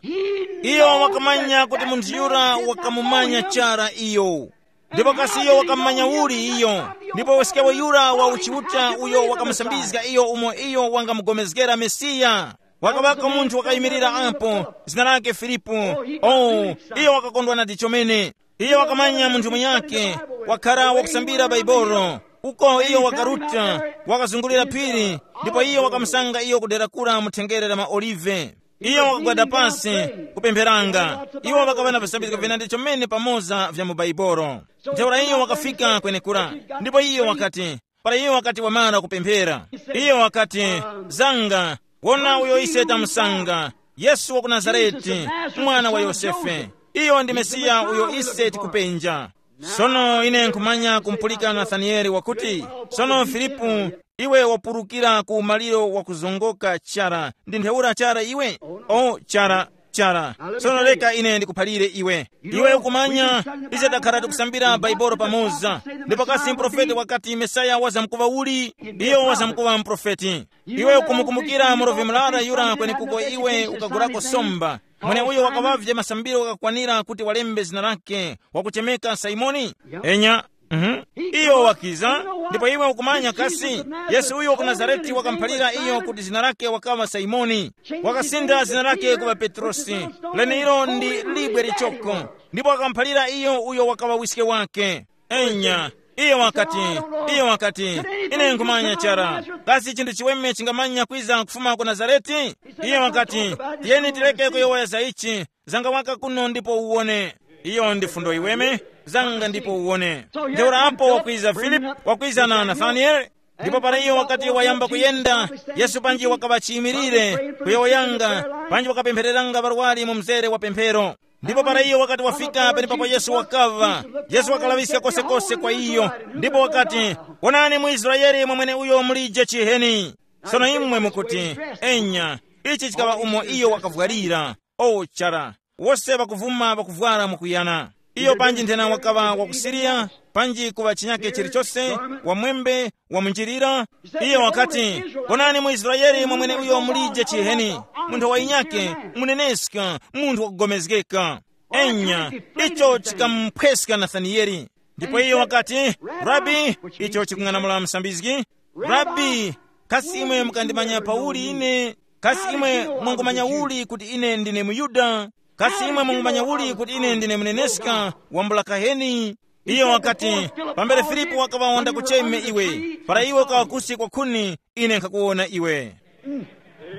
iyo wakamanya kuti munthu yura wakamumanya chara iyo. Ndipo kasi iyo wakamanya uli iyo? Ndipo weskewo yura wa uchiuta uyo wakamusambizga iyo umo iyo wangamugomezgera Mesiya. Wakaŵako munthu wakayimirira apo, zina lake Filipu. Oh, iyo wakakondwa nadi chomene. Iyo wakamanya munthu munyakhe, wakhara wakusambira Baibolo. Uko iyo wakaruta, wakazungulira phiri, ndipo iyo wakamusanga iyo kudera kura mu thengere la maolive. Iyo wakagwada pasi, kupempheranga. Iwo ŵakaŵa na visambizgo vinandi chomene pamoza vya mu Baibolo. Ntheura iyo wakafika kwenekura, ndipo iyo wakati, para iyo wakati wamara kupemphera, iyo wakati, "Zanga, wona uyo ise tamusanga, Yesu wa ku Nazareti, mwana wa Yosefe. Iyo ndi Mesiya uyo ise tikupenja." Sono ine nkhumanya kumpulika Nathanieli wakuti, "Sono Filipu, iwe wapurukira ku umaliro wakuzongoka chara, ndi ntheura chara iwe? O chara, chara. Sono reka ine ndikuphalire iwe. Iwe ukumanya, ise takhala tikusambira Baibolo pamoza. Ndipo kasi mprofeti wakati Mesaya wazamkuŵa uli? Iyo wazamkuŵa mprofeti. Iwe ukumukumbukira murovi murara yura kwenekuko iwe ukagurako somba, mweneuyo wakaŵavye masambiro ghakakwanira kuti walembe zina lake, wakuchemeka Simoni? Enya. Mhm. Iyo wakiza. Ndipo iwe ukumanya kasi, Yesu uyo wa ku Nazareti wakamuphalira iyo kuti zina lake wakaŵa Simoni. Wakasintha zina lake kuŵa Petrosi, lenilo ndi libwe lichoko. Ndipo wakamuphalira iyo uyo wakaŵa wiske wake. Enya. Iyo wakati, iyo wakati, "Ine nkhumanya chara. Kasi chinthu chiweme chingamanya kwiza kufuma ku Nazareti?" Iyo wakati, "Tiyeni tireke kuyowoya za ichi, zanga waka kuno ndipo uwone." Iyo ndi fundo iweme, zanga ndipo uwone. Ntheura apo wakwiza Filipu, wakwiza na Nathanieli. Ndipo para iyo wakati wayamba kuyenda, Yesu panji wakaŵa chiyimirire, kuyowoyanga, panji wakapemphereranga ŵarwari mu mzere wa pemphero. Ndipo para iyo wakati wafika penepapo Yesu wakaŵa, Yesu wakalaŵiska kosekose kwa iyo. Ndipo wakati, "Wonani mu Israele mwamwene uyo mulije chiheni." Sono imwe mukuti, "Enya, ichi chikaŵa umo iyo wakavwalira." O chara, wose ŵakuvuma ŵakuvwara mwakuyana. Iyo panji nthena wakaŵa wa ku Siriya, panji kuŵa chinyake chilichose, wamwembe, wamunjirira. Iyo wakati, "Wonani mu Israele mwamwene uyo mulije chiheni, munthu wa inyake, muneneska, munthu wakugomezgeka." Enya, icho chikamuphweska Nathanieli. Ndipo iyo wakati, "Rabi," icho chikung'anamula msambizgi, "Rabi, kasi imwe mukandimanya pauli ine? Kasi imwe mwangumanya uli kuti ine ndine muYuda? Kasi imwe mwangumanya uli kuti ine ndine muneneska wambula kaheni?" Iyo wakati, "Pambere Filipu wakaŵa wanda kucheme iwe, para iwe ukaŵa kusi kwa khuni, ine nkhakuwona iwe."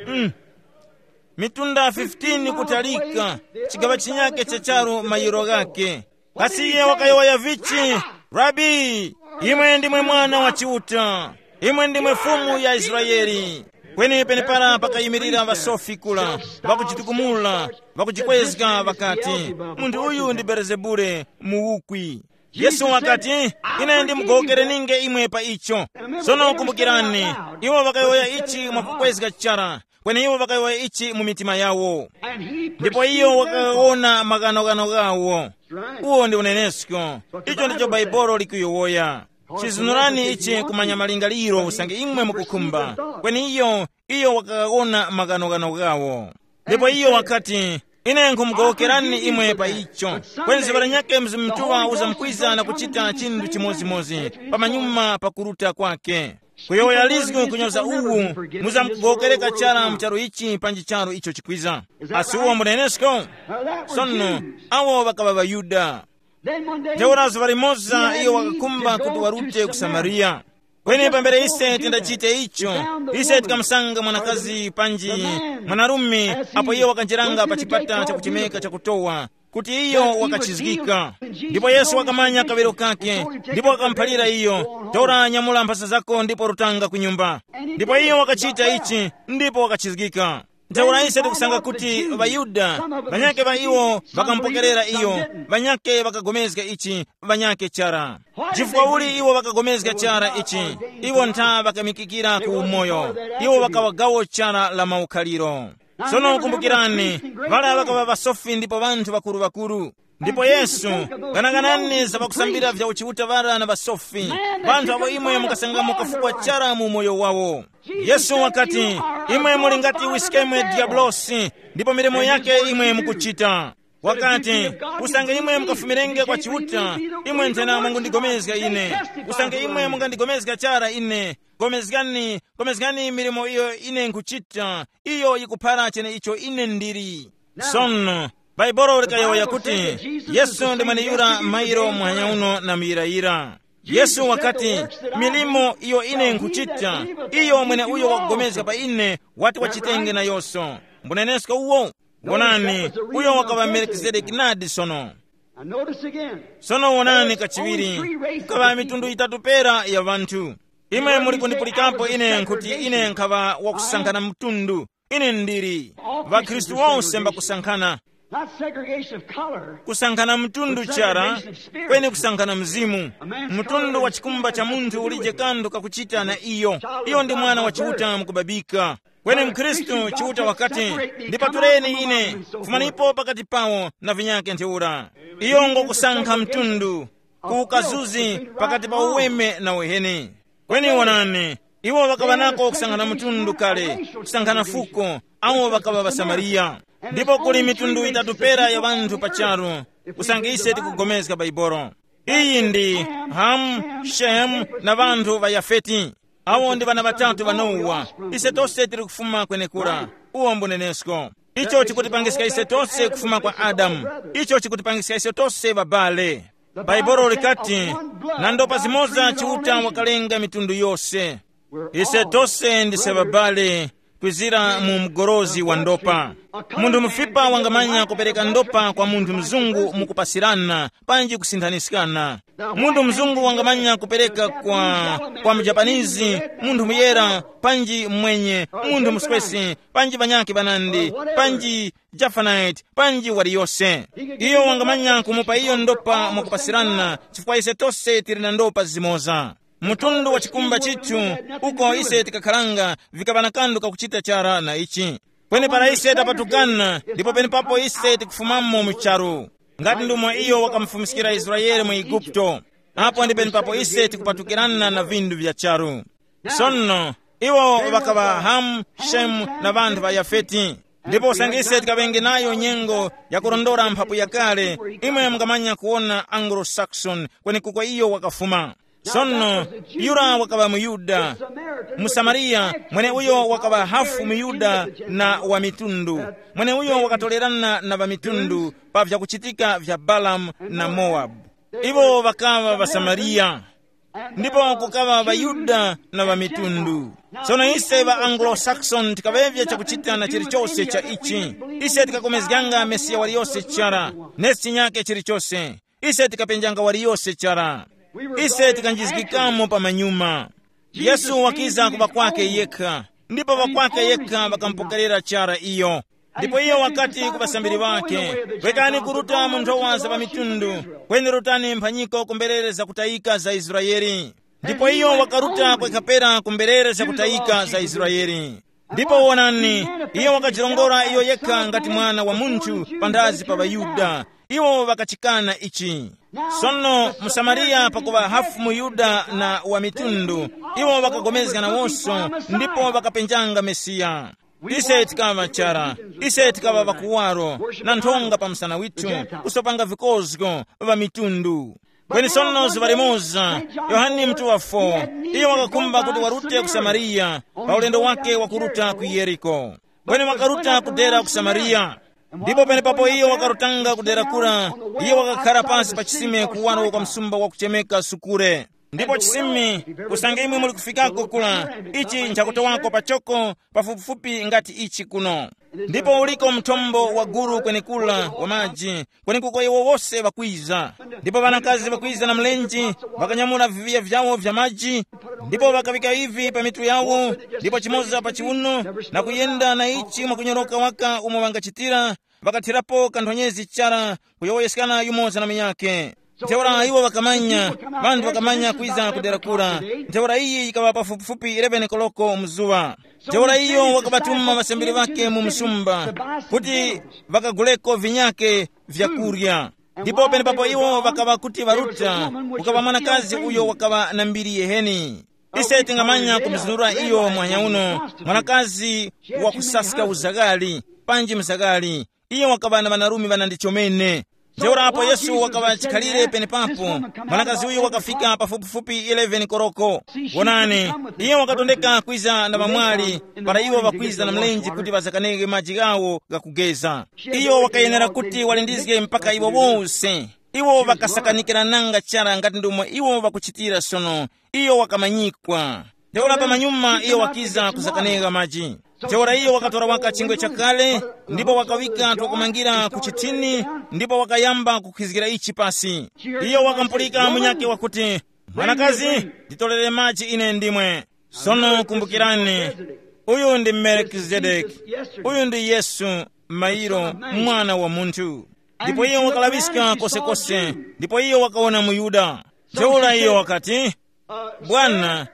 Mm. Mitunda fifteen kutalika, chigaŵa chinyake cha charu mayiro ghakhe. Kasi iye wakayowoya vichi, "Rabi, imwe ndimwe Mwana wa Chiuta, imwe ndimwe Fumu ya Israele." Kweni penepara pakayimirira ŵasofi kula, ŵakujitukumula, ŵakujikwezga ŵakati, "Munthu uyu ndi Belezebule, muwukwi." Yesu wakati, "Ine ndimugowokereninge imwe pa icho." Sono kumbukirani, iwo ŵakayowoya ichi mwakukwezga chara, kweni iwo ŵakayowoya ichi mu mitima yawo. Ndipo iyo wakawona maghanoghano ghawo. Uwo ndi unenesko. Icho ndicho Baibolo likuyowoya. Chizunurani ichi kumanya malingaliro usange imwe mukukhumba. Kweni iyo, iyo wakawona maghanoghano ghawo. Ndipo iyo wakati, "Ine nkhumugowokerani imwe pa icho. Kweni ziŵa lanyakhe Mzimu Mutuŵa uzamkwiza na kuchita chinthu chimodzimodzi pamanyuma pa kuruta kwake. Kuyowoya lizgu kunyoza uwu, muzamkugowokereka chara mu charu ichi panji charu icho chikwiza." Asi uwo mbunenesko? Sono, awo ŵakaŵa ŵaYuda. Ntheura zuŵa limoza iyo wakakhumba kuti warute ku Samariya. Kweni pambere ise tindachite icho, ise tikamusanga mwanakazi panji mwanarume apo iyo wakanjeranga pa chipata chakuchemeka chakutowa. kuti iyo wakachizgika. Ndipo Yesu wakamanya kaŵiro kake, ndipo wakamuphalira iyo, tora nyamula mphasa zako ndipo rutanga ku nyumba. Ndipo iyo wakachita ichi, ndipo wakachizgika. Ntheura ise tikusanga kuti ŵaYuda, ŵanyakhe ŵa iwo ŵakamupokerera iyo, ŵanyakhe ŵakagomezga ichi, ŵanyakhe chara. Chifukwa uli iwo ŵakagomezga chara ichi? Iwo ntha ŵakamikikira ku umoyo. Iwo ŵakaŵa gawo chara la maukhaliro. Sono kumbukirani, ŵala ŵakaŵa ŵasofi ndipo ŵanthu ŵakuru-ŵakuru. Ndipo Yesu, ganaganani za ŵakusambira vya uchiuta ŵara na ŵasofi, ŵanthu abo imwe mukasangamo kafukwa chara mu umoyo wawo. Yesu wakati, imwe muli ngati wiskemwe diablosi, ndipo milimo yake imwe mukuchita. Wakati, usange imwe mukafumirenge kwa Chiuta, imwe nthena mungundigomezga ine. Usange imwe mungandigomezga chara ine, gomezgani, gomezgani milimo iyo ine nkuchita, iyo yikuphara cheneicho ine ndili. Sono, Baibolo likayowoya kuti, Yesu ndi mweneyura mairo muhanya uno na muyirayira. Yesu wakati, milimo iyo ine nkuchita, iyo mweneuyo wakupulikana pa ine wati wachitenge nayonso. Mbunenesko uwo. Wonani, uyo wakaŵa Melkizedeki nadi sono. Now notice again. Sono wonani kachiwiri, kukaŵa mitundu yitatu pera ya ŵanthu. Imwe muli kundipulikapo ine nkuti ine nkhaŵa wakusankhana mtundu. Ine ndili. །Ŵakhristu wonse mbakusankhana. Not segregation of color. Kusankhana mtundu chara, kweni kusankhana mzimu. Mtundu wa chikumba cha munthu ulije kanthu kakuchita na iyo. Iyo ndi mwana wa Chiuta mukubabika. Kweni mkhristu Chiuta wakati, ndipatuleni ine, fumanipo pakati pawo na vinyake ntheura. Iyo ngokusankha mtundu, kukazuzi pakati pa uweme na uheni. Kweni wonani, iwo ŵakaŵa nako kusankhana mtundu kale, kusankhana fuko, awo ŵakaŵa ŵasamariya. Ndipo kuli mitundu yitatu pera ya ŵanthu pa charu, usange ise tikugomezga Baibolo. Iyi ndi Hamu, Shemu na ŵanthu ŵa Yafeti. Awo ndi ŵana ŵatatu ŵa Nowa. Ise tose tili kufuma kwenekura. Uwo mbunenesko. Icho chikutipangiska ise tose kufuma kwa Adamu. Icho chikutipangiska ise tose ŵabale. Bhaibuli likati, na ndopa zimoza Chiuta wakalenga mitundu yose. Ise tose ndise ŵabale kwizira mu mgorozi wa ndopa. Munthu mufipa wangamanya kupereka ndopa kwa munthu mzungu mukupasirana panji kusinthaniskana. Munthu mzungu wangamanya kupereka kwa, kwa mujapanizi, munthu muyera, panji mwenye, munthu muswesi, panji ŵanyakhe ŵanandi, panji Jafanite, panji waliyose. Iyo wangamanya kumupa iyo ndopa mwakupasirana, chifukwa ise tose tili na ndopa zimoza. Mtundu wa chikumba chithu, uko ise tikakharanga, vikaŵa na kanthu kakuchita chara na ichi. Kweni para ise tapatukana, ndipo penepapo ise tikufumamo mu charu. Ngati ndumo iyo wakamufumiskira Israele mu Eguputo, apo ndi penepapo ise tikupatukirana na vindu vya charu. Sono, iwo ŵakaŵa Hamu, Shemu na ŵanthu ŵa Yafeti. Ndipo usange ise tikaŵenge nayo nyengo yakurondora mphapu yakale, imwe mungamanya kuwona Anglo-Saxon kwenekuko iyo wakafuma. Sono, yura wakaŵa muYuda, muSamariya, mweneuyo wakaŵa hafu muYuda na wa mitundu, mweneuyo wakatolerana na ŵamitundu pa vyakuchitika vya Balamu na Mowabu. Iwo ŵakaŵa ŵaSamariya, ndipo kukaŵa ŵaYuda na ŵamitundu. Tsono ise ŵa Anglo-Saxon tikaŵevya chakuchita na chilichose cha ichi. Ise tikakomezganga Mesiya waliyose chara, nesi chinyake chilichose. Ise tikapenjanga waliyose chara. Ise tikanjizgikamo pa manyuma. Yesu wakiza ku ŵakwake yekha, ndipo ŵakwake yekha ŵakamupokerera chara iyo. Ndipo iyo wakati ku ŵasambiri ŵakhe, rekani kuruta mu nthowa za ŵamitundu, kweni rutani mphanyiko ku mberere zakutayika za Israele. Ndipo iyo wakaruta kwekha pera ku mberere zakutayika za Israele. Ndipo wonani, iyo wakajirongora iyo yekha ngati mwana wa munthu panthazi pa ŵaYuda. Iwo ŵakachikana ichi. Sono muSamariya pakuŵa hafu muYuda na wa mitundu, iwo ŵakapulikana nawonso ndipo ŵakapenjanga Mesiya. Ise tikaŵa chara, ise tikaŵa ŵakuwaro, na nthonga pa msana withu, kusopanga vikozgo ŵa mitundu. Kweni sono zuŵa limoza, Yohane mutuŵa fo, iyo wakakhumba kuti warute ku Samariya pa ulendo wake wakuruta ku Yeriko. Kweni wakaruta kudera ku Samariya. Ndipo penepapo iyo wakarutanga kudera kura, iyo wakakhara pansi pa chisime kuwaro kwa msumba wakuchemeka Sukure. Ndipo chisimi, usange imwe muli kufikako kula, ichi nchakutowako pachoko, pafupifupi ngati ichi kuno. Ndipo uliko mthombo wa gulu kwenekula wa maji, kwenekuko iwo wose ŵakwiza. Ndipo ŵanakazi ŵakwiza na mlenje, ŵakanyamula viviya vyawo vya maji, ndipo ŵakaŵika ivi pa mitu yawo, ndipo chimoza pa chiuno, na kuyenda na ichi mwakunyoroka waka umo ŵangachitira, ŵakathirapo kanthonyezi chara, kuyowoyeskana yumoza na munyakhe. Ntheura iwo ŵakamanya, ŵanthu ŵakamanya kwiza kudera kura. Ntheura iyi yikaŵa pafupifupi eleven koloko mzuŵa. Ntheura iyo wakaŵatuma ŵasambiri ŵakhe mu msumba, kuti ŵakaguleko vinyakhe vyakurya. Ndipo penepapo iwo ŵakaŵa kuti ŵaruta, kukaŵa mwanakazi uyo wakaŵa na mbiri yeheni. Ise tingamanya kumuzunura iyo mwanya uno, mwanakazi wakusaska uzaghali, panji mzaghali. Iyo wakaŵa na ŵanarume ŵanandi chomene. Ntheura apo Yesu wakaŵa chikhalire penepapo, mwanakazi uyu wakafika pafupifupi eleven koroko. Wonani, iyo wakatondeka kwiza na ŵamwali, para iwo ŵakwiza na mlenje kuti ŵazakanenge maji ghawo ghakugeza. Iyo wakayenera kuti walindizge mpaka iwo wose. Iwo ŵakasakanikirananga chara ngati ndomwe iwo ŵakuchitira sono. Iyo wakamanyikwa. Ntheura pamanyuma iyo wakiza kuzakanega maji. Ntheura iyo wakatora waka chingwe chakale, ndipo wakawika twakumangira ku chithini, ndipo wakayamba kukhizgira ichi pasi. Iyo wakampulika munyakhe wakuti, "Mwanakazi, nditorere maji ine ndimwe." Sono kumbukirani, uyu ndi Melkizedeki. Uyu ndi Yesu, mairo, mwana wa munthu. Ndipo iyo wakalaŵiska kosekose, ndipo iyo wakawona muYuda. Ntheura iyo wakati, "Bwana,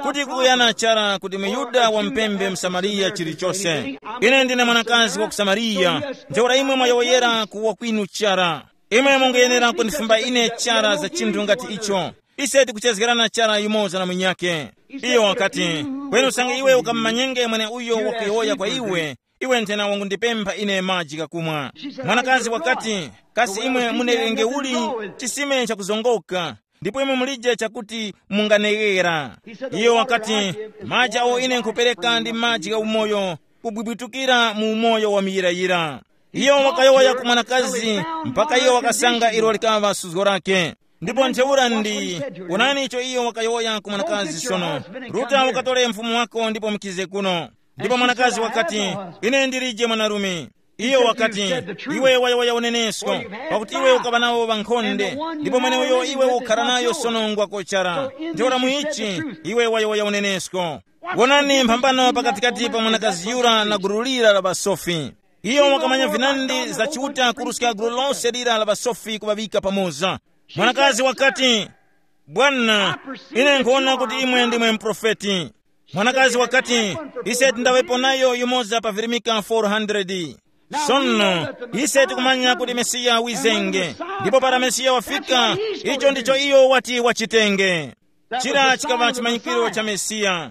kuti kukuyana chara kuti muYuda wampembe muSamariya chilichose? Ine ndine mwanakazi wa ku Samariya, ntheura imwe mwayowoyera kuwa kwinu chara. Imwe mungayenera kundifumba ine chara za chinthu ngati icho. Ise tikuchezgerana chara yumoza na munyakhe." Iyo wakati, "Kweni usange iwe ukamumanyenge mweneuyo wakuyowoya kwa iwe, iwe nthena wangundipempha ine maji ghakumwa." Mwanakazi wakati, "Kasi imwe muneghenge uli chisime chakuzongoka, ndipo imwe mulije chakuti munganeghera?" Iyo wakati, "Maji awo ine nkhupereka ndi maji gha umoyo, kubwibwitukira mu umoyo wa muyirayira." Iyo wakayowoya ku mwanakazi mpaka iyo wakasanga ilo likaŵa suzgo lake. Ndipo ntheura ndi, wonani icho iyo wakayowoya ku mwanakazi sono, "Ruta ukatore mfumu wako ndipo mukize kuno." Ndipo mwanakazi wakati, "Ine ndilije mwanarume." Iyo wakati, "Iwe wayowoya unenesko, pakuti iwe ukaŵa nawo ŵankhonde, ndipo mweneuyo iwe ukhara nayo sono ngwakochara. Ntheura muichi, iwe wayowoya unenesko. Wonani mphambano pakatikati pa mwanakazi yura na gulu lira la ŵasofi." Iyo wakamanya vinandi za Chiuta kuruska gulu lose lira la ŵasofi kuŵaŵika pamoza. Mwanakazi wakati, "Bwana, ine nkhuwona kuti imwe ndimwe muprofeti." Mwanakazi wakati, "Ise tindaŵepo nayo yumoza pa virimika four hundred. Sono, ise tikumanya kuti Mesiya wizenge, ndipo para Mesiya wafika, icho ndicho iyo wati wachitenge." Chira chikaŵa chimanyikiro cha Mesiya,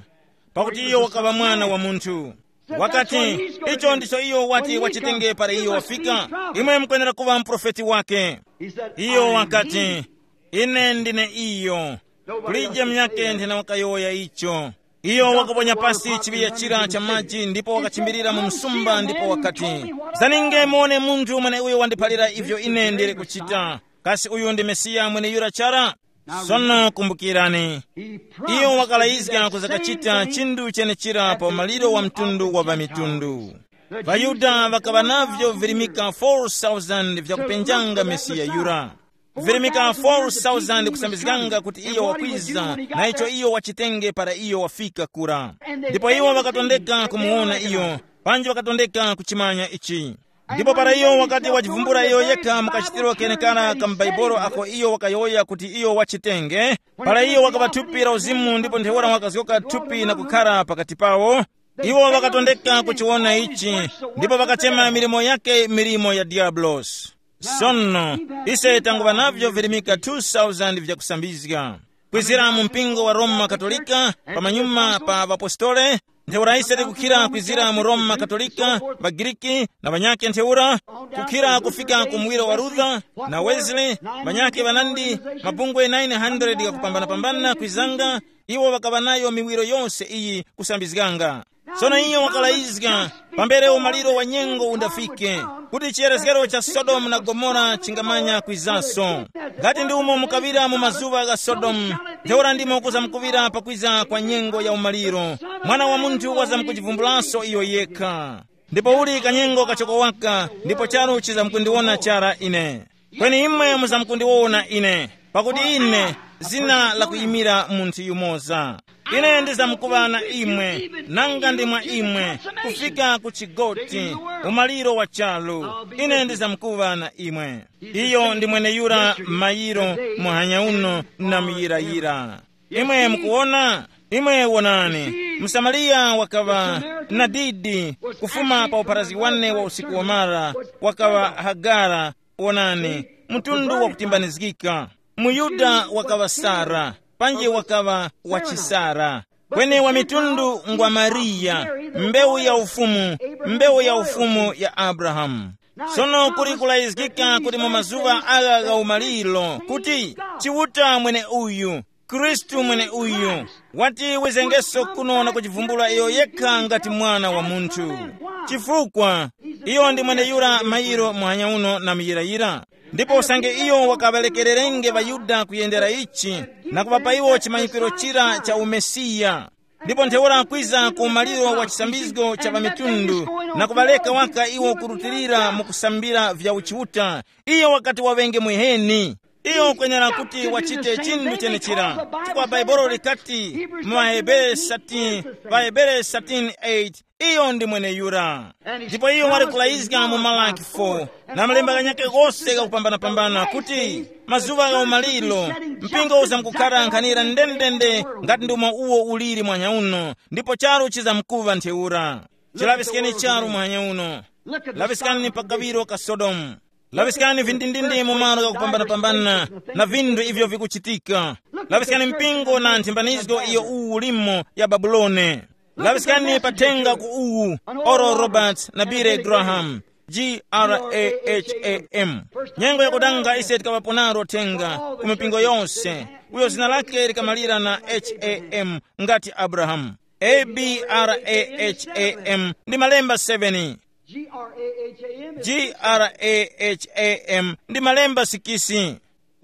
pakuti iyo wakaŵa mwana wa munthu. Wakati, "Icho ndicho iyo wati wachitenge para iyo wafika, imwe mukwenera kuŵa muprofeti wake." Iyo wakati, "Ine ndine iyo. Kulije munyakhe nthena wakayowoya icho." Iyo wakaponya pasi chiŵiya chira cha maji ndipo wakachimbirira mu msumba ndipo wakati, "Zaninge muone munthu mweneuyo wandiphalira ivyo ine ndili kuchita. Kasi uyu ndi Mesiya mweneyura chara?" Sono kumbukirani, iyo wakalayizga kuzakachita chinthu chenechira pa umaliro wa mtundu wa ŵamitundu. ВaYuda ŵakaŵa navyo virimika four thousand vyakupenjanga Mesiya yura. Virimika four thousand kusambizganga kuti iyo wakwiza, na icho iyo wachitenge para iyo wafika kura. Ndipo iwo ŵakatondeka kumuwona iyo, panji ŵakatondeka kuchimanya ichi. Ndipo para iyo wakati wachivumbula iyo yekha mu kachitiro kenekara ka m'Baibulo ako iyo wakayowoya kuti iyo wachitenge, para iyo wakaŵa thupi la uzimu ndipo ntheura wakazgoka thupi na kukhara pakati pawo, iwo ŵakatondeka kuchiwona ichi, ndipo ŵakachema milimo yake milimo ya Diyabulosi. Sono, ise tanguŵa navyo virimika two thousand vyakusambizga. Kwizira mu mpingo wa Roma Katolika, pamanyuma pa ŵapostole, ntheura ise tikukhira kwizira mu Roma Katolika, ŵaGiriki, na ŵanyakhe ntheura, kukhira kufika ku muwiro wa Luther na Wesley, ŵanyakhe ŵanandi, mabungwe nine hundred ghakupambanapambana kwizanga, iwo ŵakaŵa nayo miwiro yose iyi kusambizganga. Sono iyo wakalayizga, pambere umaliro wa nyengo undafike, kuti chiyerezgero cha Sodomu na Gomora chingamanya kwizanso. Ngati ndi umo mukaŵira mu mazuŵa gha Sodomu, Ntheura ndimo kuzamkuŵira pakwiza kwa nyengo ya umaliro. Mwana wa munthu wazamkujivumbulanso iyo yekha. Ndipo uli kanyengo kachoko waka, ndipo charu chizamkundiwona chara ine. Kweni imwe muzamkundiwona ine, pakuti ine zina lakuyimira munthu yumoza. Ine ndizamkuŵa na imwe, nanga ndi mwa imwe, kufika ku chigoti, umaliro wa charu. Ine ndizamkuŵa na imwe. Iyo ndi mweneyura mayiro muhanya uno na muyirayira. Imwe mukuwona? Imwe wonani, msamariya wakaŵa nadidi, kufuma pa upharazi wane wa usiku wamara, wakaŵa Hagara. Wonani, mtundu wakutimbanizgika. Muyuda wakaŵa Sara, panji wakaŵa wachisara. Kweni wa mitundu ngwa Mariya, mbewu ya ufumu, mbewu ya ufumu ya Abrahamu. Sono kuli kulayizgika kuti mu mazuŵa agha gha umaliro kuti Chiuta mwene uyu, Khristu mwene uyu, wati wizengeso kuno na kuchivumbula iyo yekha ngati mwana wa munthu. Chifukwa iyo ndi mweneyura mayiro muhanya uno na muyirayira. Ndipo usange iyo wakaŵalekererenge ŵaYuda kuyendera ichi, na kuŵapa iwo chimanyikiro chira cha uMesiya. Ndipo ntheura kwiza ku umaliro wa chisambizgo cha ŵamitundu, na kuŵaleka waka iwo kurutilira mu kusambira vya uchiuta, iyo wakati waŵenge muheni. Iyo ukwenera kuti wachite chinthu chenechira, chifukwa Bhaibuli likati mu ŵaHebere thirteen, ŵaHebere thirteen eight, iyo ndi mweneyura. Ndipo iyo wali kulayizga mu Malaki four, na malemba ghanyakhe ghose ghakupambanapambana kuti mazuŵa gha umaliro, mpingo uzamkukhara nkhanira ndendende ngati ndumo uwo uliri mwanya uno, ndipo charu chizamkuŵa ntheura. Chilaŵiskeni charu mwanya uno. Laŵiskani pa kaŵiro ka Sodomu. Laŵiskani vindindindi mu malo ghakupambanapambana na vinthu ivyo vikuchitika. Laŵiskani mpingo na nthimbanizgo iyo uwu ulimo ya Babulone. Laŵiskani pathenga ku uwu, Oral Roberts na Billy Graham, Graham. Nyengo yakudanga ise tikaŵapo naro thenga ku mipingo yonse, uyo zina lake likamalira na Ham, ngati Abrahamu. Abraham ndi malemba seven. Graham ndi malemba sikisi.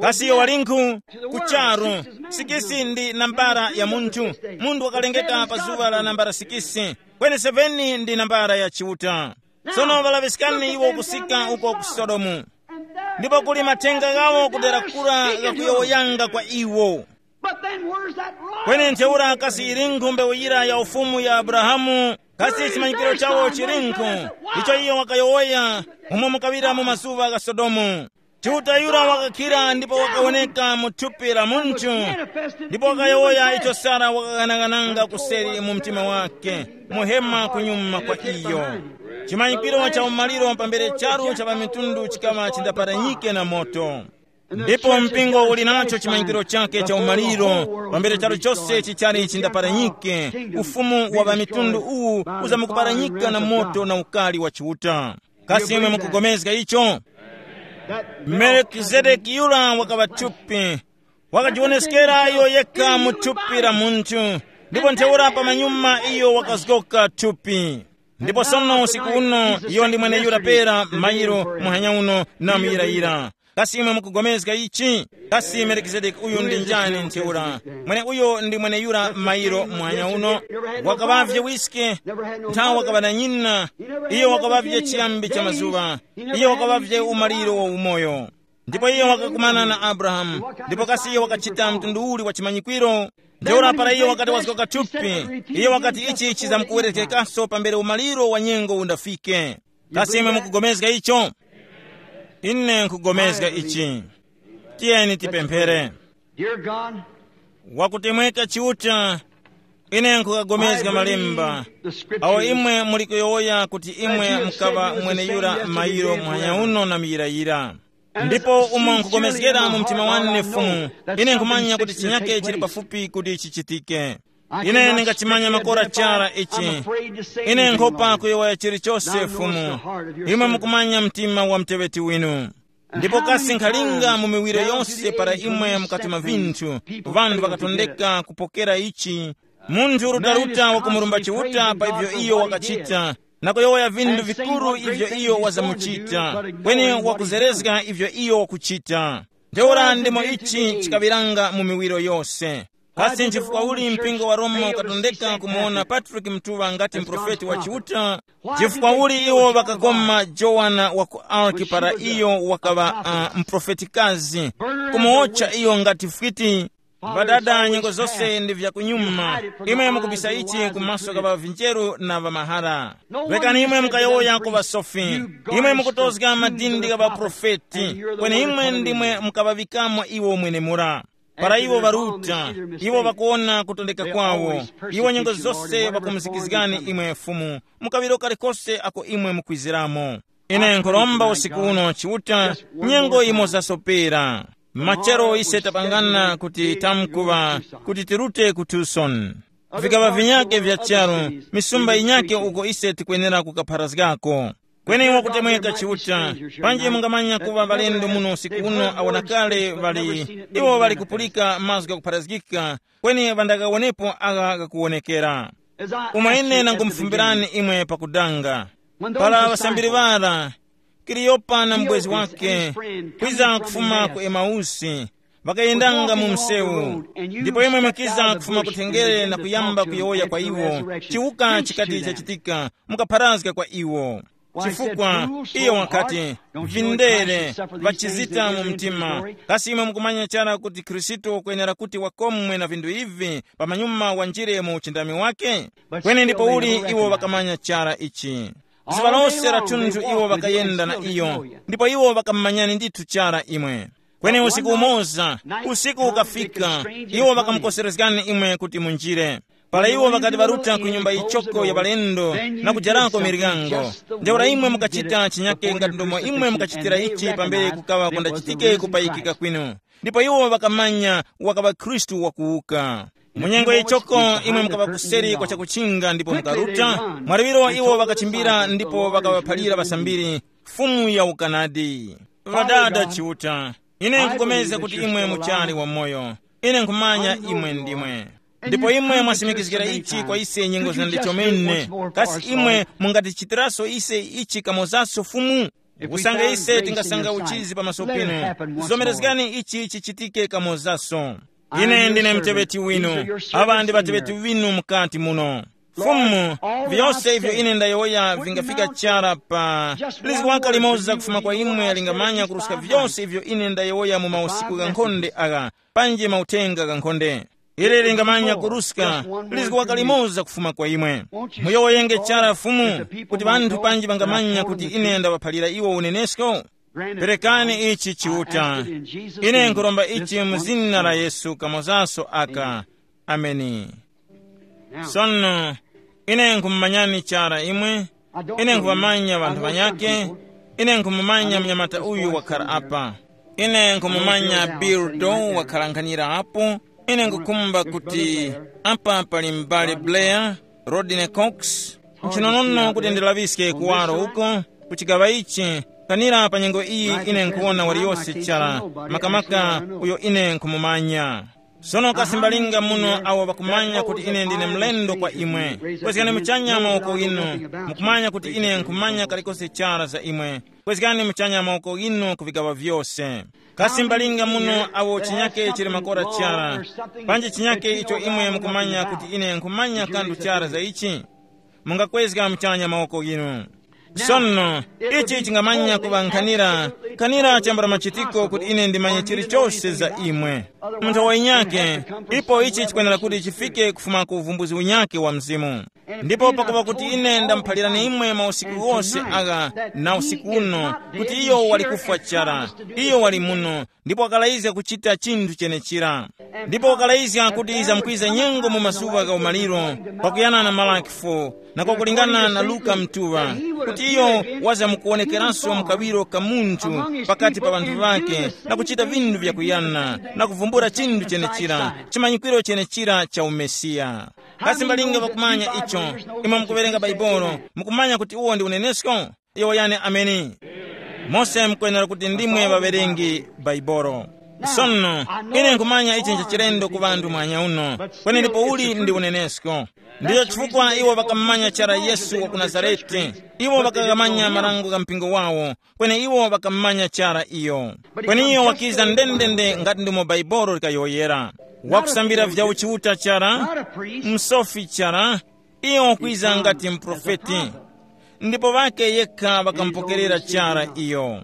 Kasi iyo walinkhu? Ku charu. Sikisi ndi nambara ya munthu. Munthu wakalengeka pa zuŵa la nambara sikisi. Kweni seven ndi nambara ya Chiuta. Sono ŵalaŵiskani iwo kusika uko ku Sodomu. Ndipo kuli mathenga ghawo kudera kura ghakuyowoyanga kwa iwo. But then where's that royal? Kweni ntheura kasi ilinkhu mbewu yira ya ufumu ya Abrahamu? Kasi chimanyikiro chawo chilinkhu? Icho iyo wakayowoya, umo mukaŵira mu mazuŵa gha Sodomu. Chiuta yura wakakhira ndipo wakawoneka mu thupi la munthu. Ndipo wakayowoya icho Sara wakaghanaghananga kuseri mu mtima wake, muhema kunyuma kwa iyo. Chimanyikiro cha umaliro pambere charu cha ŵamitundu chikaŵa chindaparanyike na moto. Ndipo mpingo uli nacho chimanyikiro chake cha umaliro, pambere charu chose chichali chindaparanyike. Ufumu wa ŵamitundu uwu uzamukuparanyika na moto na ukali wa Chiuta. Kasi imwe mukugomezga icho? Melkizedeki yura wakaŵa thupi, wakajiwoneskera iyo yekha mu thupi la munthu, ndipo ntheura pamanyuma iyo wakazgoka thupi. Ndipo sono usiku uno iyo ndi mweneyura pera mayiro muhanya uno na muyirayira. Kasi imwe mukugomezga ichi? Kasi Melkizedeki uyu ndi njani ntheura? Mwene uyo ndi mweneyura mayiro muhanya uno. Wakaŵavye wiske, nthawi wakaŵa na nyina. Iyo wakaŵavye chiyambi cha mazuŵa. Iyo wakaŵavye umaliro wa umoyo. Ndipo iyo wakakumana na Abrahamu. Ndipo kasi iyo wakachita mtundu uli wa chimanyikwiro? Ntheura para iyo wakati wazgoka thupi, iyo wakati ichi chizamkuwerekekanso pambere umaliro wa nyengo undafike. Kasi imwe mukugomezga icho? Ine nkugomezga ichi. Tiyeni tipemphere. Dear God, wakutemweka Chiuta, ine nkukagomezga malemba awo imwe muli kuyowoya kuti imwe mukaŵa mweneyura mayiro muhanya uno na miyirayira. Ndipo umo nkugomezgera mu mtima wane Fumu, ine nkhumanya kuti chinyake chili pafupi kuti chichitike. Ine ndingachimanya makora chara ichi. Ine nkhopa kuyowoya chilichose Fumu, imwe mukumanya mtima wa muteŵeti winu. Ndipo kasi nkhalinga mu miwiro yose para imwe mukati mwa vinthu, vanthu vakatondeka kupokera ichi, munthu rutaruta wakumurumba Chiuta pa ivyo iyo wakachita, na kuyowoya vinthu vikuru ivyo iyo wazamuchita, kweni wakuzerezga ivyo iyo wakuchita. Ntheura ndimo ichi chikaŵiranga mu miwiro yose. Kasi nchifukwa uli mpingo wa Roma ukatondeka kumuwona Patrick Mtuŵa ngati mprofeti wa Chiuta? Chifukwa uli iwo ŵakakoma Jowana wa ku Arki para iyo wakaŵa uh, mprofetikazi, kumuwotcha iyo ngati fwiti? Ŵadada, nyengo zose ndi vyakunyuma. Imwe mukubisa ichi kumaso ka ŵavinjeru na ŵamahara. Rekani imwe mukayowoya ku ŵasofi. Imwe mukutozga madindi gha ŵaprofeti, kweni imwe ndimwe mukaŵaŵikamo iwo mwenemura. Para iwo ŵaruta, iwo ŵakuwona kutondeka kwawo. Iwo nyengo zose ŵakumuzikizgani imwe Fumu, mu kaŵiro kalikose ako imwe mukwiziramo. Ine nkhuromba usiku uno Chiuta, nyengo imo zasopera. Machero ise tapangana kuti tamkuŵa kuti tirute ku Tucson. Vikaŵa vinyake vya charu, misumba yinyake uko ise tikwenera kukapharazgako. Kweni wakutemweka Chiuta, panji mungamanya kuŵa ŵalendo muno usiku uno awo na kale ŵali, iwo ŵali kupulika mazgu ghakupharazgika, kweni ŵandakawonepo agha ghakuwonekera. Umo ine nangumufumbirani imwe pakudanga, para ŵasambiri ŵara, Kiliyopa na mubwezi wake, kwiza kufuma ku Emausi, ŵakayendanga mu msewu, ndipo imwe mukiza kufuma kuthengere na kuyamba kuyowoya kwa iwo chiwuka chikati chachitika, mukapharazga kwa iwo. Chifukwa iyo wakati, vindere, vachizita mu mtima. Kasi imwe mukumanya chara kuti Khristu wakwenera kuti wakomwe na vinthu ivi pamanyuma wanjire mu uchindami wake? Kweni ndipo uli iwo ŵakamanya chara ichi? Zuŵa lose la thunthu iwo ŵakayenda na iyo, ndipo iwo ŵakamumanyani ndithu chara imwe. Kweni usiku umoza, usiku ukafika, iwo ŵakamukoserezgani imwe kuti munjire. Para iwo ŵakati ŵaruta ku nyumba yichoko ya ŵalendo na kujarako miryango, ntheura imwe mukachita chinyake ngati ndomo imwe mukachitira ichi pambere kukaŵa kundachitike kupayikika kwinu. Ndipo iwo ŵakamanya wakaŵa Khristu wakuwuka. Mu nyengo yichoko imwe mukaŵa kuseri kwa chakuchinga ndipo mukaruta, mwariviro iwo ŵakachimbira ndipo ŵakaŵaphalira ŵasambiri, Fumu ya ukanadi. Ŵadada Chiuta, ine nkupulikana kuti imwe muchali wamoyo. Ine nkhumanya imwe ndimwe. Ndipo imwe mwasimikizgira ichi kwa ise nyengo zina chomene. Kasi imwe mungatichitiraso ise ichi kamozaso Fumu? Usange ise tingasanga uchizi pamaso pinu, zomerezgani ichi chichitike kamozaso. Ine ndine mteŵeti winu, aŵa ndi ŵateŵeti winu mukati muno. Fumu, vyose ivyo ine ndayowoya vingafika chara pa lizgu waka limoza kufuma kwa imwe lingamanya kuruska vyose ivyo ine ndayowoya mu mausiku ghankhonde agha, panji mauthenga ghankhonde. Ili lingamanya kuruska lizgu waka limoza kufuma kwa imwe. Muyowoyenge chara Fumu, kuti ŵanthu panji ŵangamanya kuti ine ndaŵaphalira iwo unenesko. Perekani ichi Chiuta. Ine nkhuromba ichi mu zina la Yesu kamozaso aka. Ameni. Sono, ine nkhumumanyani chara imwe. Ine nkhuvamanya ŵanthu ŵanyakhe. Ine nkhumumanya mnyamata uyu wakhala apa. Ine nkhumumanya Bill Doe wakhala nkhanira apo. Ine nkhukhumba kuti apa pali m'bale Blair, Rodney Cox. Nchinonono kuti ndilaŵiske kuwaro uko, kuchigaŵa ichi, kanira pa nyengo iyi ine nkhuwona waliyose chara, makamaka uyo ine nkhumumanya. Sono kasi mbalinga muno awo ŵakumanya kuti ine ndine mlendo kwa imwe, kwezgani muchanya mawoko inu. Mukumanya kuti ine nkhumanya kalikose chara za imwe, kwezgani muchanya mawoko inu ku vigaŵa vyose. Kasi mbalinga muno awo chinyake chili makora chara, panji chinyake icho imwe mukumanya kuti ine nkhumanya kanthu chara za ichi? Mungakwezga muchanya mawoko inu. Sono, ichi chingamanya kuŵa nkhanira, nkhanira chambula machitiko kuti ine ndimanye chilichose za imwe. Munthu wainyake, ipo ichi chikwenera kuti chifike kufuma ku uvumbuzi unyake wa Mzimu. Ndipo pakuŵa kuti ine ndamuphalirani imwe mausiku ghose agha na usiku uno, kuti iyo wali kufwa chara, iyo wali muno, ndipo wakalayizga kuchita chinthu chenechira. Ndipo wakalayizga kuti yizamkwiza nyengo mu mazuŵa gha umaliro, kwakuyana na Malaki four, na kwakulingana na Luka mtuŵa, kuti iyo wazamkuwonekeranso mu kawiro ka munthu pakati pa ŵanthu ŵake, na kuchita vinthu vyakuyana, na kuvumbula chinthu chenechira, chimanyikwiro chenechira cha uMesiya. Kasi mbalinga ŵakumanya icho? Imwe mukuwerenga Baibolo, mukumanya kuti uwo ndi unenesko? Yowoyani ameni. Mose mukwenera kuti ndimwe ŵaŵerengi Baibolo. Sono, ine nkhumanya ichi nchachilendo ku ŵanthu mwanya uno, kweni ndipo uli ndi unenesko. Ndicho chifukwa iwo ŵakammanya chara Yesu wa ku Nazarete. Iwo ŵakamanya marango gha mpingo wawo, kweni iwo ŵakammanya chara iyo. Kweni iyo wakiza ndendende ngati ndimo Baibolo likayowoyera. Wakusambira vya uchiuta chara, msofi chara, iyo wakwiza ngati muprofeti. Ndipo ŵake yekha ŵakamupokerera chara iyo.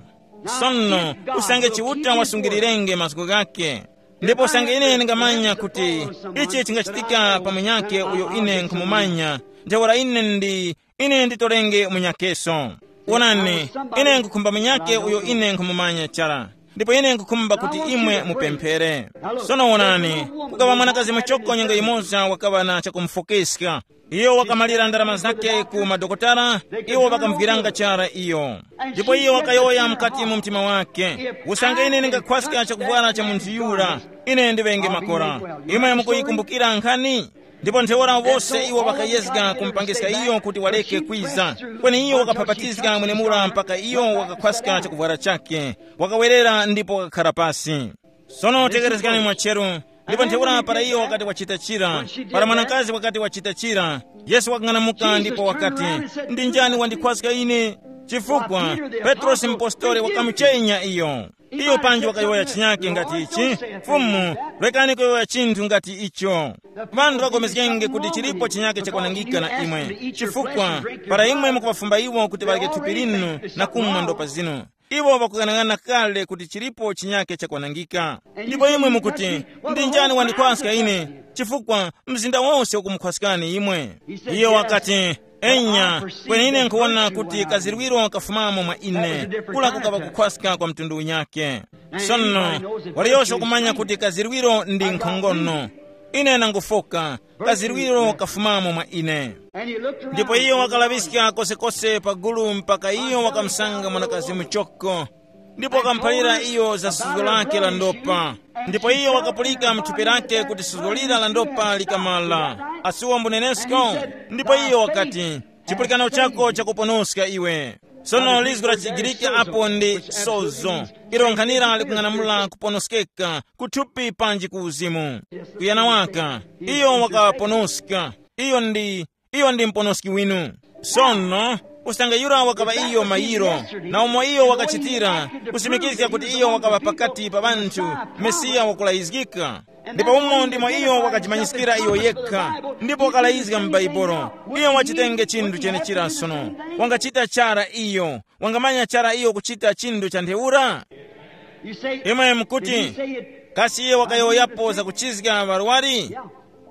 Sono, usange Chiuta wasungirirenge mazgu ghakhe, ndipo usange ine ndingamanya kuti ichi chingachitika pa munyakhe uyo ine nkhumumanya, ntheura ine ndi ine nditolenge munyakeso. Wonani, ine nkhukhumba munyakhe uyo ine nkhumumanya chara, ndipo ine nkhukhumba kuti imwe mupemphere. Sono wonani, kukaŵa mwanakazi muchoko nyengo yimoza wakaŵa na chakumufokeska. Iyo wakamalira ndarama zake ku madokotala, iwo ŵakamugwiranga chara iyo. Ndipo iyo wakayowoya mukati mu mtima wake, usange ine ndingakhwaska chakuvwara cha munthu yura, ine ndiŵenge makora. Imwe mukuyikumbukira nkhani? Ndipo ntheura wose iwo ŵakayezga kumupangiska iyo kuti waleke kwiza, kweni iyo wakapapatizga mwenemura mpaka iyo wakakhwaska chakuvwara chake, wakawerera ndipo wakakhara pasi. Sono tekerezgani mwacheru. Ndipo ntheura para iyo wakati wachita chira, para mwanakazi wakati wachita chira, Yesu wakang'anamuka ndipo wakati, ndi njani wandikhwaska ine? Chifukwa Petrosi mpostoli wakamuchenya iyo. Iyo panji wakayowoya chinyake ngati ichi, Fumu, rekani kuyowoya chinthu ngati icho. Ŵanthu ŵagomezgenge kuti chilipo chinyake chakwanangika na imwe, chifukwa para imwe mukuŵafumba iwo kuti ŵarye thupi linu na kumwa ndopa zinu, iwo ŵakughanag'ana kale kuti chilipo chinyake chakwanangika. Ndipo imwe mukuti, ndi njani wandikwaska ine? Chifukwa mzinda wose ukumukhwaskani imwe. Iyo wakati, enya, kweni ine nkhuwona kuti kazirwiro kafumamo mwa ine, kula kukaŵa kukhwaska kwa mtundu unyake. Sono, waliyose wakumanya kuti kazirwiro ndi nkhongono. Ine nangufoka, kazirwiro kafumamo mwa ine. Ndipo iyo wakalaŵiska kosekose pa gulu mpaka iyo wakamusanga mwanakazi muchoko, ndipo wakamuphalira iyo za suzgo lake la ndopa. Ndipo iyo wakapulika mu thupi lake kuti suzgo lira la ndopa likamala. Asuwa mbunenesko. Ndipo iyo wakati, chipulikano chako chakuponoska iwe. Sono lizgu la chiGiriki apo ndi sozo, ilo nkhanira likung'anamula kuponoskeka kuthupi panji ku uzimu. Kuyana waka, iyo wakaponoska. Iyo ndi iyo ndi muponoski winu. Sono, usange yura wakaŵa iyo mayiro, na umo iyo wakachitira, kusimikizga kuti iyo wakaŵa pakati pa ŵanthu, Mesiya wakulayizgika. Ndipo umo ndimo iyo wakajimanyiskira iyo yekha, ndipo wakalayizga mu Bhaibuli. Iyo wachitenge chinthu chenechira sono. Wangachita chara iyo, wangamanya chara iyo kuchita chinthu cha ntheura. Imwe mukuti, kasi iye wakayowoyapo zakuchizga ŵarwari?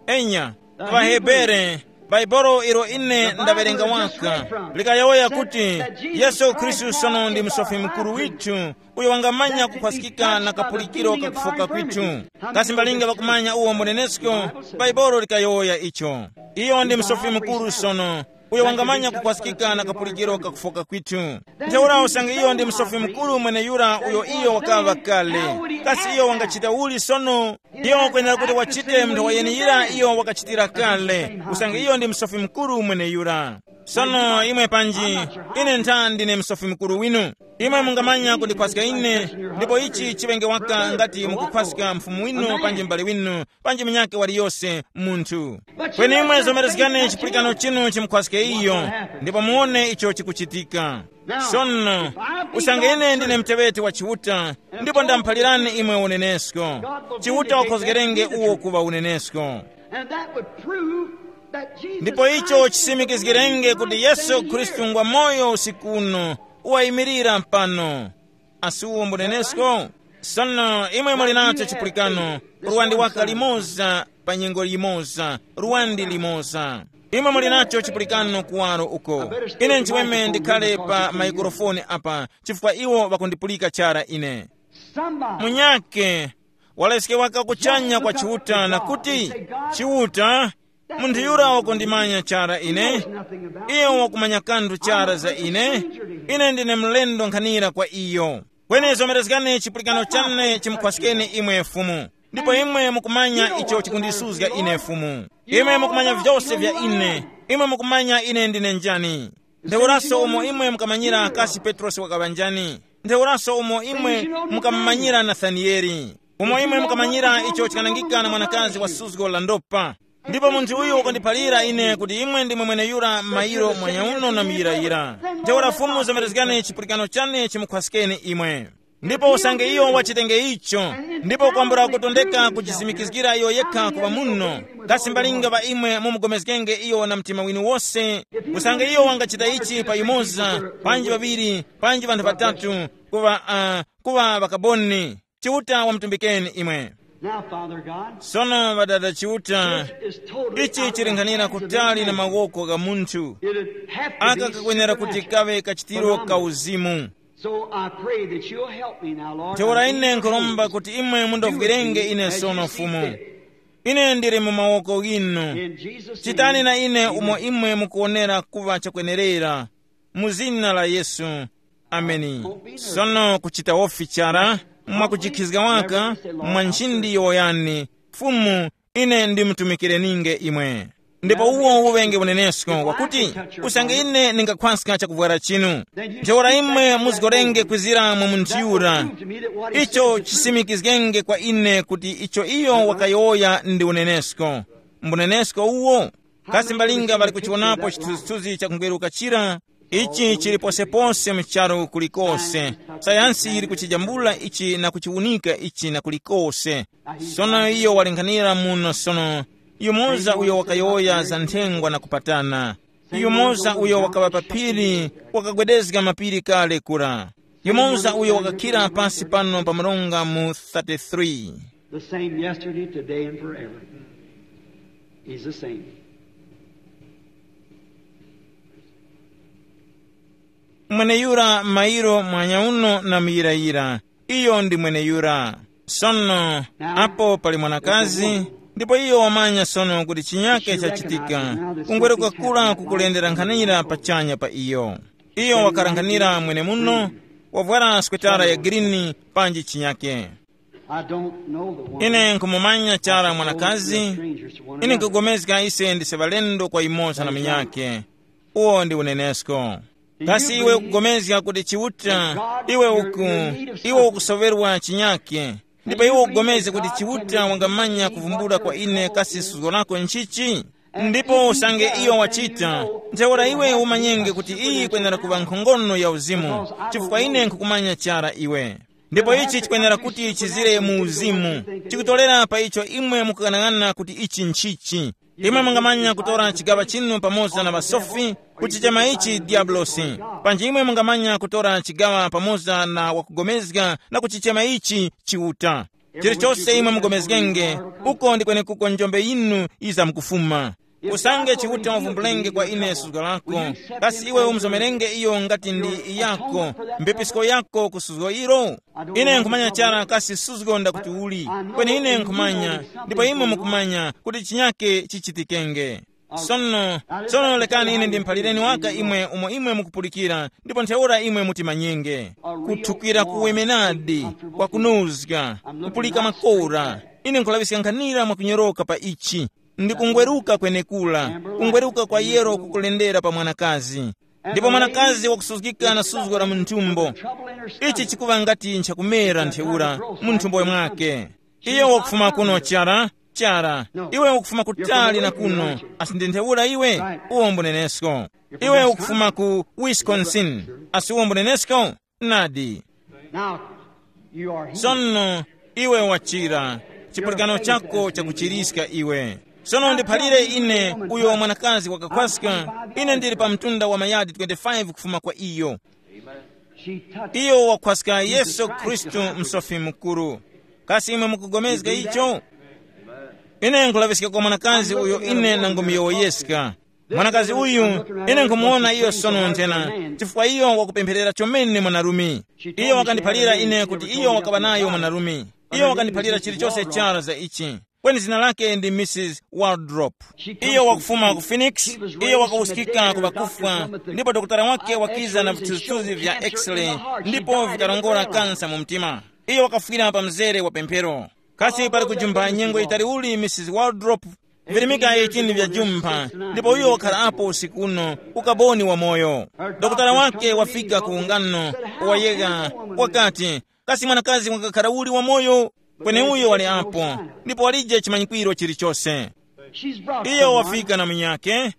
Enya, ku ŵaHebere, Bhaibuli ilo ine ndawerenga waka, likayowoya kuti Yesu Khristu sono ndi Musofi Mukuru withu, uyo wangamanya kukhwaskika na kapulikiro kakufoka kwithu. Kasi mbalinga ŵakumanya uwo munenesko? Bhaibuli likayowoya icho. Iyo ndi Musofi Mukuru sono, uyo wangamanya kukhwaskika na kapulikiro kakufoka kwithu. Ntheura usange iyo ndi Musofi Mukuru mweneyura uyo iyo wakaŵa kale, kasi iyo wangachita uli sono? Iyo wakwenera kuti wachite munthu wayeneyira iyo wakachitira kale, usange iyo ndi Musofi Mukuru mweneyura. Sono imwe panji, ine ntha ndine Musofi Mukuru winu. Imwe mungamanya kundikhwaska ine, ndipo ichi chiŵenge waka ngati mukukhwaska mfumu winu panji m'bale winu, panji munyakhe waliyose munthu. Kweni imwe zomerezgani chipulikano chinu chimukhwaske iyo, ndipo muwone icho chikuchitika. Sono, usange ine ndine muteŵeti wa Chiuta, ndipo ndamuphalirani imwe unenesko, Chiuta wakhozgerenge uwo kuŵa unenesko. And that would prove that Jesus ndipo icho Christ chisimikizgirenge kuti Yesu Khristu ngwa moyo usiku uno, wayimirira pano. Asi uwo mbunenesko? Sono imwe muli nacho chipulikano, ruwandi waka limoza pa nyengo yimoza, ruwandi limoza. Imwe muli nacho chipulikano kuwaro uko. Ine nchiweme ndikhale pa maikrofoni apa, chifukwa iwo ŵakundipulika chara ine. Munyake waleske waka kuchanya kwa Chiuta na kuti, Chiuta, munthu yura wakundimanya chara ine, iyo wakumanya kanthu chara za ine, ine ndine mlendo nkhanira kwa iyo. Kweni zomerezgani chipulikano chane chimukhwaskeni imwe Fumu, ndipo imwe mukumanya icho chikundisuzga ine Fumu. Imwe mukumanya vyose vya ine, imwe mukumanya ine ndine njani. Ntheuraso umo imwe mukamanyira kasi Petrosi wakaŵa njani, ntheuraso umo imwe mukamumanyira Nathanieli. Umo imwe mukamanyira icho chikanangika na mwanakazi wa suzgo la ndopa. Ndipo munthu uyu wakandiphalira ine kuti imwe ndimwe mweneyura mayiro mwanyauno na muyirayira. Ntheura Fumu zomerezgani chipulikano chane chimukhwaskeni imwe. Ndipo usange iyo wachitenge icho, ndipo kwambula kutondeka kuchisimikizgira iyo yekha kuŵa muno, kasi mbalinga ŵa imwe mumugomezgenge iyo na mtima winu wose? Usange iyo wangachita ichi pa yumoza, panji ŵaŵiri, panji ŵanthu ŵatatu, kuŵa uh, kuŵa ŵakaboni, Chiuta wamutumbikeni imwe. Now, Father God, sono ŵadada Chiuta, this is totally ichi out of the chilinganira hands of kutali na man. Mawoko ga munthu. It would have to aka be kakwenera kuti supernatural kaŵe kachitiro for ka mine. Uzimu. So I pray that you'll help me now, Lord. Ntheura I'm in ine your nkhuromba hands. Kuti imwe mundovwirenge ine sono Fumu. Ine ndili mu mawoko ghinu. In Jesus' name. Chitani na ine umo imwe mukuonera kuŵa chakwenerera. Mu zina la Yesu. Ameni. Sono kuchita wofi chara, mwakuchikhizga waka, mwa nchindi yowoyani, Fumu, ine ndimutumikireninge imwe. Ndipo uwo uŵenge unenesko wakuti, usange ine ndingakhwaska chakuvwara chinu, ntheura imwe muzgorenge kwizira mwa munthu yura. Icho chisimikizgenge kwa ine kuti icho iyo wakayowoya ndi unenesko. Mbunenesko uwo. Kasi mbalinga ŵali kuchiwonapo chithunzithunzi chakungweruka chira? Ichi chili posepose mu charu kulikose. Sayansi yili kuchijambula ichi na kuchiwunika ichi na kulikose. Sono iyo waling'anira muno sono, yumoza uyo wakayowoya za nthengwa na kupatana. Yumoza uyo wakaŵa pa phiri, wakagwedezga mapiri kale kura. Yumoza uyo wakakhira pasi pano pa mronga mu thirty-three. The same yesterday, today, and forever. He's the same. Mweneyura mairo mwanyauno na muyirayira, iyo ndi mweneyura. Sono apo pali mwanakazi, ndipo iyo wamanya sono kuti chinyake chachitika. Kungweruka kura kukulendera nkhanira pachanya pa iyo. Iyo wakhala nkhanira mwene muno, wavwara swetara ya girini, panji chinyake. I don't know the woman. Ine nkhumumanya chara mwanakazi. Ine nkugomezga ise ndise ŵalendo kwa yumoza na munyakhe. Uwo ndi unenesko. Kasi iwe ukugomezga kuti Chiuta, iwe uku, iwe ukusoŵerwa chinyakhe, ndipo iwe ukugomezga kuti Chiuta wangamanya kuvumbula kwa ine kasi suzgo lako nchichi? Ndipo usange iyo wachita, ntheura iwe umanyenge kuti iyi kwenera kuŵa nkhongono ya uzimu, chifukwa ine nkhukumanya chara iwe. Ndipo ichi chikwenera kuti chizire mu uzimu, chikutolera pa icho imwe mukughanag'ana kuti ichi nchichi. Imwe mungamanya kutora chigaŵa chinu pamoza na ŵasofi, kuchichema ichi diablosi. Panji imwe mungamanya kutora chigaŵa pamoza na wakugomezga na kuchichema ichi Chiuta. Chilichose imwe mugomezgenge, uko ndi kwenekuko njombe yinu yizamkufuma. Usange Chiuta wavumbulenge kwa ine suzgo lako, kasi iwe umuzomerenge iyo ngati ndi yako, mbepisko yako ku suzgo ilo? Ine nkhumanya chara kasi suzgo ndakuti uli, kweni ine nkhumanya, ndipo imwe mukumanya kuti chinyake chichitikenge. Sono, sono lekani ine ndimuphalireni waka imwe umo imwe mukupulikira, ndipo ntheura imwe mutimanyenge. Kuthukira kuwemenadi, kwakunozga, kupulika makora. Ine nkhulaŵiska nkhanira mwakunyoroka pa ichi. Ndi kungweruka kwenekura, kungweruka kwa yero kukulendera pa mwanakazi. Ndipo mwanakazi wakusuzgika na suzgo la mu nthumbo. Ichi chikuŵa ngati nchakumera ntheura mu nthumbo mwake. Iyo wakufuma kuno chara, chara. Iwe ukufuma kutali na kuno, asi ndi ntheura iwe? Uwo mbunenesko. Iwe ukufuma ku Wisconsin, asi uwo mbunenesko? Nadi. Now, you are healed. Sono iwe wachira, chipulikano chako chakuchiriska iwe. Sono ndiphalire ine, uyo mwanakazi wakakhwaska, ine ndili pa mtunda wa mayadi twenty-five kufuma kwa iyo. She touched iyo wakhwaska Yesu Khristu, msofi mukuru. Kasi imwe mukugomezga icho? Ine nkulaŵiska kwa mwanakazi uyo ine nangumuyowoyeska. Mwanakazi uyu, ine nkumuwona iyo sono nthena, chifukwa iyo wakupempherera chomene mwanarume. Iyo wakandiphalira ine kuti iyo wakaŵa nayo mwanarume. Iyo wakandiphalira chilichonse chara za ichi. Kweni zina lake ndi Missus Waldrop. Iyo wakufuma ku Phoenix. Iyo wakawuskika ku ŵakufwa, ndipo dokotala wake wakiza na vithunzithunzi vya x-ray, ndipo vikarongora kansa mu mtima. Iyo wakafwira pa mzere wa pemphero. Kasi pali kujumpha nyengo yitali uli Missus Waldrop? Virimika eighteen vya jumpha, ndipo uyo wakhala apo usiku uno, ukaboni wamoyo. Dokotala wake wafika ku ungano, wayegha, wakati, kasi mwanakazi wakakhara uli wamoyo? Kweni uyo wali apo, ndipo walije chimanyikwiro chilichose. Iyo wafika na munyake,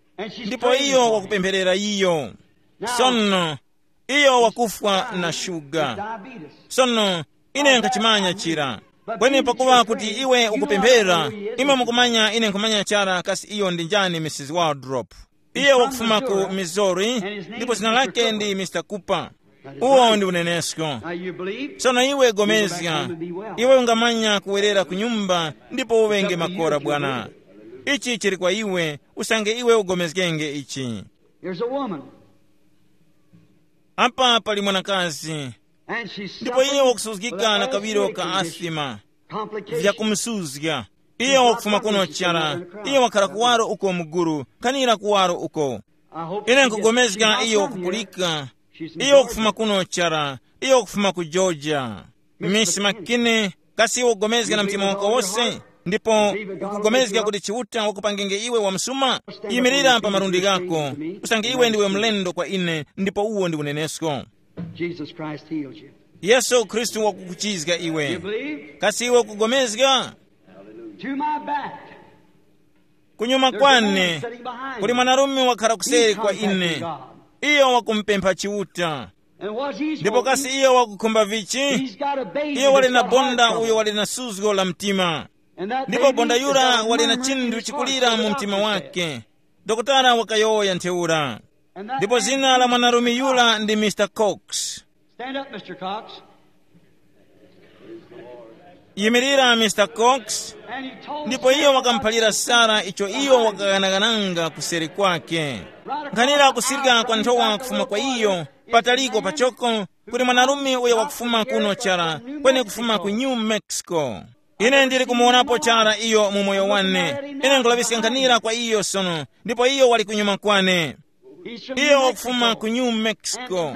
ndipo iyo wakupempherera iyo. Sono iyo wakufwa na shuga. Sono ine nkhachimanya chira. Kweni pakuŵa kuti iwe ukupemphera, imwe mukumanya ine nkhumanya chara kasi iyo ndi njani, Mrs Waldrop. Iye wakufuma ku Missouri, ndipo zina lake ndi Mr Cooper. Uwo ndi unenesko. Sono iwe gomezga, iwe ungamanya kuwerera ku nyumba ndipo uŵenge makora bwana. Ichi chili kwa iwe, usange iwe ugomezgenge ichi. Here's a woman. Apa pali mwanakazi, And she's ndipo iye wakusuzgika na kawiro ka asima. Complication. Vyakumusuzga. Iye wakufuma kuno chara, iye wakhala kuwaro uko muguru, kanira kuwaro uko. Ine nkugomezga iyo wakupulika. Iyo wakufuma kuno chara, iyo wakufuma ku Georgia. Miss McKinney, kasi iwe ukugomezga na mtima wako wose? Ndipo ukugomezga kuti Chiuta wakupangenge iwe wamsuma? Yimirira pa malundi ghako, usange iwe ndiwe mlendo kwa ine, ndipo uwo ndi unenesko. Jesus Christ healed you. Yesu Khristu wakukuchizga iwe. You believe? Kasi iwe ukugomezga? To my back. Kunyuma kwane kuli mwanarume wakhala kuseri kwa ine. Iyo wakumpempha Chiuta. And what he's ndipo kasi wanting, iyo wakukhumba vichi? He's got a baby. Iyo wali na bonda uyo wali na suzgo la mtima. Ndipo bonda yura wali na chinthu chikulira mu mtima wake. Dokotala wakayowoya ntheura. Ndipo zina la mwanarume yura ndi Mr Cox. Stand up, Mr Cox. Yimirira, Mr Cox. Ndipo iyo wakamuphalira Sara icho iyo wakaghanaghananga kuseri kwake. Nkhanira kusirika kwa nthowa kufuma kwa iyo, pataliko pachoko, kuli mwanarume uyo wakufuma kuno chara, kweni kufuma ku New Mexico. Ine ndili kumuwonapo chara iyo mu moyo wane. Ine nkulaŵiska nkhanira kwa iyo sono, ndipo iyo wali kunyuma kwane. Iyo wakufuma ku New Mexico.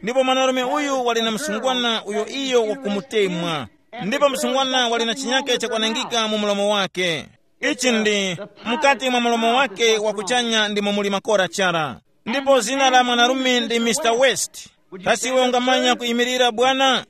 Ndipo mwanarume uyu wali na msungwana uyo iyo wakumutemwa. Ndipo msungwana wali na chinyake chakwanangika mu mlomo wake. Ichi ndi mukati mwa mlomo wake wakuchanya ndimo muli makora chara. Ndipo zina la mwanarume ndi Mr West. Kasi iwe ungamanya kuyimirira bwana?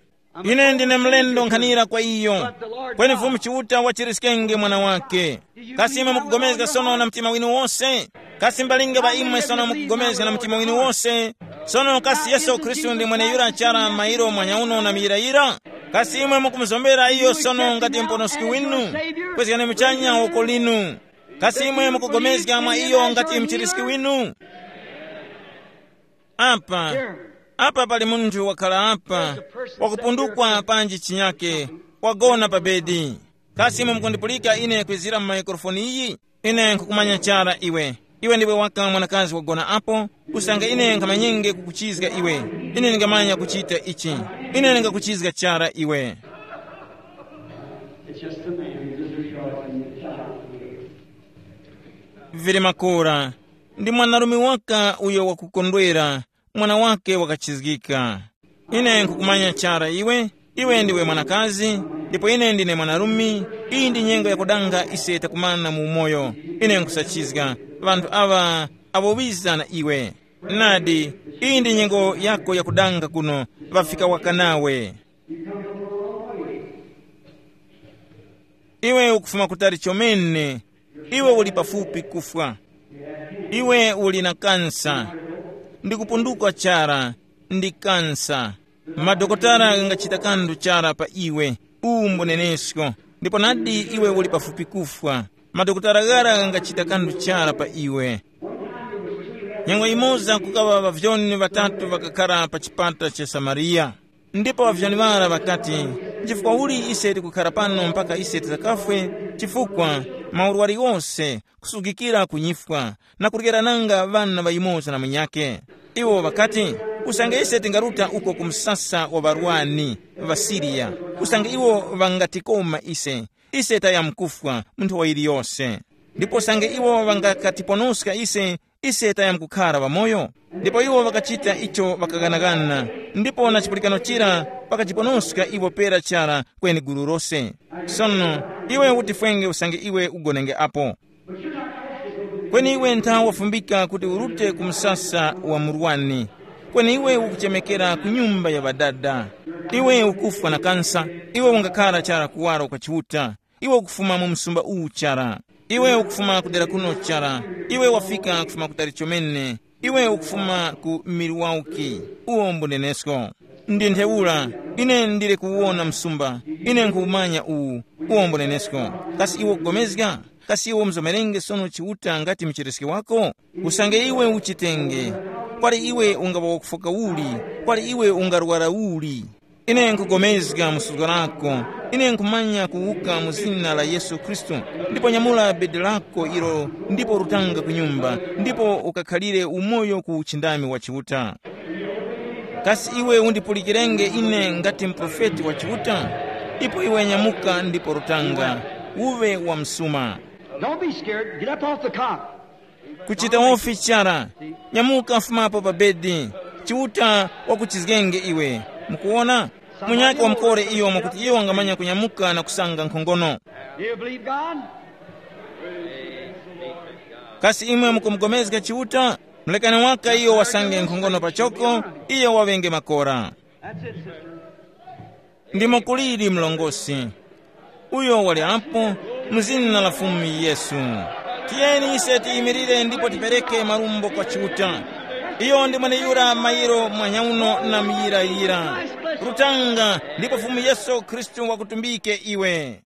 Ine ndine mlendo nkhanira kwa iyo. Kweni Fumu Chiuta wachiriskenge mwana wake. Kasi imwe mukugomezga sono na mtima winu wose? Kasi mbalinga ŵa imwe sono mukugomezga na mtima winu wose? Sono kasi Yesu Khristu ndi mweneyura chara mairo mwanyauno na miyirayira? Kasi imwe mukumuzombera iyo sono ngati mponoski winu? Kwezgani muchanya woko linu. Kasi imwe mukugomezga mwa iyo ngati mchiriski winu? Apa, apa pali munthu wakhala apa, wakupundukwa panji chinyake, wagona pa bedi. Kasi imwe mukundipulika ine kwizira mu maikrofoni iyi? Ine nkukumanya chara iwe. Iwe ndiwe waka mwanakazi wagona apo, usange ine nkhamanyenge kukuchizga iwe. Ine ndingamanya kuchita ichi. Ine ndingakuchizga chara iwe. It's just a man who just rejoicing in the child. Vili makora, ndi mwanarume waka uyo wakukondwera, mwana wake wakachizgika. Ine nkukumanya chara iwe, iwe ndiwe mwanakazi, ndipo ine ndine mwanarume. Iyi ndi nyengo yakudanga ise takumana mu umoyo. Ine nkusachizga, ŵanthu aŵa awo wiza na iwe. Nadi, iyi ndi nyengo yako yakudanga kuno, ŵafika waka nawe. Iwe ukufuma kutali chomene. Iwe uli pafupi kufwa. Iwe uli na kansa. Ndikupundukwa chara. Ndi kansa. Madokotala ghangachita kanthu chara pa iwe. Uwu mbunenesko. Ndipo nadi iwe uli pafupi kufwa. Madokotala ghara ghangachita kanthu chara pa iwe. Nyengo yimoza kukaŵa ŵavyoni ŵatatu ŵakakhara pa chipata cha Samariya. Ndipo ŵavyoni ŵara ŵakati, nchifukwa uli ise tikukhara pano mpaka ise titakafwe? Chifukwa maurwari ghose, kusugikira ku nyifwa, na kuryera nanga ŵana ŵa yumoza na munyakhe. Iwo ŵakati, usange ise tingaruta uko ku msasa wa ŵarwani ŵa Siriya, usange iwo ŵangatikoma ise, ise tayamkufwa mu nthowa yiliyose. Ndipo usange iwo ŵangakatiponoska ise, ise tayamkukhara ŵamoyo. Ndipo iwo ŵakachita icho ŵakaghanagana, ndipo na chipulikano chira ŵakajiponoska iwo pera chara kweni gulu lose. Sono, iwe utifwenge usange iwe ugonenge apo. Kweni iwe ntha wafumbika kuti urute ku msasa wa murwani, kweni iwe ukuchemekera ku nyumba ya ŵadada. Iwe ukufwa na kansa. Iwe ungakhara chara kuwaro kwa Chiuta. Iwe ukufuma mu msumba uwu chara. Iwe ukufuma kudera kuno chara. Iwe wafika kufuma kutali chomene. Iwe ukufuma ku Milwaukee. Uwo mbunenesko. Ndi ntheura. Ine ndili kuwona msumba. Ine nkuwumanya uwu. Uwo mbunenesko. Kasi iwe ukugomezga? Kasi iwe umzomerenge sono Chiuta ngati mchiriski wako? Usange iwe uchitenge. Kwali iwe ungaŵa wakufoka uli? Kwali iwe ungarwara uli? Ine nkugomezga mu suzgo lako. Ine nkhumanya kuwuka mu zina la Yesu Khristu. Ndipo nyamula bedi lako ilo, ndipo rutanga ku nyumba, ndipo ukakhalire umoyo ku uchindami wa Chiuta. Kasi iwe undipulikirenge ine ngati muprofeti wa Chiuta? Ipo iwe nyamuka ndipo rutanga, uve wa msuma. Don't be scared. Get up off the cot. Kuchita wofi chara. Nyamuka, fumapo pa bedi. Chiuta wakuchizgenge iwe. Mukuona? Munyakhe wamkore iyo mwakuti iyo wangamanya kunyamuka na kusanga nkhongono. Do you believe God? Kasi imwe mukumugomezga Chiuta? Mulekani waka iyo wasange nkhongono pachoko, iyo waŵenge makora. That's it, sister. Ndimo kuliri mlongosi. Uyo wali apo, mu zina la Fumu Yesu. Tiyeni ise tiyimirire ndipo tipereke marumbo kwa Chiuta. Iyo ndi mweneyura mayiro mwanyauno na muyirayira. Rutanga, ndipo Fumu Yesu Khristu wakutumbike iwe.